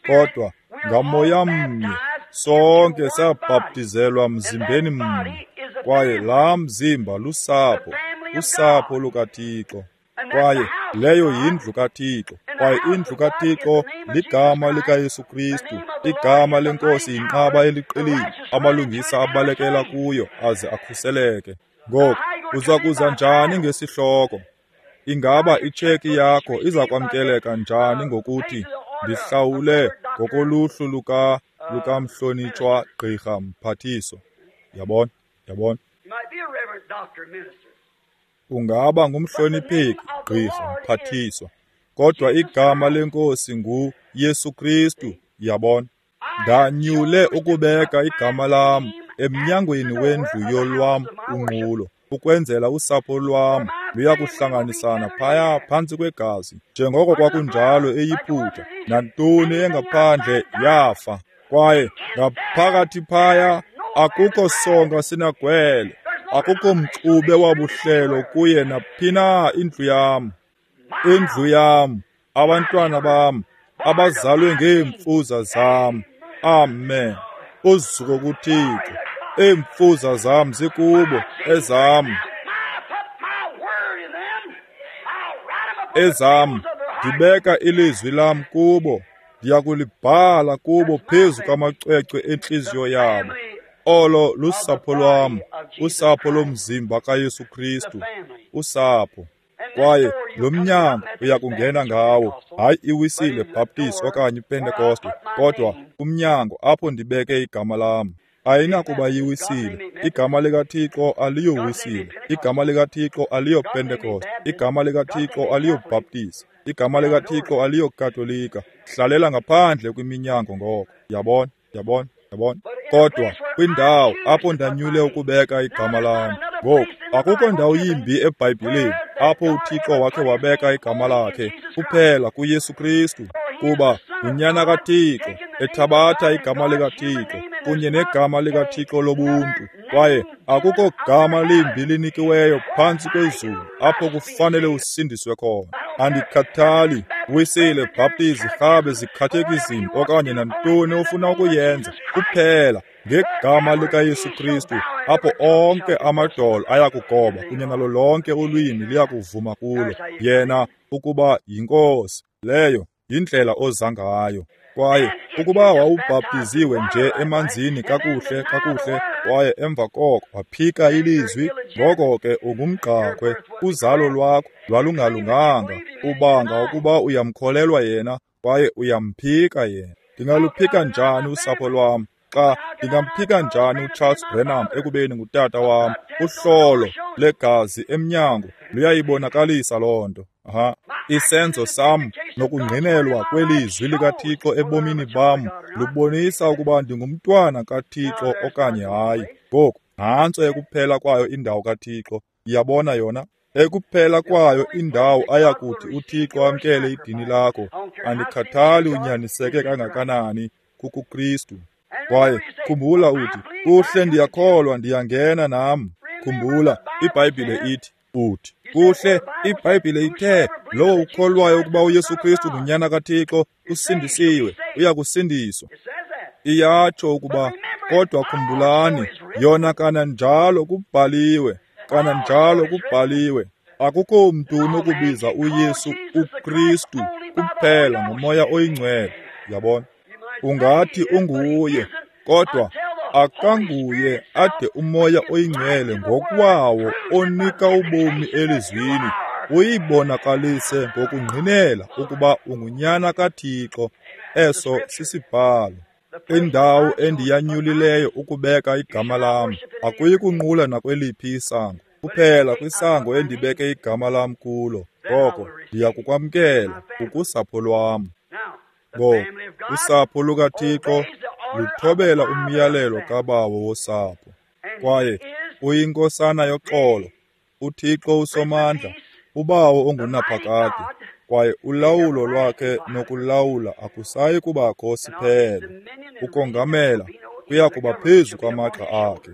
Kodwa ngamoya mnye sonke sabhaptizelwa mzimbeni mnye, kwaye laa mzimba lusapho, usapho lukaThixo. Kwaye leyo yindlu kaThixo, kwaye indlu kaThixo ligama likaYesu Kristu. Igama lenkosi yinqaba eliqilile, amalungisa abalekela kuyo aze akhuseleke. Ngoku uza kuza njani ngesihloko? Ingaba itsheki yakho iza kwamkeleka njani ngokuthi ndihlawule ngokoluhlu lukamhlonitshwa gqirha mphathiswa? Yabona, yabona. Ungaba ngumhlonipheki gqirha mphathiswa, kodwa igama lenkosi nguYesu Kristu, yabona. Ndanyule ukubeka igama lam emnyangweni wendlu yolwam unqulo, ukwenzela usapho lwam luyakuhlanganisana phaya phantsi kwegazi, njengoko kwakunjalo eYiputa. Nantoni engaphandle yafa, kwaye ngaphakathi phaya akukho sonka sinagwele, akukho mxube wabuhlelo kuye naphina. Indlu yam, indlu yam, abantwana bam abazalwe ngeemfuza zam. Amen. Uzuko kuThixo. Iimfuza zam zikubo, ezam, ezam. Ndibeka ilizwi lam kubo, ndiyakulibhala kubo phezu kwamacwecwe entliziyo yabo. Olo lusapho lwam, usapho lomzimba kaYesu Kristu, usapho. Kwaye lo mnyango uyakungena ngawo, hayi iWisile Baptist okanye iPentekoste, kodwa umnyango apho ndibeke igama lam. Ayinakuba yiWisile. Igama likaThixo aliyoWisile. Igama likaThixo aliyoPentekoste. Igama likaThixo aliyoBaptist. Igama likaThixo aliyoKatolika. Hlalela ngaphandle kwiminyango ngoko. Yabona, yabona, yabona. Kodwa kwindawo apho ndanyule ukubeka igama lam. Ngoku akukho ndawo yimbi eBhayibhileni apho uThixo wakhe wabeka igama lakhe, kuphela kuYesu Kristu. Kuba nguNyana kaThixo, ethabatha igama likaThixo kunye negama likaThixo lobuntu. Kwaye akukho gama limbi linikiweyo phantsi kwezulu apho kufanele usindiswe khona. Andikhathali, Wisile, Bhaptizi, Rhabe, zikhathekizim okanye nantoni ofuna ukuyenza, kuphela ngegama likaYesu Kristu apho onke amadolo ayakugoba kunye nalo lonke ulwimi liyakuvuma kulo yena ukuba yiNkosi. Leyo yindlela oza ngayo. Kwaye ukuba wawubhaptiziwe nje emanzini kakuhle kakuhle kwaye emva koko waphika ilizwi, ngoko ke ungumgqakhwe, uzalo lwakho lwalungalunganga. Ubanga ukuba uyamkholelwa yena kwaye uyamphika yena. Ndingaluphika njani usapho lwam? Xa ndingamphika njani uCharles Branham ekubeni ngutata wam? Uhlolo legazi emnyango luyayibonakalisa loo nto. Aha. Isenzo sam nokungqinelwa kwelizwi likaThixo ebomini bam lubonisa ukuba ndingumntwana kaThixo okanye hayi. Ngoku nantso ekuphela kwayo indawo kaThixo. Iyabona yona? Ekuphela kwayo indawo ayakuthi uThixo amkele idini lakho. Andikhathali unyaniseke kangakanani, kukuKristu. Kwaye khumbula uthi, kuhle ndiyakholwa, ndiyangena nam. Khumbula, iBhayibhile ithi, uthi, kuhle, iBhayibhile ithe, lowo ukholwayo ukuba uYesu Kristu nguNyana kaThixo usindisiwe, uyakusindiswa. Iyatsho ukuba, kodwa khumbulani, yona kananjalo kubhaliwe, kananjalo kubhaliwe. Akukho mntu unokubiza uYesu uKristu kuphela ngoMoya oyiNgcwele. Yabona? Ungathi unguye, kodwa akanguye ade uMoya oyiNgcwele ngokwawo onika ubomi elizwini uyibonakalise ngokungqinela ukuba ungunyana kaThixo. Eso sisibhalo. Indawo endiyanyulileyo ukubeka igama lam, akuyi kunqula nakweliphi isango, kuphela kwisango endibeke igama lam kulo, ngoko ndiya kukwamkela ukusapho lwam. Ngoku usapho lukaThixo luthobela umyalelo kabawo wosapho. Kwaye uyinkosana yoxolo, uThixo usomandla, ubawo ongunaphakade, kwaye ulawulo lwakhe nokulawula akusayi kubakho siphelo. Ukongamela kuya kuba phezu kwamagxa akhe.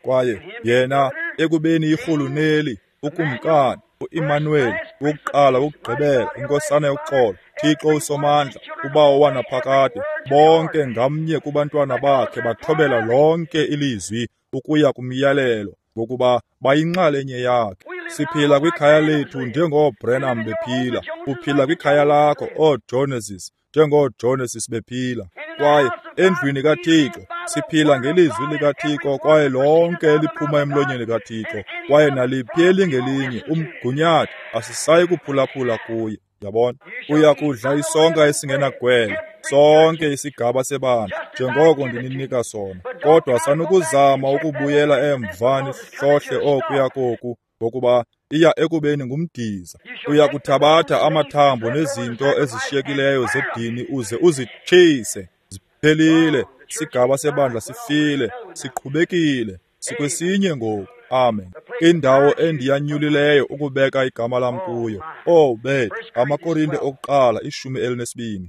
Kwaye yena ekubeni irhuluneli, ukumkani, uImmanueli, wokuqala wokugqibela, inkosana yoxolo, Thixo usomandla, ubawo wanaphakade, bonke ngamnye kubantwana bakhe bathobela lonke ilizwi ukuya kumyalelo, ngokuba bayinxalenye yakhe. Siphila kwikhaya lethu njengooBranham bephila. Uphila kwikhaya lakho, ooJoneses, njengooJoneses bephila. Kwaye endlwini kaThixo siphila ngelizwi likaThixo, kwaye lonke eliphuma emlonyeni kaThixo, kwaye naliphi elingelinye umgunyathi asisayi kuphulaphula kuye. Yabona? Uya kudla isonka esingenagwele, sonke isigaba sebandla, njengoko ndininika sona. Kodwa sanukuzama ukubuyela emva nihlohle okuya koku, ngokuba iya ekubeni ngumdiza. Uya kuthabatha amathambo nezinto ezishiyekileyo zedini uze uzitshise. Ziphelile. Isigaba sebandla sifile, siqhubekile, sikwesinye ngoku. Amen. Indawo endiyanyulileyo ukubeka igama lam kuyo. Oh, bethu, AmaKorinte okuqala 12.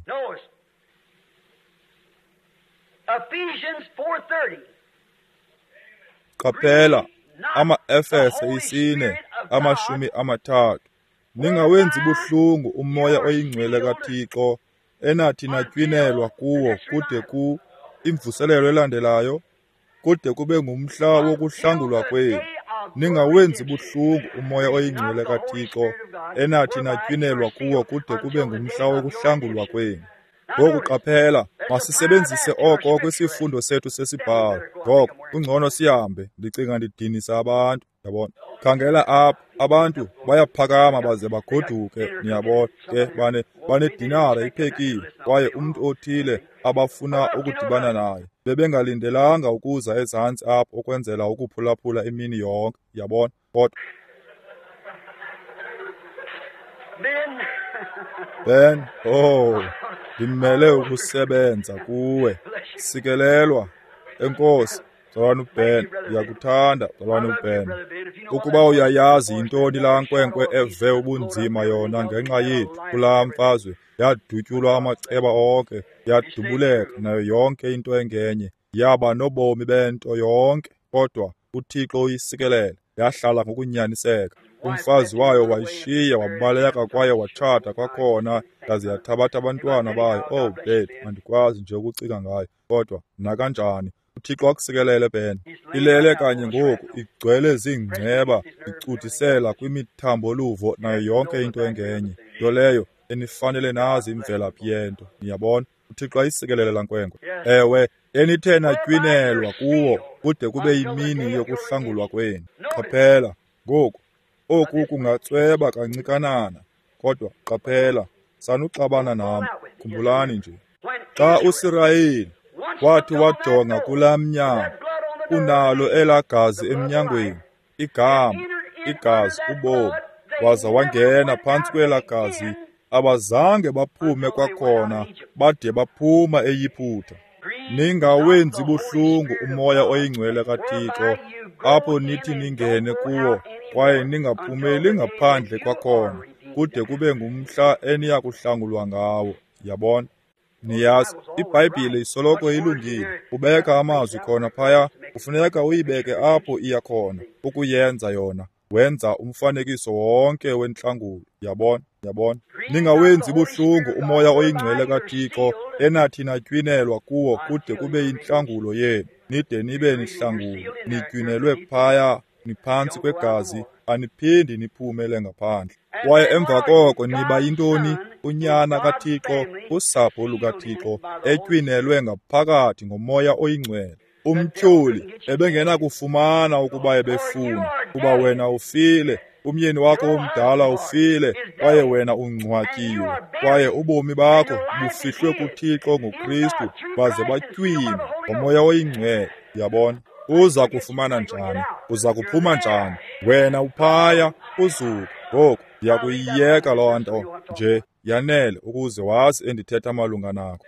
Qaphela, amaEfese 4, 30. Ningawenzi buhlungu uMoya oyiNgcwele kaThixo, enathi natywinelwa kuwo kude ku imvuselelo elandelayo, kude kube ngumhla wokuhlangulwa kwenu. Ningawenzi buhlungu uMoya oyiNgcwele kaThixo, enathi natywinelwa kuwo kude kube ngumhla wokuhlangulwa kwenu. Ngoku qaphela, masisebenzise oko kwisifundo sethu sesibhalo. Ngoko kungcono sihambe, ndicinga ndidinisa abantu. Yabona? Khangela apha, abantu bayaphakama baze bagoduke, niyabona ke, banedinara iphekiwe, kwaye umntu othile abafuna ukudibana naye. Bebengalindelanga ukuza ezantsi apho ukwenzela ukuphulaphula imini yonke, yabona? Kodwa Ben, oh, ndimele ukusebenza kuwe. Sikelelwa, enkosi. Mzalwana uBen, ndiyakuthanda, Mzalwana uBen. Ukuba uyayazi yintoni laa nkwenkwe eve ubunzima yona ngenxa yethu kulaa mfazwe, yadutyulwa amaceba onke, yadubuleka nayo yonke into engenye, yaba nobomi bento yonke, kodwa uThixo uyisikelele, yahlala ngokunyaniseka. Umfazi wayo wayishiya, wabaleka kwaye watshata kwakhona, yaze yathabatha abantwana bayo. Oh, bethu, andikwazi nje ukucinga ngayo, kodwa nakanjani. uThixo akusikelele, Ben. Ilele kanye ngoku, igcwele ziingceba, icudisela kwimithambo-luvo nayo yonke into engenye. Nto leyo enifanele nazi imvelaphi yento. Niyabona? uThixo ayisikelele laa nkwenkwe. Ewe, enithe natywinelwa kuwo kude kube yimini yokuhlangulwa kwenu. Qaphela ngoku, oku kungatsweba kancikanana, kodwa qaphela, sanuxabana nam. Khumbulani nje, xa uSirayeli wathi wajonga kulaa mnyango, unalo elaa gazi emnyangweni, igama, igazi, ubomi, waza wangena phantsi kwelaa gazi, abazange baphume kwakhona bade baphuma eYiputa. Ningawenzi buhlungu umoya oyingcwele kaThixo, apho nithi ningene kuwo kwaye ningaphumeli ngaphandle kwakhona kude kube ngumhla eniya kuhlangulwa ngawo. Yabona? Niyazi, iBhayibhile isoloko ilungile. Ubeka amazwi khona phaya, kufuneka uyibeke apho iya khona ukuyenza yona. Wenza umfanekiso wonke wentlangulo. Yabona? Yabona? Ningawenzi buhlungu umoya oyingcwele kaThixo enathi natywinelwa kuwo kude kube yintlangulo yenu, nide nibe nihlangulwe, nitywinelwe phaya, niphantsi kwegazi, aniphindi niphumele ngaphandle. Kwaye emva koko niba yintoni? Unyana kaThixo, usapho lukaThixo, etywinelwe ngaphakathi ngomoya oyingcwele. Umtyholi ebengenakufumana ukuba ebefuna, kuba wena ufile, umyeni wakho omdala ufile, kwaye wena ungcwatyiwe, kwaye ubomi bakho bufihlwe kuThixo ngoKristu, baze batywinwe ngomoya oyingcwele. Yabona? Uza kufumana njani? Uza kuphuma njani? Wena uphaya uzuko. Ngoku ndiyakuyiyeka loo nto nje yanele ukuze wazi endithetha malunga nako.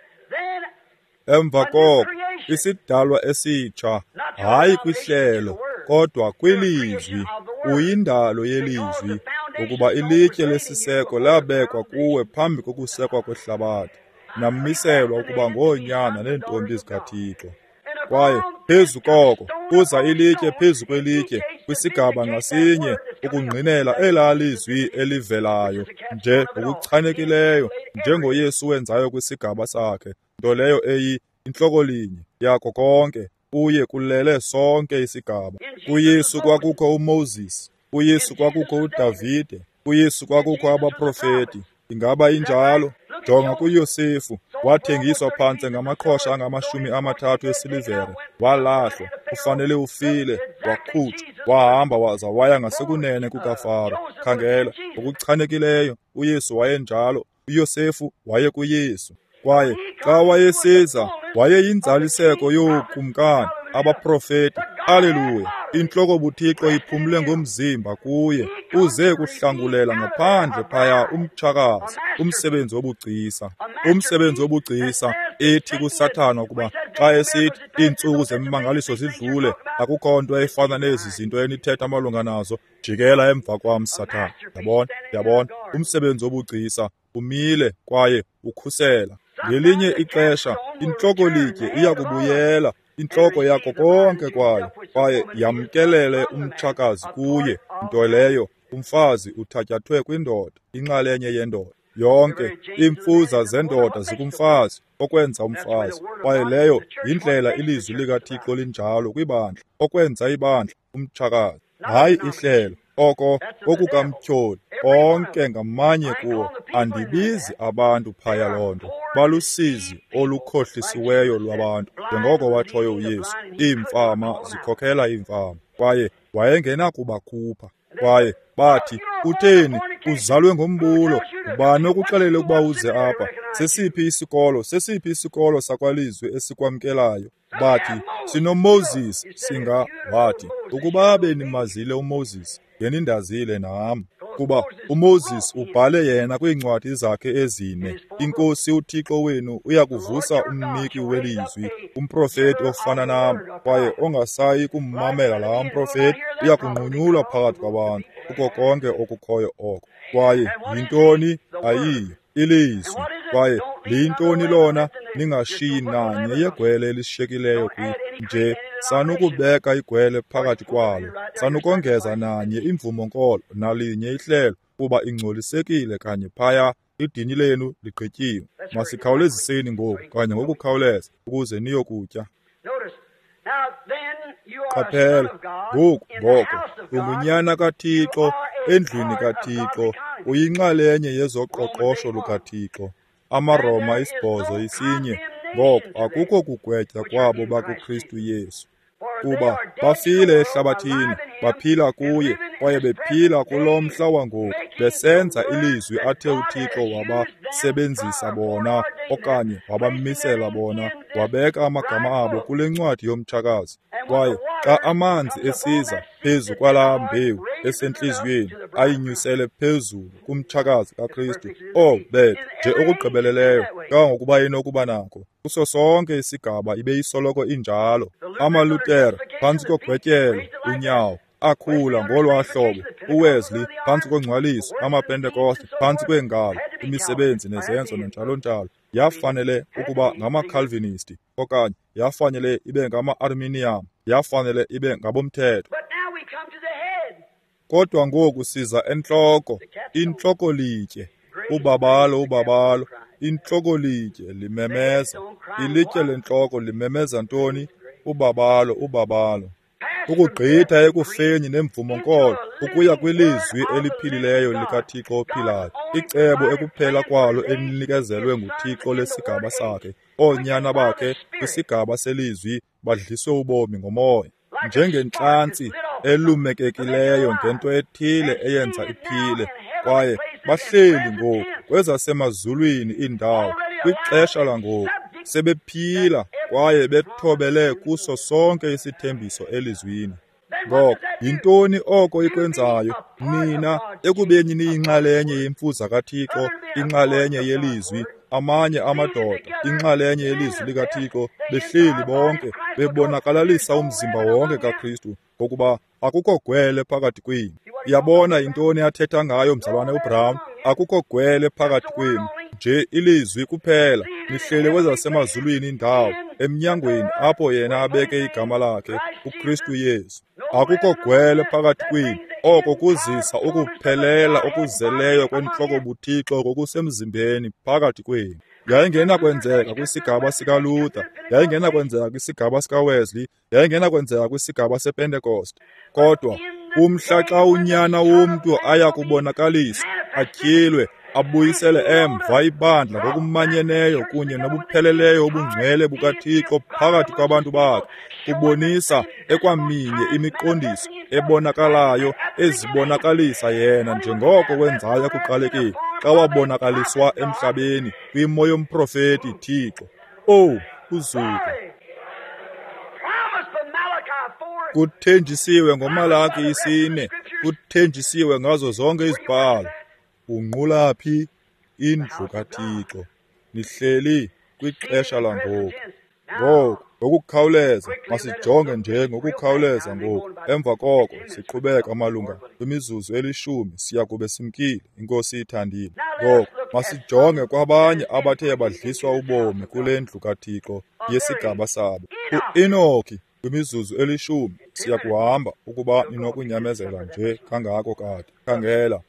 Emva koko isidalwa esitsha, hayi kwihlelo, kodwa kwilizwi, uyindalo yelizwi, ukuba ilitye lesiseko labekwa kuwe phambi kokusekwa kwehlabathi, namiselwa ukuba ngoonyana neentombi zikaThixo. Kwaye phezu koko kuza ilitye phezu kwelitye kwisigaba ngasinye ukungqinela elaa lizwi elivelayo nje ngokuchanekileyo njengoYesu wenzayo kwisigaba sakhe, nto leyo eyi intlokolinye yako konke. Kuye kulele sonke isigaba. KuYesu kwakukho uMoses, kuYesu kwakukho uDavide, kuYesu kwakukho abaprofeti. Ingaba injalo? Jonga kuYosefu, wathengiswa phantse ngamaqhosha angamakumi 30 esilivere, walahlwa, ufanele ufile, wakhutshwa, wahamba waza waya ngasekunene kukaFaro. Khangela, ngokuchanekileyo uYesu wayenjalo, uYosefu wayekuYesu. Kwaye xa wayesiza, wayeyinzaliseko yookumkani, abaprofeti. Haleluya! Intloko buThixo iphumle ngomzimba kuye, uze kuhlangulela ngaphandle phaya umtshakazi, umsebenzi wobugcisa. Umsebenzi wobugcisa ethi kuSathana ukuba xa esithi iintsuku zemimangaliso zidlule, akukho nto efana nezi zinto enithetha malunga nazo, jikela emva kwam, Sathana. Yabona? Yabona? Umsebenzi wobugcisa umile kwaye ukhusela. Ngelinye ixesha intlokolitye iyakubuyela intloko yako konke kwayo, kwaye yamkelele umtshakazi kuye, nto leyo umfazi uthatyathwe kwindoda, inxalenye yendoda. Yonke iimfuza zendoda zikumfazi, okwenza umfazi. Kwaye leyo yindlela ilizwi likaThixo linjalo kwibandla, okwenza ibandla umtshakazi, hayi ihlelo. Oko kokukamtyholi, onke ngamanye kuwo. Andibizi abantu phaya loo nto. Balusizi olukhohlisiweyo lwabantu, njengoko watshoyo uYesu. Iimfama zikhokela iimfama, kwaye wayengenakubakhupha. Kwaye bathi, utheni, uzalwe ngombulo, ubani okuxelele ukuba uze apha? Sesiphi isikolo, sesiphi isikolo sakwalizwi esikwamkelayo? Bathi, sinoMoses. Singa wathi, ukuba benimazile uMoses, ngenindazile nam. Kuba uMoses ubhale yena kwiincwadi zakhe ezine, iNkosi uThixo wenu uyakuvusa umniki welizwi, umprofeti ofana nam, kwaye ongasayi kummamela laa mprofeti uyakunqunyulwa phakathi kwabantu, kuko konke okukhoyo oko. Kwaye yintoni ayiyo? Ilizwi. Kwaye liyintoni lona? Ningashiyi nanye yegwele elishiyekileyo kwi nje, sanukubeka igwele phakathi kwalo, sanukongeza nanye imvumo-nkolo nalinye ihlelo, kuba ingcolisekile kanye phaya, idini lenu ligqityiwe. Masikhawuleziseni ngoku, kanye ngokukhawuleza, ukuze niyokutya. Qaphela, ngoku ngoko, ungunyana kaThixo, endlwini kaThixo, uyinxalenye yezoqoqosho lukaThixo. AmaRoma 8:1. Ngoko akukho kugwetywa kwabo bakuKristu Yesu, kuba bafile ehlabathini, baphila kuye, kwaye bephila kulo mhla wangoku, besenza ilizwi athe uThixo wabasebenzisa bona, okanye wabamisela bona, wabeka amagama abo kule ncwadi yomtshakazi. Kwaye xa amanzi esiza phezu kwalaa mbewu esentliziyweni, ayinyusele phezulu kumtshakazi kaKristu, bethu nje okugqibeleleyo kangangokuba inokuba nako. Kuso sonke isigaba ibe isoloko injalo. AmaLuthere phantsi kogwetyelo unyawo akhula ngolwaa hlobo, uWesley phantsi kongcwaliso, amaPentekoste phantsi kweengalo, imisebenzi nezenzo nanjalo-njalo. Yafanele ukuba ngamaCalvinisti, okanye yafanele ibe ngama-Arminian, yafanele ibe ngabomthetho. Kodwa ngoku siza entloko, intlokolitye, ubabalo, ubabalo, intlokolitye limemeza, ilitye lentloko limemeza ntoni? Ubabalo, ubabalo. Ukugqitha ekufeni nemvumo-nkolo ukuya kwilizwi eliphilileyo likaThixo ophilayo, icebo ekuphela kwalo elinikezelwe nguThixo lesigaba sakhe. Oonyana bakhe kwisigaba selizwi badliswe ubomi ngomoya, njengentlantsi elumekekileyo ngento ethile eyenza iphile. Kwaye bahleli ngoku kwezasemazulwini iindawo kwixesha langoku, sebephila kwaye bethobele kuso sonke isithembiso elizwini. Ngoko yintoni oko ikwenzayo? Nina ekubeni niyinxalenye yemfuza kaThixo, inxalenye yelizwi, amanye amadoda, inxalenye yelizwi likaThixo, behleli bonke bebonakalalisa umzimba wonke kaKristu, ngokuba akukho gwele phakathi kwenu. Uyabona yintoni athetha ngayo mzalwane uBrown? Akukho gwele phakathi kwenu, nje ilizwi kuphela. Nihlele kwezasemazulwini indawo, emnyangweni apho yena abeke igama lakhe, uKristu Yesu. Akukho gwele phakathi kwenu. Oko kuzisa ukuphelela okuzeleyo kwentloko buThixo ngokusemzimbeni phakathi kwenu. Yayingenakwenzeka kwisigaba sikaLuther, yayingenakwenzeka kwisigaba sikaWesley, yayingenakwenzeka kwisigaba sePentecost. Kodwa umhla xa unyana womntu aya kubonakaliswa, atyhilwe, abuyisele emva ibandla ngokumanyeneyo kunye nobupheleleyo obungcwele bukaThixo phakathi kwabantu bakhe, kubonisa ekwaminye imiqondiso ebonakalayo ezibonakalisa yena njengoko wenzayo ekuqalekeni xa wabonakaliswa emhlabeni kwimo yomprofeti Thixo. Owu, uzuko! Kuthenjisiwe ngoMalaki 4, kuthenjisiwe ngazo zonke izibhalo. Unqula phi? Indlu kaThixo. Nihleli kwixesha langoku. Ngoku ngokukhawuleza, masijonge nje ngokukhawuleza ngoku. Emva koko siqhubeka malunga kwimizuzu 10, siya kube simkile, iNkosi ithandile. Ngoku masijonge kwabanye abathe badliswa ubomi kule ndlu kaThixo yesigaba sabo. UEnoki, kwimizuzu 10 siya kuhamba, ukuba ninokunyamezela nje kangako kade. Khangela,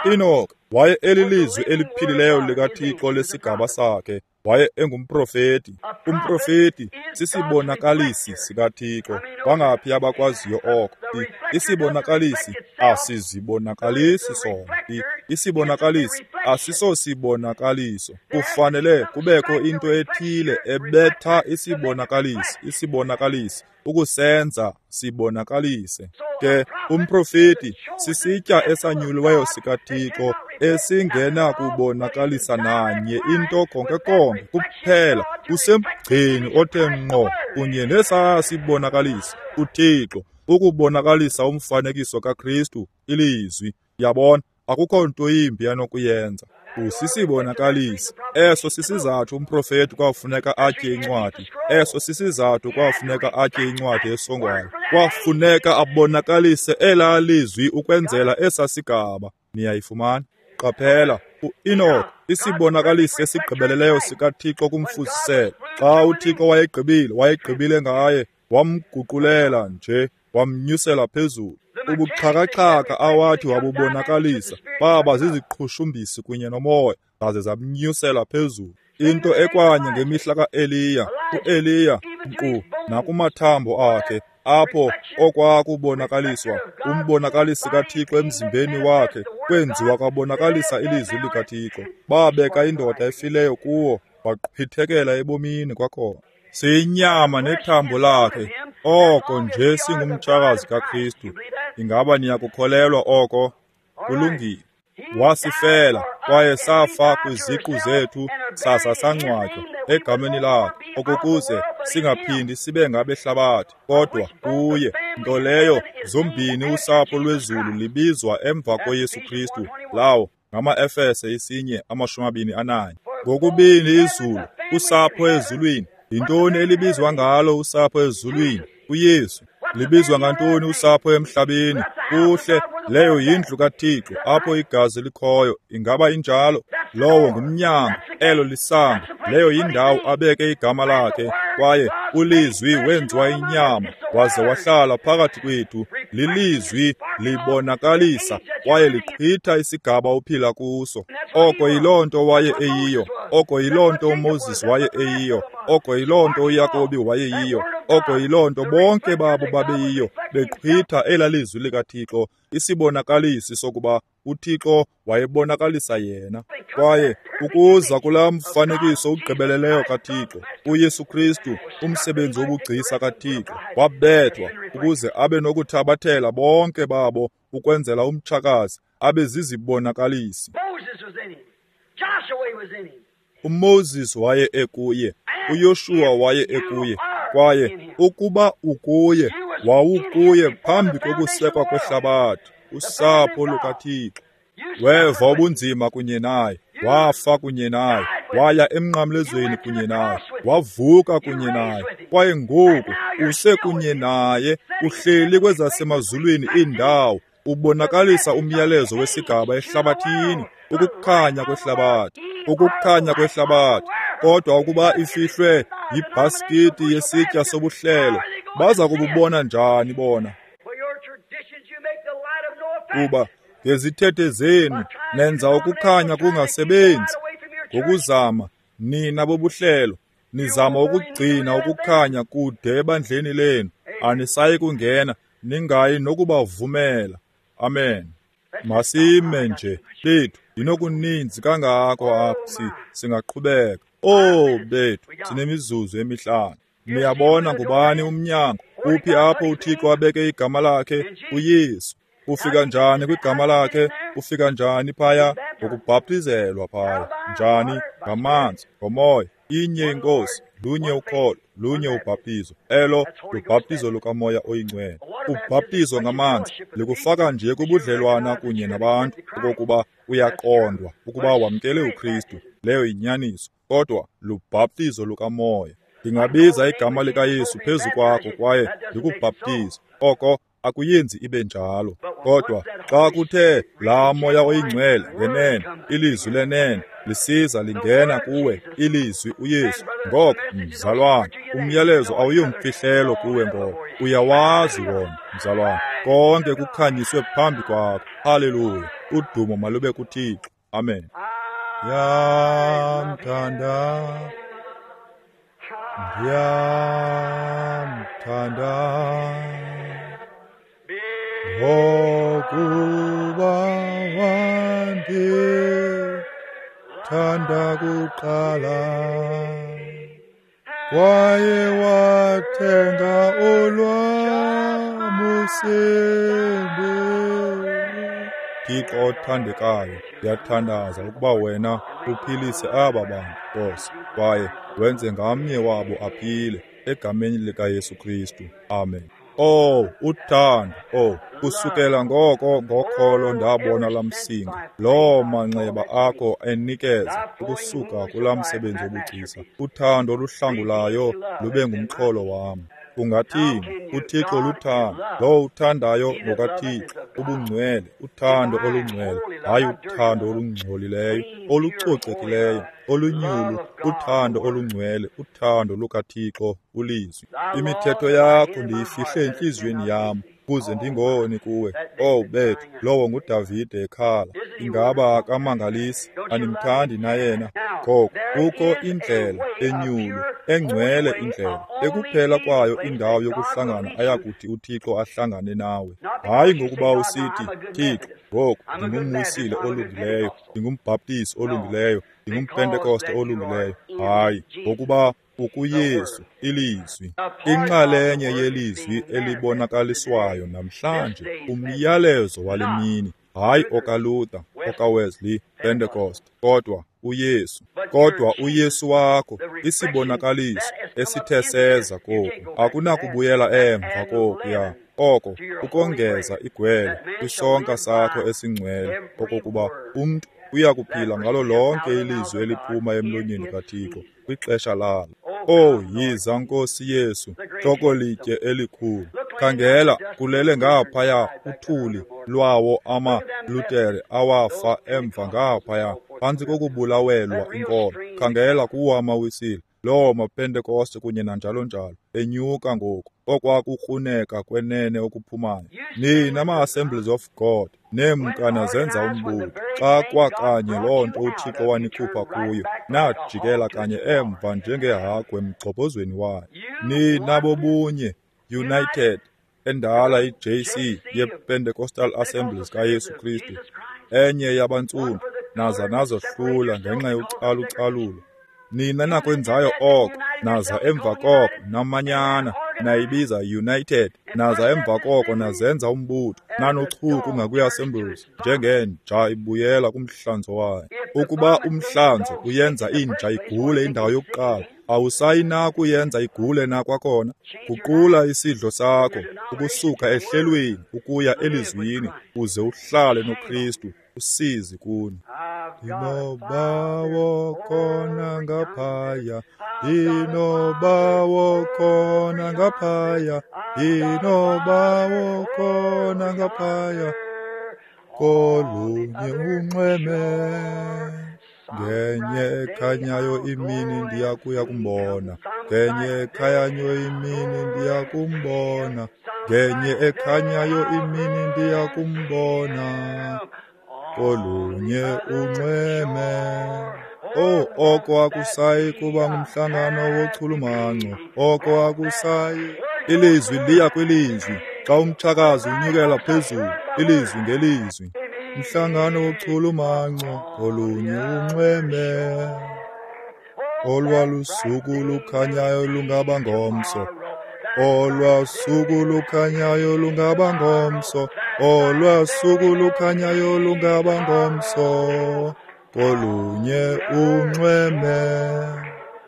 uEnoki waye elilizwi eliphilileyo likaThixo lesigaba sakhe. Waye engumprofeti. Umprofeti sisibonakalisi sikaThixo. Bangaphi abakwaziyo oko? Isibonakalisi asizibonakalisi sona. Isibonakalisi asisosibonakaliso. Kufanele kubekho into ethile ebetha isibonakalisi, isibonakalisi ukusenza sibonakalise. Ke umprofeti sisitya esanyuliweyo sikaThixo esingenakubonakalisa nanye into konke konke, kuphela usemgceni othe ngqo kunye nesaa sibonakalisi, uThixo ukubonakalisa umfanekiso kaKristu, ilizwi. Yabona, Akukho nto yimbi anokuyenza. Usisibonakalisi. Eso sisizathu umprofeti kwafuneka atye incwadi. Eso sisizathu kwafuneka atye incwadi esongwayo. Kwafuneka abonakalise elaa lizwi ukwenzela esa sigaba. Niyayifumana? Qaphela, uEnoch, isibonakalisi esigqibeleleyo sikaThixo kumfuziselo. Xa uThixo wayegqibile, wayegqibile ngaye, wamguqulela nje, wamnyusela phezulu. Ubuxhakaxhaka awathi wabubonakalisa baba ziziqhushumbisi kunye nomoya, zaze zamnyusela phezulu. Into ekwanye ngemihla kaEliya, uEliya nkqu nakumathambo akhe, apho okwakubonakaliswa umbonakalisi kaThixo emzimbeni wakhe kwenziwa kwabonakalisa ilizwi likaThixo. Babeka indoda efileyo kuwo, waqhwithekela ebomini kwakhona. Siyinyama nethambo lakhe, oko nje singumtshakazi kaKristu. Ingaba niyakukholelwa oko? Kulungile. Wasifela, kwaye safa kwiziqu zethu, saza sangcwatywa egameni lakhe, okokuze singaphindi sibe ngabehlabathi, kodwa kuye, nto leyo zombini usapho lwezulu libizwa emva koYesu Kristu. Lawo ngamaEfese 1:21. Ngokubini izulu, usapho ezulwini. Yintoni elibizwa ngalo usapho ezulwini? uYesu. Libizwa ngantoni usapho emhlabeni? Kuhle, leyo yindlu kaThixo apho igazi likhoyo. Ingaba injalo? Lowo ngumnyango, elo lisango, leyo yindawo abeke igama lakhe. Kwaye ulizwi wenziwa inyama waze wahlala phakathi kwethu. Lilizwi libonakalisa kwaye liqhitha isigaba ophila kuso. Oko yiloo nto waye eyiyo, oko yiloo nto uMoses waye eyiyo, oko yiloo nto uYakobi wayeyiyo, oko yiloo nto bonke babo babeyiyo, beqhitha elaa lizwi likaThixo, isibonakalisi sokuba uThixo wayebonakalisa yena. Kwaye ukuza kulaa mfanekiso ugqibeleleyo kaThixo, uYesu Kristu, umsebenzi wobugcisa kaThixo, wabethwa ukuze abe nokuthabathela bonke babo ukwenzela umtshakazi abe zizibonakalisi. UMoses waye ekuye, uYoshuwa waye ekuye, kwaye ukuba ukuye, wawukuye phambi kokusekwa kwehlabathi, usapho lukaThixo. Weva ubunzima kunye naye, wafa kunye naye, waya emnqamlezweni kunye naye, wavuka kunye naye, kwaye ngoku usekunye naye, uhleli kwezasemazulwini iindawo, ubonakalisa umyalezo wesigaba ehlabathini, ukukhanya kwehlabathi, ukukhanya kwehlabathi. Kodwa ukuba ifihlwe yibhaskiti yesitya sobuhlelo, baza kububona njani bona? Kuba ngezithethe zenu nenza ukukhanya kungasebenzi. Ngokuzama nina bobuhlelo nizama ukugcina ukukhanya kude ebandleni lenu, anisayi kungena, ningayi nokubavumela. Amen. Masime nje bethu, ndinokuninzi kangako apha, singaqhubeka. Oh bethu, sinemizuzu emihlanu. Niyabona ngubani umnyango? Uphi apho uThixo abeke igama lakhe? uYesu. Ufika njani kwigama lakhe? Ufika njani phaya? Ngokubhaptizelwa phaya. Njani? Ngamanzi, ngomoya. Inye inkosi, lunye ukholo, lunye ubhaptizo. Elo lubhaptizo lukaMoya oyiNgcwele. Ubhaptizo ngamanzi likufaka nje kubudlelwana kunye nabantu, okokuba uyaqondwa ukuba wamkele uKristu. Leyo yinyaniso, kodwa lubhaptizo lukamoya. Ndingabiza igama likaYesu phezu kwakho kwaye ndikubhaptize, oko akuyenzi ibe njalo. Kodwa xa kuthe laa Moya oyiNgcwele ngenene, ilizwi lenene lisiza lingena kuwe, ilizwi uYesu, ngoko mzalwana, umyalezo awuyomfihlelo kuwe ngoko uyawazi wona, mzalwana. Konke kukhanyiswe phambi kwakho. Haleluya! Udumo malube kuThixo. Amen. Ndiyamthanda, ndiyamthanda, ngokuba wandithanda kuqala, kwaye wathenga olwam usindiso. Thixo othandekayo, ndiyathandaza ukuba wena uphilise aba bantu, Nkosi, kwaye wenze ngamnye wabo aphile, egameni likaYesu Kristu. Amen. Oh, uthando, oh, kusukela ngoko ngokholo ndabona lamsinga, loo manxeba akho enikeza ukusuka kulaa msebenzi wobugcisa. Uthando oluhlangulayo lube ngumxholo wam. Ungathini? UThixo luthando. Lowo uthandayo ngokaThixo, ubungcwele, uthando olungcwele, hayi uthando olungcolileyo, olucocekileyo, olunyulu, uthando olungcwele, uthando lukaThixo, uLizwi. Imithetho yakho ndiyifihle entliziyweni yam, ukuze ndingoni kuwe. Oh bethu, lowo nguDavide ekhala. Ingaba akamangalisi? Animthandi na yena? Ngoko kukho indlela enyulu, engcwele indlela, ekuphela kwayo indawo yokuhlangana ayakuthi uThixo ahlangane nawe. Hayi ngokuba usithi, Thixo, ngoku ndingumwisile olungileyo, ndingumbhaptisi olungileyo, ndingumpentekoste olungileyo. Hayi, ngokuba ukuYesu, iLizwi, inxalenye yelizwi elibonakaliswayo namhlanje, umyalezo wale mini, hayi okaLuther, okaWesley, Pentecost, kodwa uYesu. Kodwa uYesu wakho, isibonakaliso esithe seza koku, akunakubuyela emva kokuya. Oko ukongeza igwele kwisonka sakho esingcwele, okokuba umntu uya kuphila ngalo lonke ilizwi eliphuma emlonyeni kaThixo kwixesha lalo. Oh, yiza Nkosi Yesu, hlokolitye elikhulu. Khangela, kulele ngaphaya uthuli lwawo amaLutere awafa emva ngaphaya phantsi kokubulawelwa inkolo. Khangela kuwo amaWisile, loo maPentekoste kunye nanjalo njalo, enyuka ngoku, okwakukruneka kwenene okuphumayo. Nina ma-Assemblies of God, neemkana zenza umbutho. Xa kwakanye loo nto uThixo wanikhupha kuyo, najikela kanye emva njengehagu emgxobhozweni wayo. Nina bobunye, United, endala iJC yePentecostal Assemblies kaYesu Kristu, enye yabantsundu, naza nazohlula ngenxa yocalucalulo. Nina nakwenzayo oko, naza emva koko namanyana, nayibiza United, naza emva koko nazenza umbutho, nanochuku ngakwi-Assemblies, njengenja ibuyela kumhlanzo wayo. Ukuba umhlanzo uyenza inja igule indawo yokuqala, awusayi na kuyenza igule na kwakhona? Guqula isidlo sakho ukusuka ehlelweni ukuya elizwini, uze uhlale noKristu. Usizi kuni. Ndinobawo khona ngaphaya, ndinobawo khona ngaphaya, ndinobawo khona ngaphaya, kolunye unxweme. Ngenye ekhanyayo imini ndiya kuya kumbona, ngenye ekhanyayo imini ndiya kumbona, ngenye ekhanyayo imini ndiya kumbona, kolunye unxweme. Oh, oko akusayi kuba ngumhlangano wochulumanco, oko akusayi. Ilizwi liya kwilizwi, xa umtshakazi unyukela phezulu, ilizwi ngelizwi. Umhlangano wochulumanco, kolunye unxweme. Olwalusuku lukhanyayo lungaba ngomso, olwasuku lukhanyayo lungaba ngomso, olwasuku lukhanyayo lungaba ngomso, kolunye unxweme.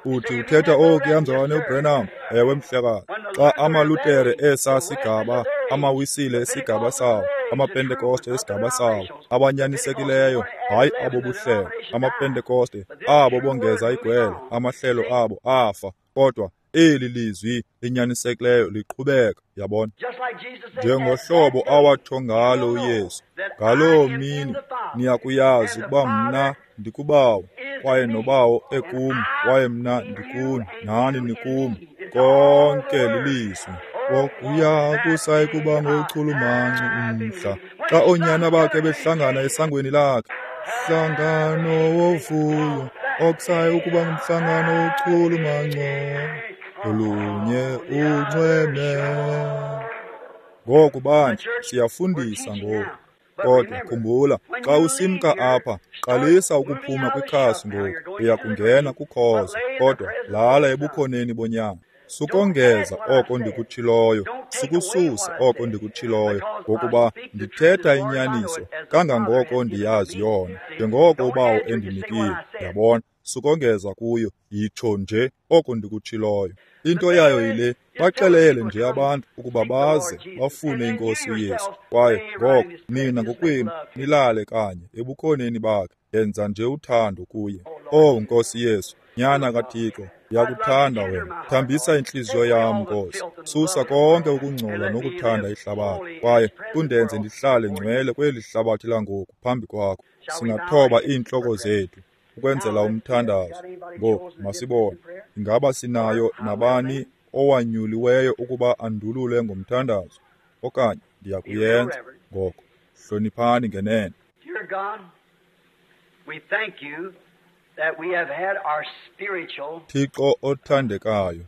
Uthi uthetha okuya mzalwane uBrenham? Ewe mhlekazi. Xa amaLutere esa sigaba, amaWisile esigaba sawo, amaPentekoste esigaba sawo, abanyanisekileyo, hayi abo buhlelo, amaPentekoste abo bongeza igwele, amahlelo abo afa, kodwa eli lizwi linyanisekileyo liqhubeka, yabona. Njengohlobo awatsho ngalo uYesu, ngaloo mini niyakuyazi ukuba mna ndikuBawo, kwaye noBawo ekum, kwaye mna ndikuni, nani nikum. Konke lilizwi. Okuya kusayi kuba ngochulumanco umhla, xa oonyana bakhe behlangana esangweni lakhe. Mhlangano wovuyo, okusayi ukuba ngumhlangano wochulumanco, olunye unxweme. Ngoku bandla, siyafundisa ngoku. Kodwa khumbula, xa usimka apha, qalisa ukuphuma kwikhasi ngoku, uya kungena kukhozo, kodwa lala ebukhoneni bonyana. Sukongeza oko ndikutshiloyo, sukususa oko ndikutshiloyo, ngokuba ndithetha inyaniso kangangoko ndiyazi yona, njengoko uBawo endinikile. Yabona? Sukongeza kuyo, yitsho nje oko ndikutshiloyo. Into yayo yile, baxelele nje abantu ukuba baze bafune iNkosi uYesu. Kwaye ngoko nina ngokwenu nilale kanye ebukhoneni bakhe, yenza nje uthando kuye. Oh Nkosi Yesu, Nyana kaThixo, ndiyakuthanda wena. Thambisa intliziyo yam, Nkosi. Susa konke ukungcola nokuthanda ihlabathi, kwaye undenze ndihlale ngcwele kweli hlabathi langoku phambi kwakho. Singathoba iintloko zethu ukwenzela umthandazo. Ngoku masibone, ingaba sinayo nabani owanyuliweyo ukuba andulule ngomthandazo? Okanye ndiyakuyenza. Ngoko hloniphani ngenene. Dear God, we thank you that we have had our spiritual Thixo othandekayo,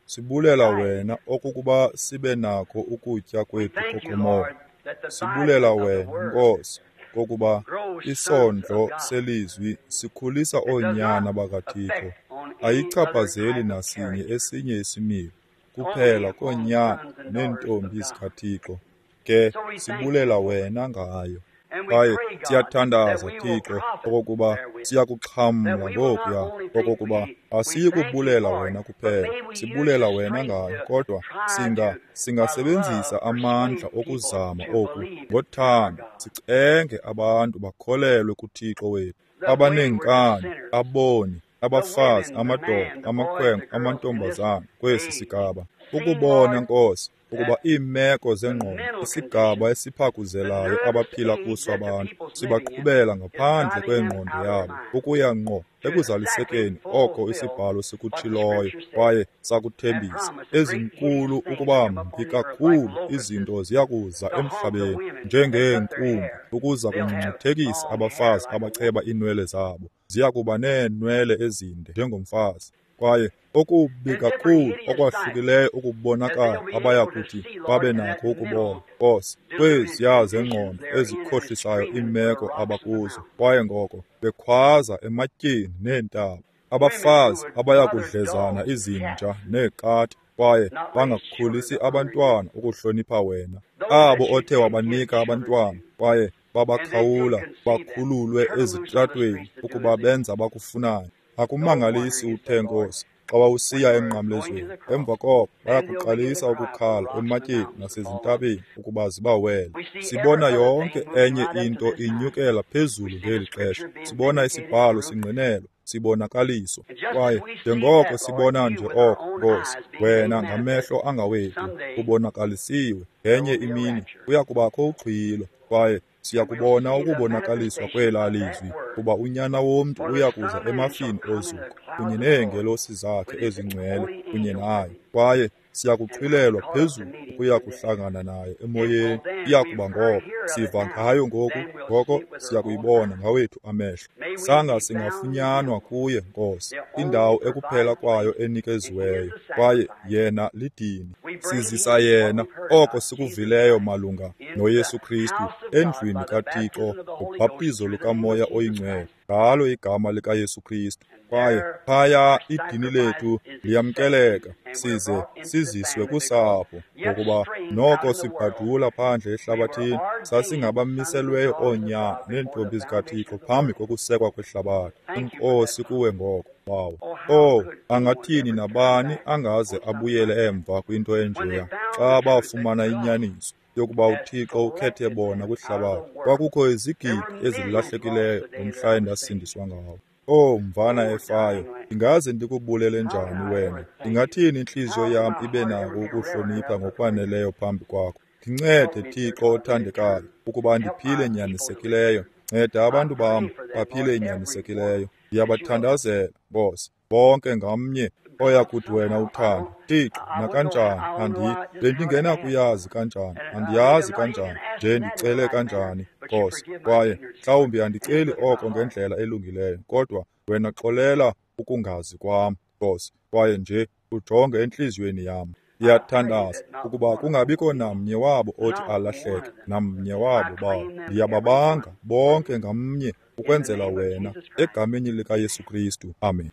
sibulela wena okokuba sibe nakho ukutya kwethu Thank you, kokomoya. Lord, that the Sibulela vitamin of the wena, Word Nkosi, kokuba grows sons isondlo of God. selizwi sikhulisa It does oonyana not bakaThixo. affect on any other Ayichaphazeli type of nasinye character. esinye isimilo, kuphela Only upon koonyana sons and daughters of neentombi God. zikaThixo. Ke So we thank sibulela you. wena ngayo. And we Kwaye pray, God, that siyathandaza we will Thixo profit okokuba therewith. siyakuxhamla That we will not ngokuya only think okokuba we asiyi thank you kubulela for wena it, but kuphela, may we use sibulela the wena strength ngayo, to kodwa try to, by singasebenzisa love, amandla persuade people okuzama to oku believe in our ngothando, God. sicenge abantu bakholelwe kuThixo wethu. The wayward Abaneenkani, sinners, aboni, the abafazi, women, the amadoda, man, the boys, amakhwenkwe, the girls in this amantombazana kwesi age, sigaba. seen, Ukubona, Lord, Nkosi, ukuba that iimeko the zengqondo, mental isigaba condition, the esiphakuzelayo nervous abaphila age kuso that the abantu, people's living in sibaqhubela is ngaphandle driving them kwengqondo out of their yabo mind ukuya ngqo to exactly ekuzalisekeni oko fulfill isibhalo what the sikutshiloyo Scripture said kwaye and sakuthembisa. promised. Great hideous Ezinkulu things ukuba come up mbi on the earth like kakhulu locusts izinto ziya kuza to haunt the emhlabeni women that cut their njengeenkumbi hair. ukuza They'll have kungcungcuthekisa long hair abafazi like a abacheba woman. iinwele zabo. Ziya kuba neenwele ezinde njengomfazi. Kwaye okubi And different kakhulu hideous sights okwahlukileyo that they'll okubonakala be abaya able to kuthi see, Lord, babe and that nakho ukubona, mental Nkosi, deluded kweziya conditions zengqondo they're in and ezikhohlisayo screaming for the iimeko rocks and the abakuzo, mountains. kwaye ngoko bekhwaza ematyeni neentaba. Women who Abafazi would abaya mother kudlezana dogs, izinja cats, neekati, kwaye not raise children bangakhulisi to honor you. abantwana ukuhlonipha wena. Those Abo that you othe did give wabanika children abantwana to, kwaye and they did babakhawula conceive them, bakhululwe turn them loose on the ezitratweni streets to do ukuba as they benza abakufunayo. No wonder Akumangalisi you uthe, said, Lord, Nkosi, xa wawusiya when we're going to emnqamlezweni, the emva cross, koko then they'll begin to bayakuqalisa cry for the ukukhala rocks and the ematyeni mountains to fall on them. nasezintabeni ukuba zibawele. We see every Sibona other yonke thing moving enye right up to into this time. inyukela We phezulu see the ngeli xesha. Scripture being Sibona vindicated, isibhalo proved. singqinelwa, sibonakaliswa. And just as Kwaye we see njengoko that, Lord, sibona you nje with our oko, own Nkosi, eyes being made wena manifest, ngamehlo angawethu someday ubonakalisiwe. there Ngenye will be a imini rapture. kuya kubakho uxhwilo, kwaye siya And we'll kubona see the ukubonakalaliswa manifestation kwelaa of that lizwi, word. kuba uNyana womntu For the uya Son kuza of Man shall emafini come in the ozuko clouds kunye of the Lord neengelosi zakhe with his ezingcwele holy kunye angels naye, with him, kwaye siya and we'll be kuxhwilelwa caught up to phezulu meet him ukuya in the air. kuhlangana naye It will emoyeni. then, Iya we've kuba heard ngoko hear of it siva now, ngayo ngoku, then we'll ngoko see it with siya our own kuyibona eyes. ngawethu amehlo. May we Sanga be found in singafunyanwa him, kuye, Nkosi, the indawo only ekuphela provided kwayo place, and he is enikeziweyo, the kwaye sacrifice. yena lidini. We bring Sizisa him what yena we've heard oko about, Jesus sikuvileyo Christ, malunga into the noYesu Kristu house of God endlwini by the kaThixo baptism of the Holy Ghost ngobhaptizo through the name of lukaMoya Jesus oyiNgcwele, Christ. ngalo igama likaYesu Kristu. And Kwaye there phaya our idini sacrifice lethu is accepted, liyamkeleka, and we're size brought into the siziswe family because kusapho, yet ngokuba straying out noko in the world, sibhadula phandle we were ehlabathini, ordained sons and sasingabamiselweyo daughters of oonyana God before the neentombi foundation zikaThixo of the phambi world. kokusekwa kwehlabathi. Thank you for that Enkosi kuwe promise. ngoko, Bawo. Oh, how Oh, could anyone angathini ever turn nabani back angaze on something abuyele like that? emva kwinto When they enjeya found xa the truth that bafumana God inyaniso yokuba has uThixo ukhethe selected bona them out of kwihlabathi. the world. Kwakukho There izigidi were millions lost ezilahlekileyo the day ngomhla that I was saved. endasindiswa ngawo. Oh, mvana Poor efayo, dying lamb. ndingaze ndikubulele How can njani I wena? ever thank you? Ndingathini intliziyo How can yam my ibe heart nako ever be reverent ukuhlonipha enough before you? ngokwaneleyo phambi kwakho? Ndincede, Help me, dear Thixo God, to live othandekayo, true. ukuba Help ndiphile my people to live nyanisekileyo. true. Nceda I abantu pray bam for them, baphile Lord, every one nyanisekileyo. that you will Ndiyabathandazela, Nkosi, bonke ngamnye oya God, kuthi wena somehow I uthande. don't, Thixo, I wouldn't know, nakanjani, I don't know andi how, just how to ask. bendingenakuyazi kanjani, And maybe andiyazi I'm not even kanjani, nje asking that in the ndicele right manner, kanjani, but you Nkosi. forgive my Kwaye ignorance, Lord, mhlawumbi and just andiceli look at my oko heart. ngendlela elungileyo, kodwa wena xolela ukungazi kwam, Nkosi, kwaye nje ujonge entliziyweni yam. I pray Ndiyathandaza that not ukuba one of them kungabikho will be namnye wabo othi not one alahleke, of them. namnye I wabo bawo. claim them every Ndiyababanga one bonke ngamnye in the ukwenzela name of wena, Jesus Christ. egameni likaYesu Kristu. Amen.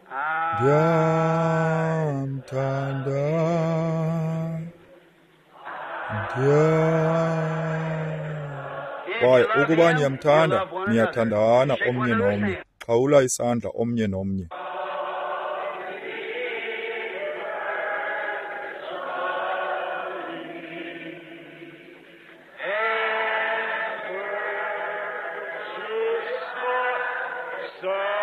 I Ndiyamthanda, ndiyam. If Kwaye Kwaye ukuba niyamthanda, niyathandana omnye nomnye. Xhawula isandla omnye nomnye. Ever so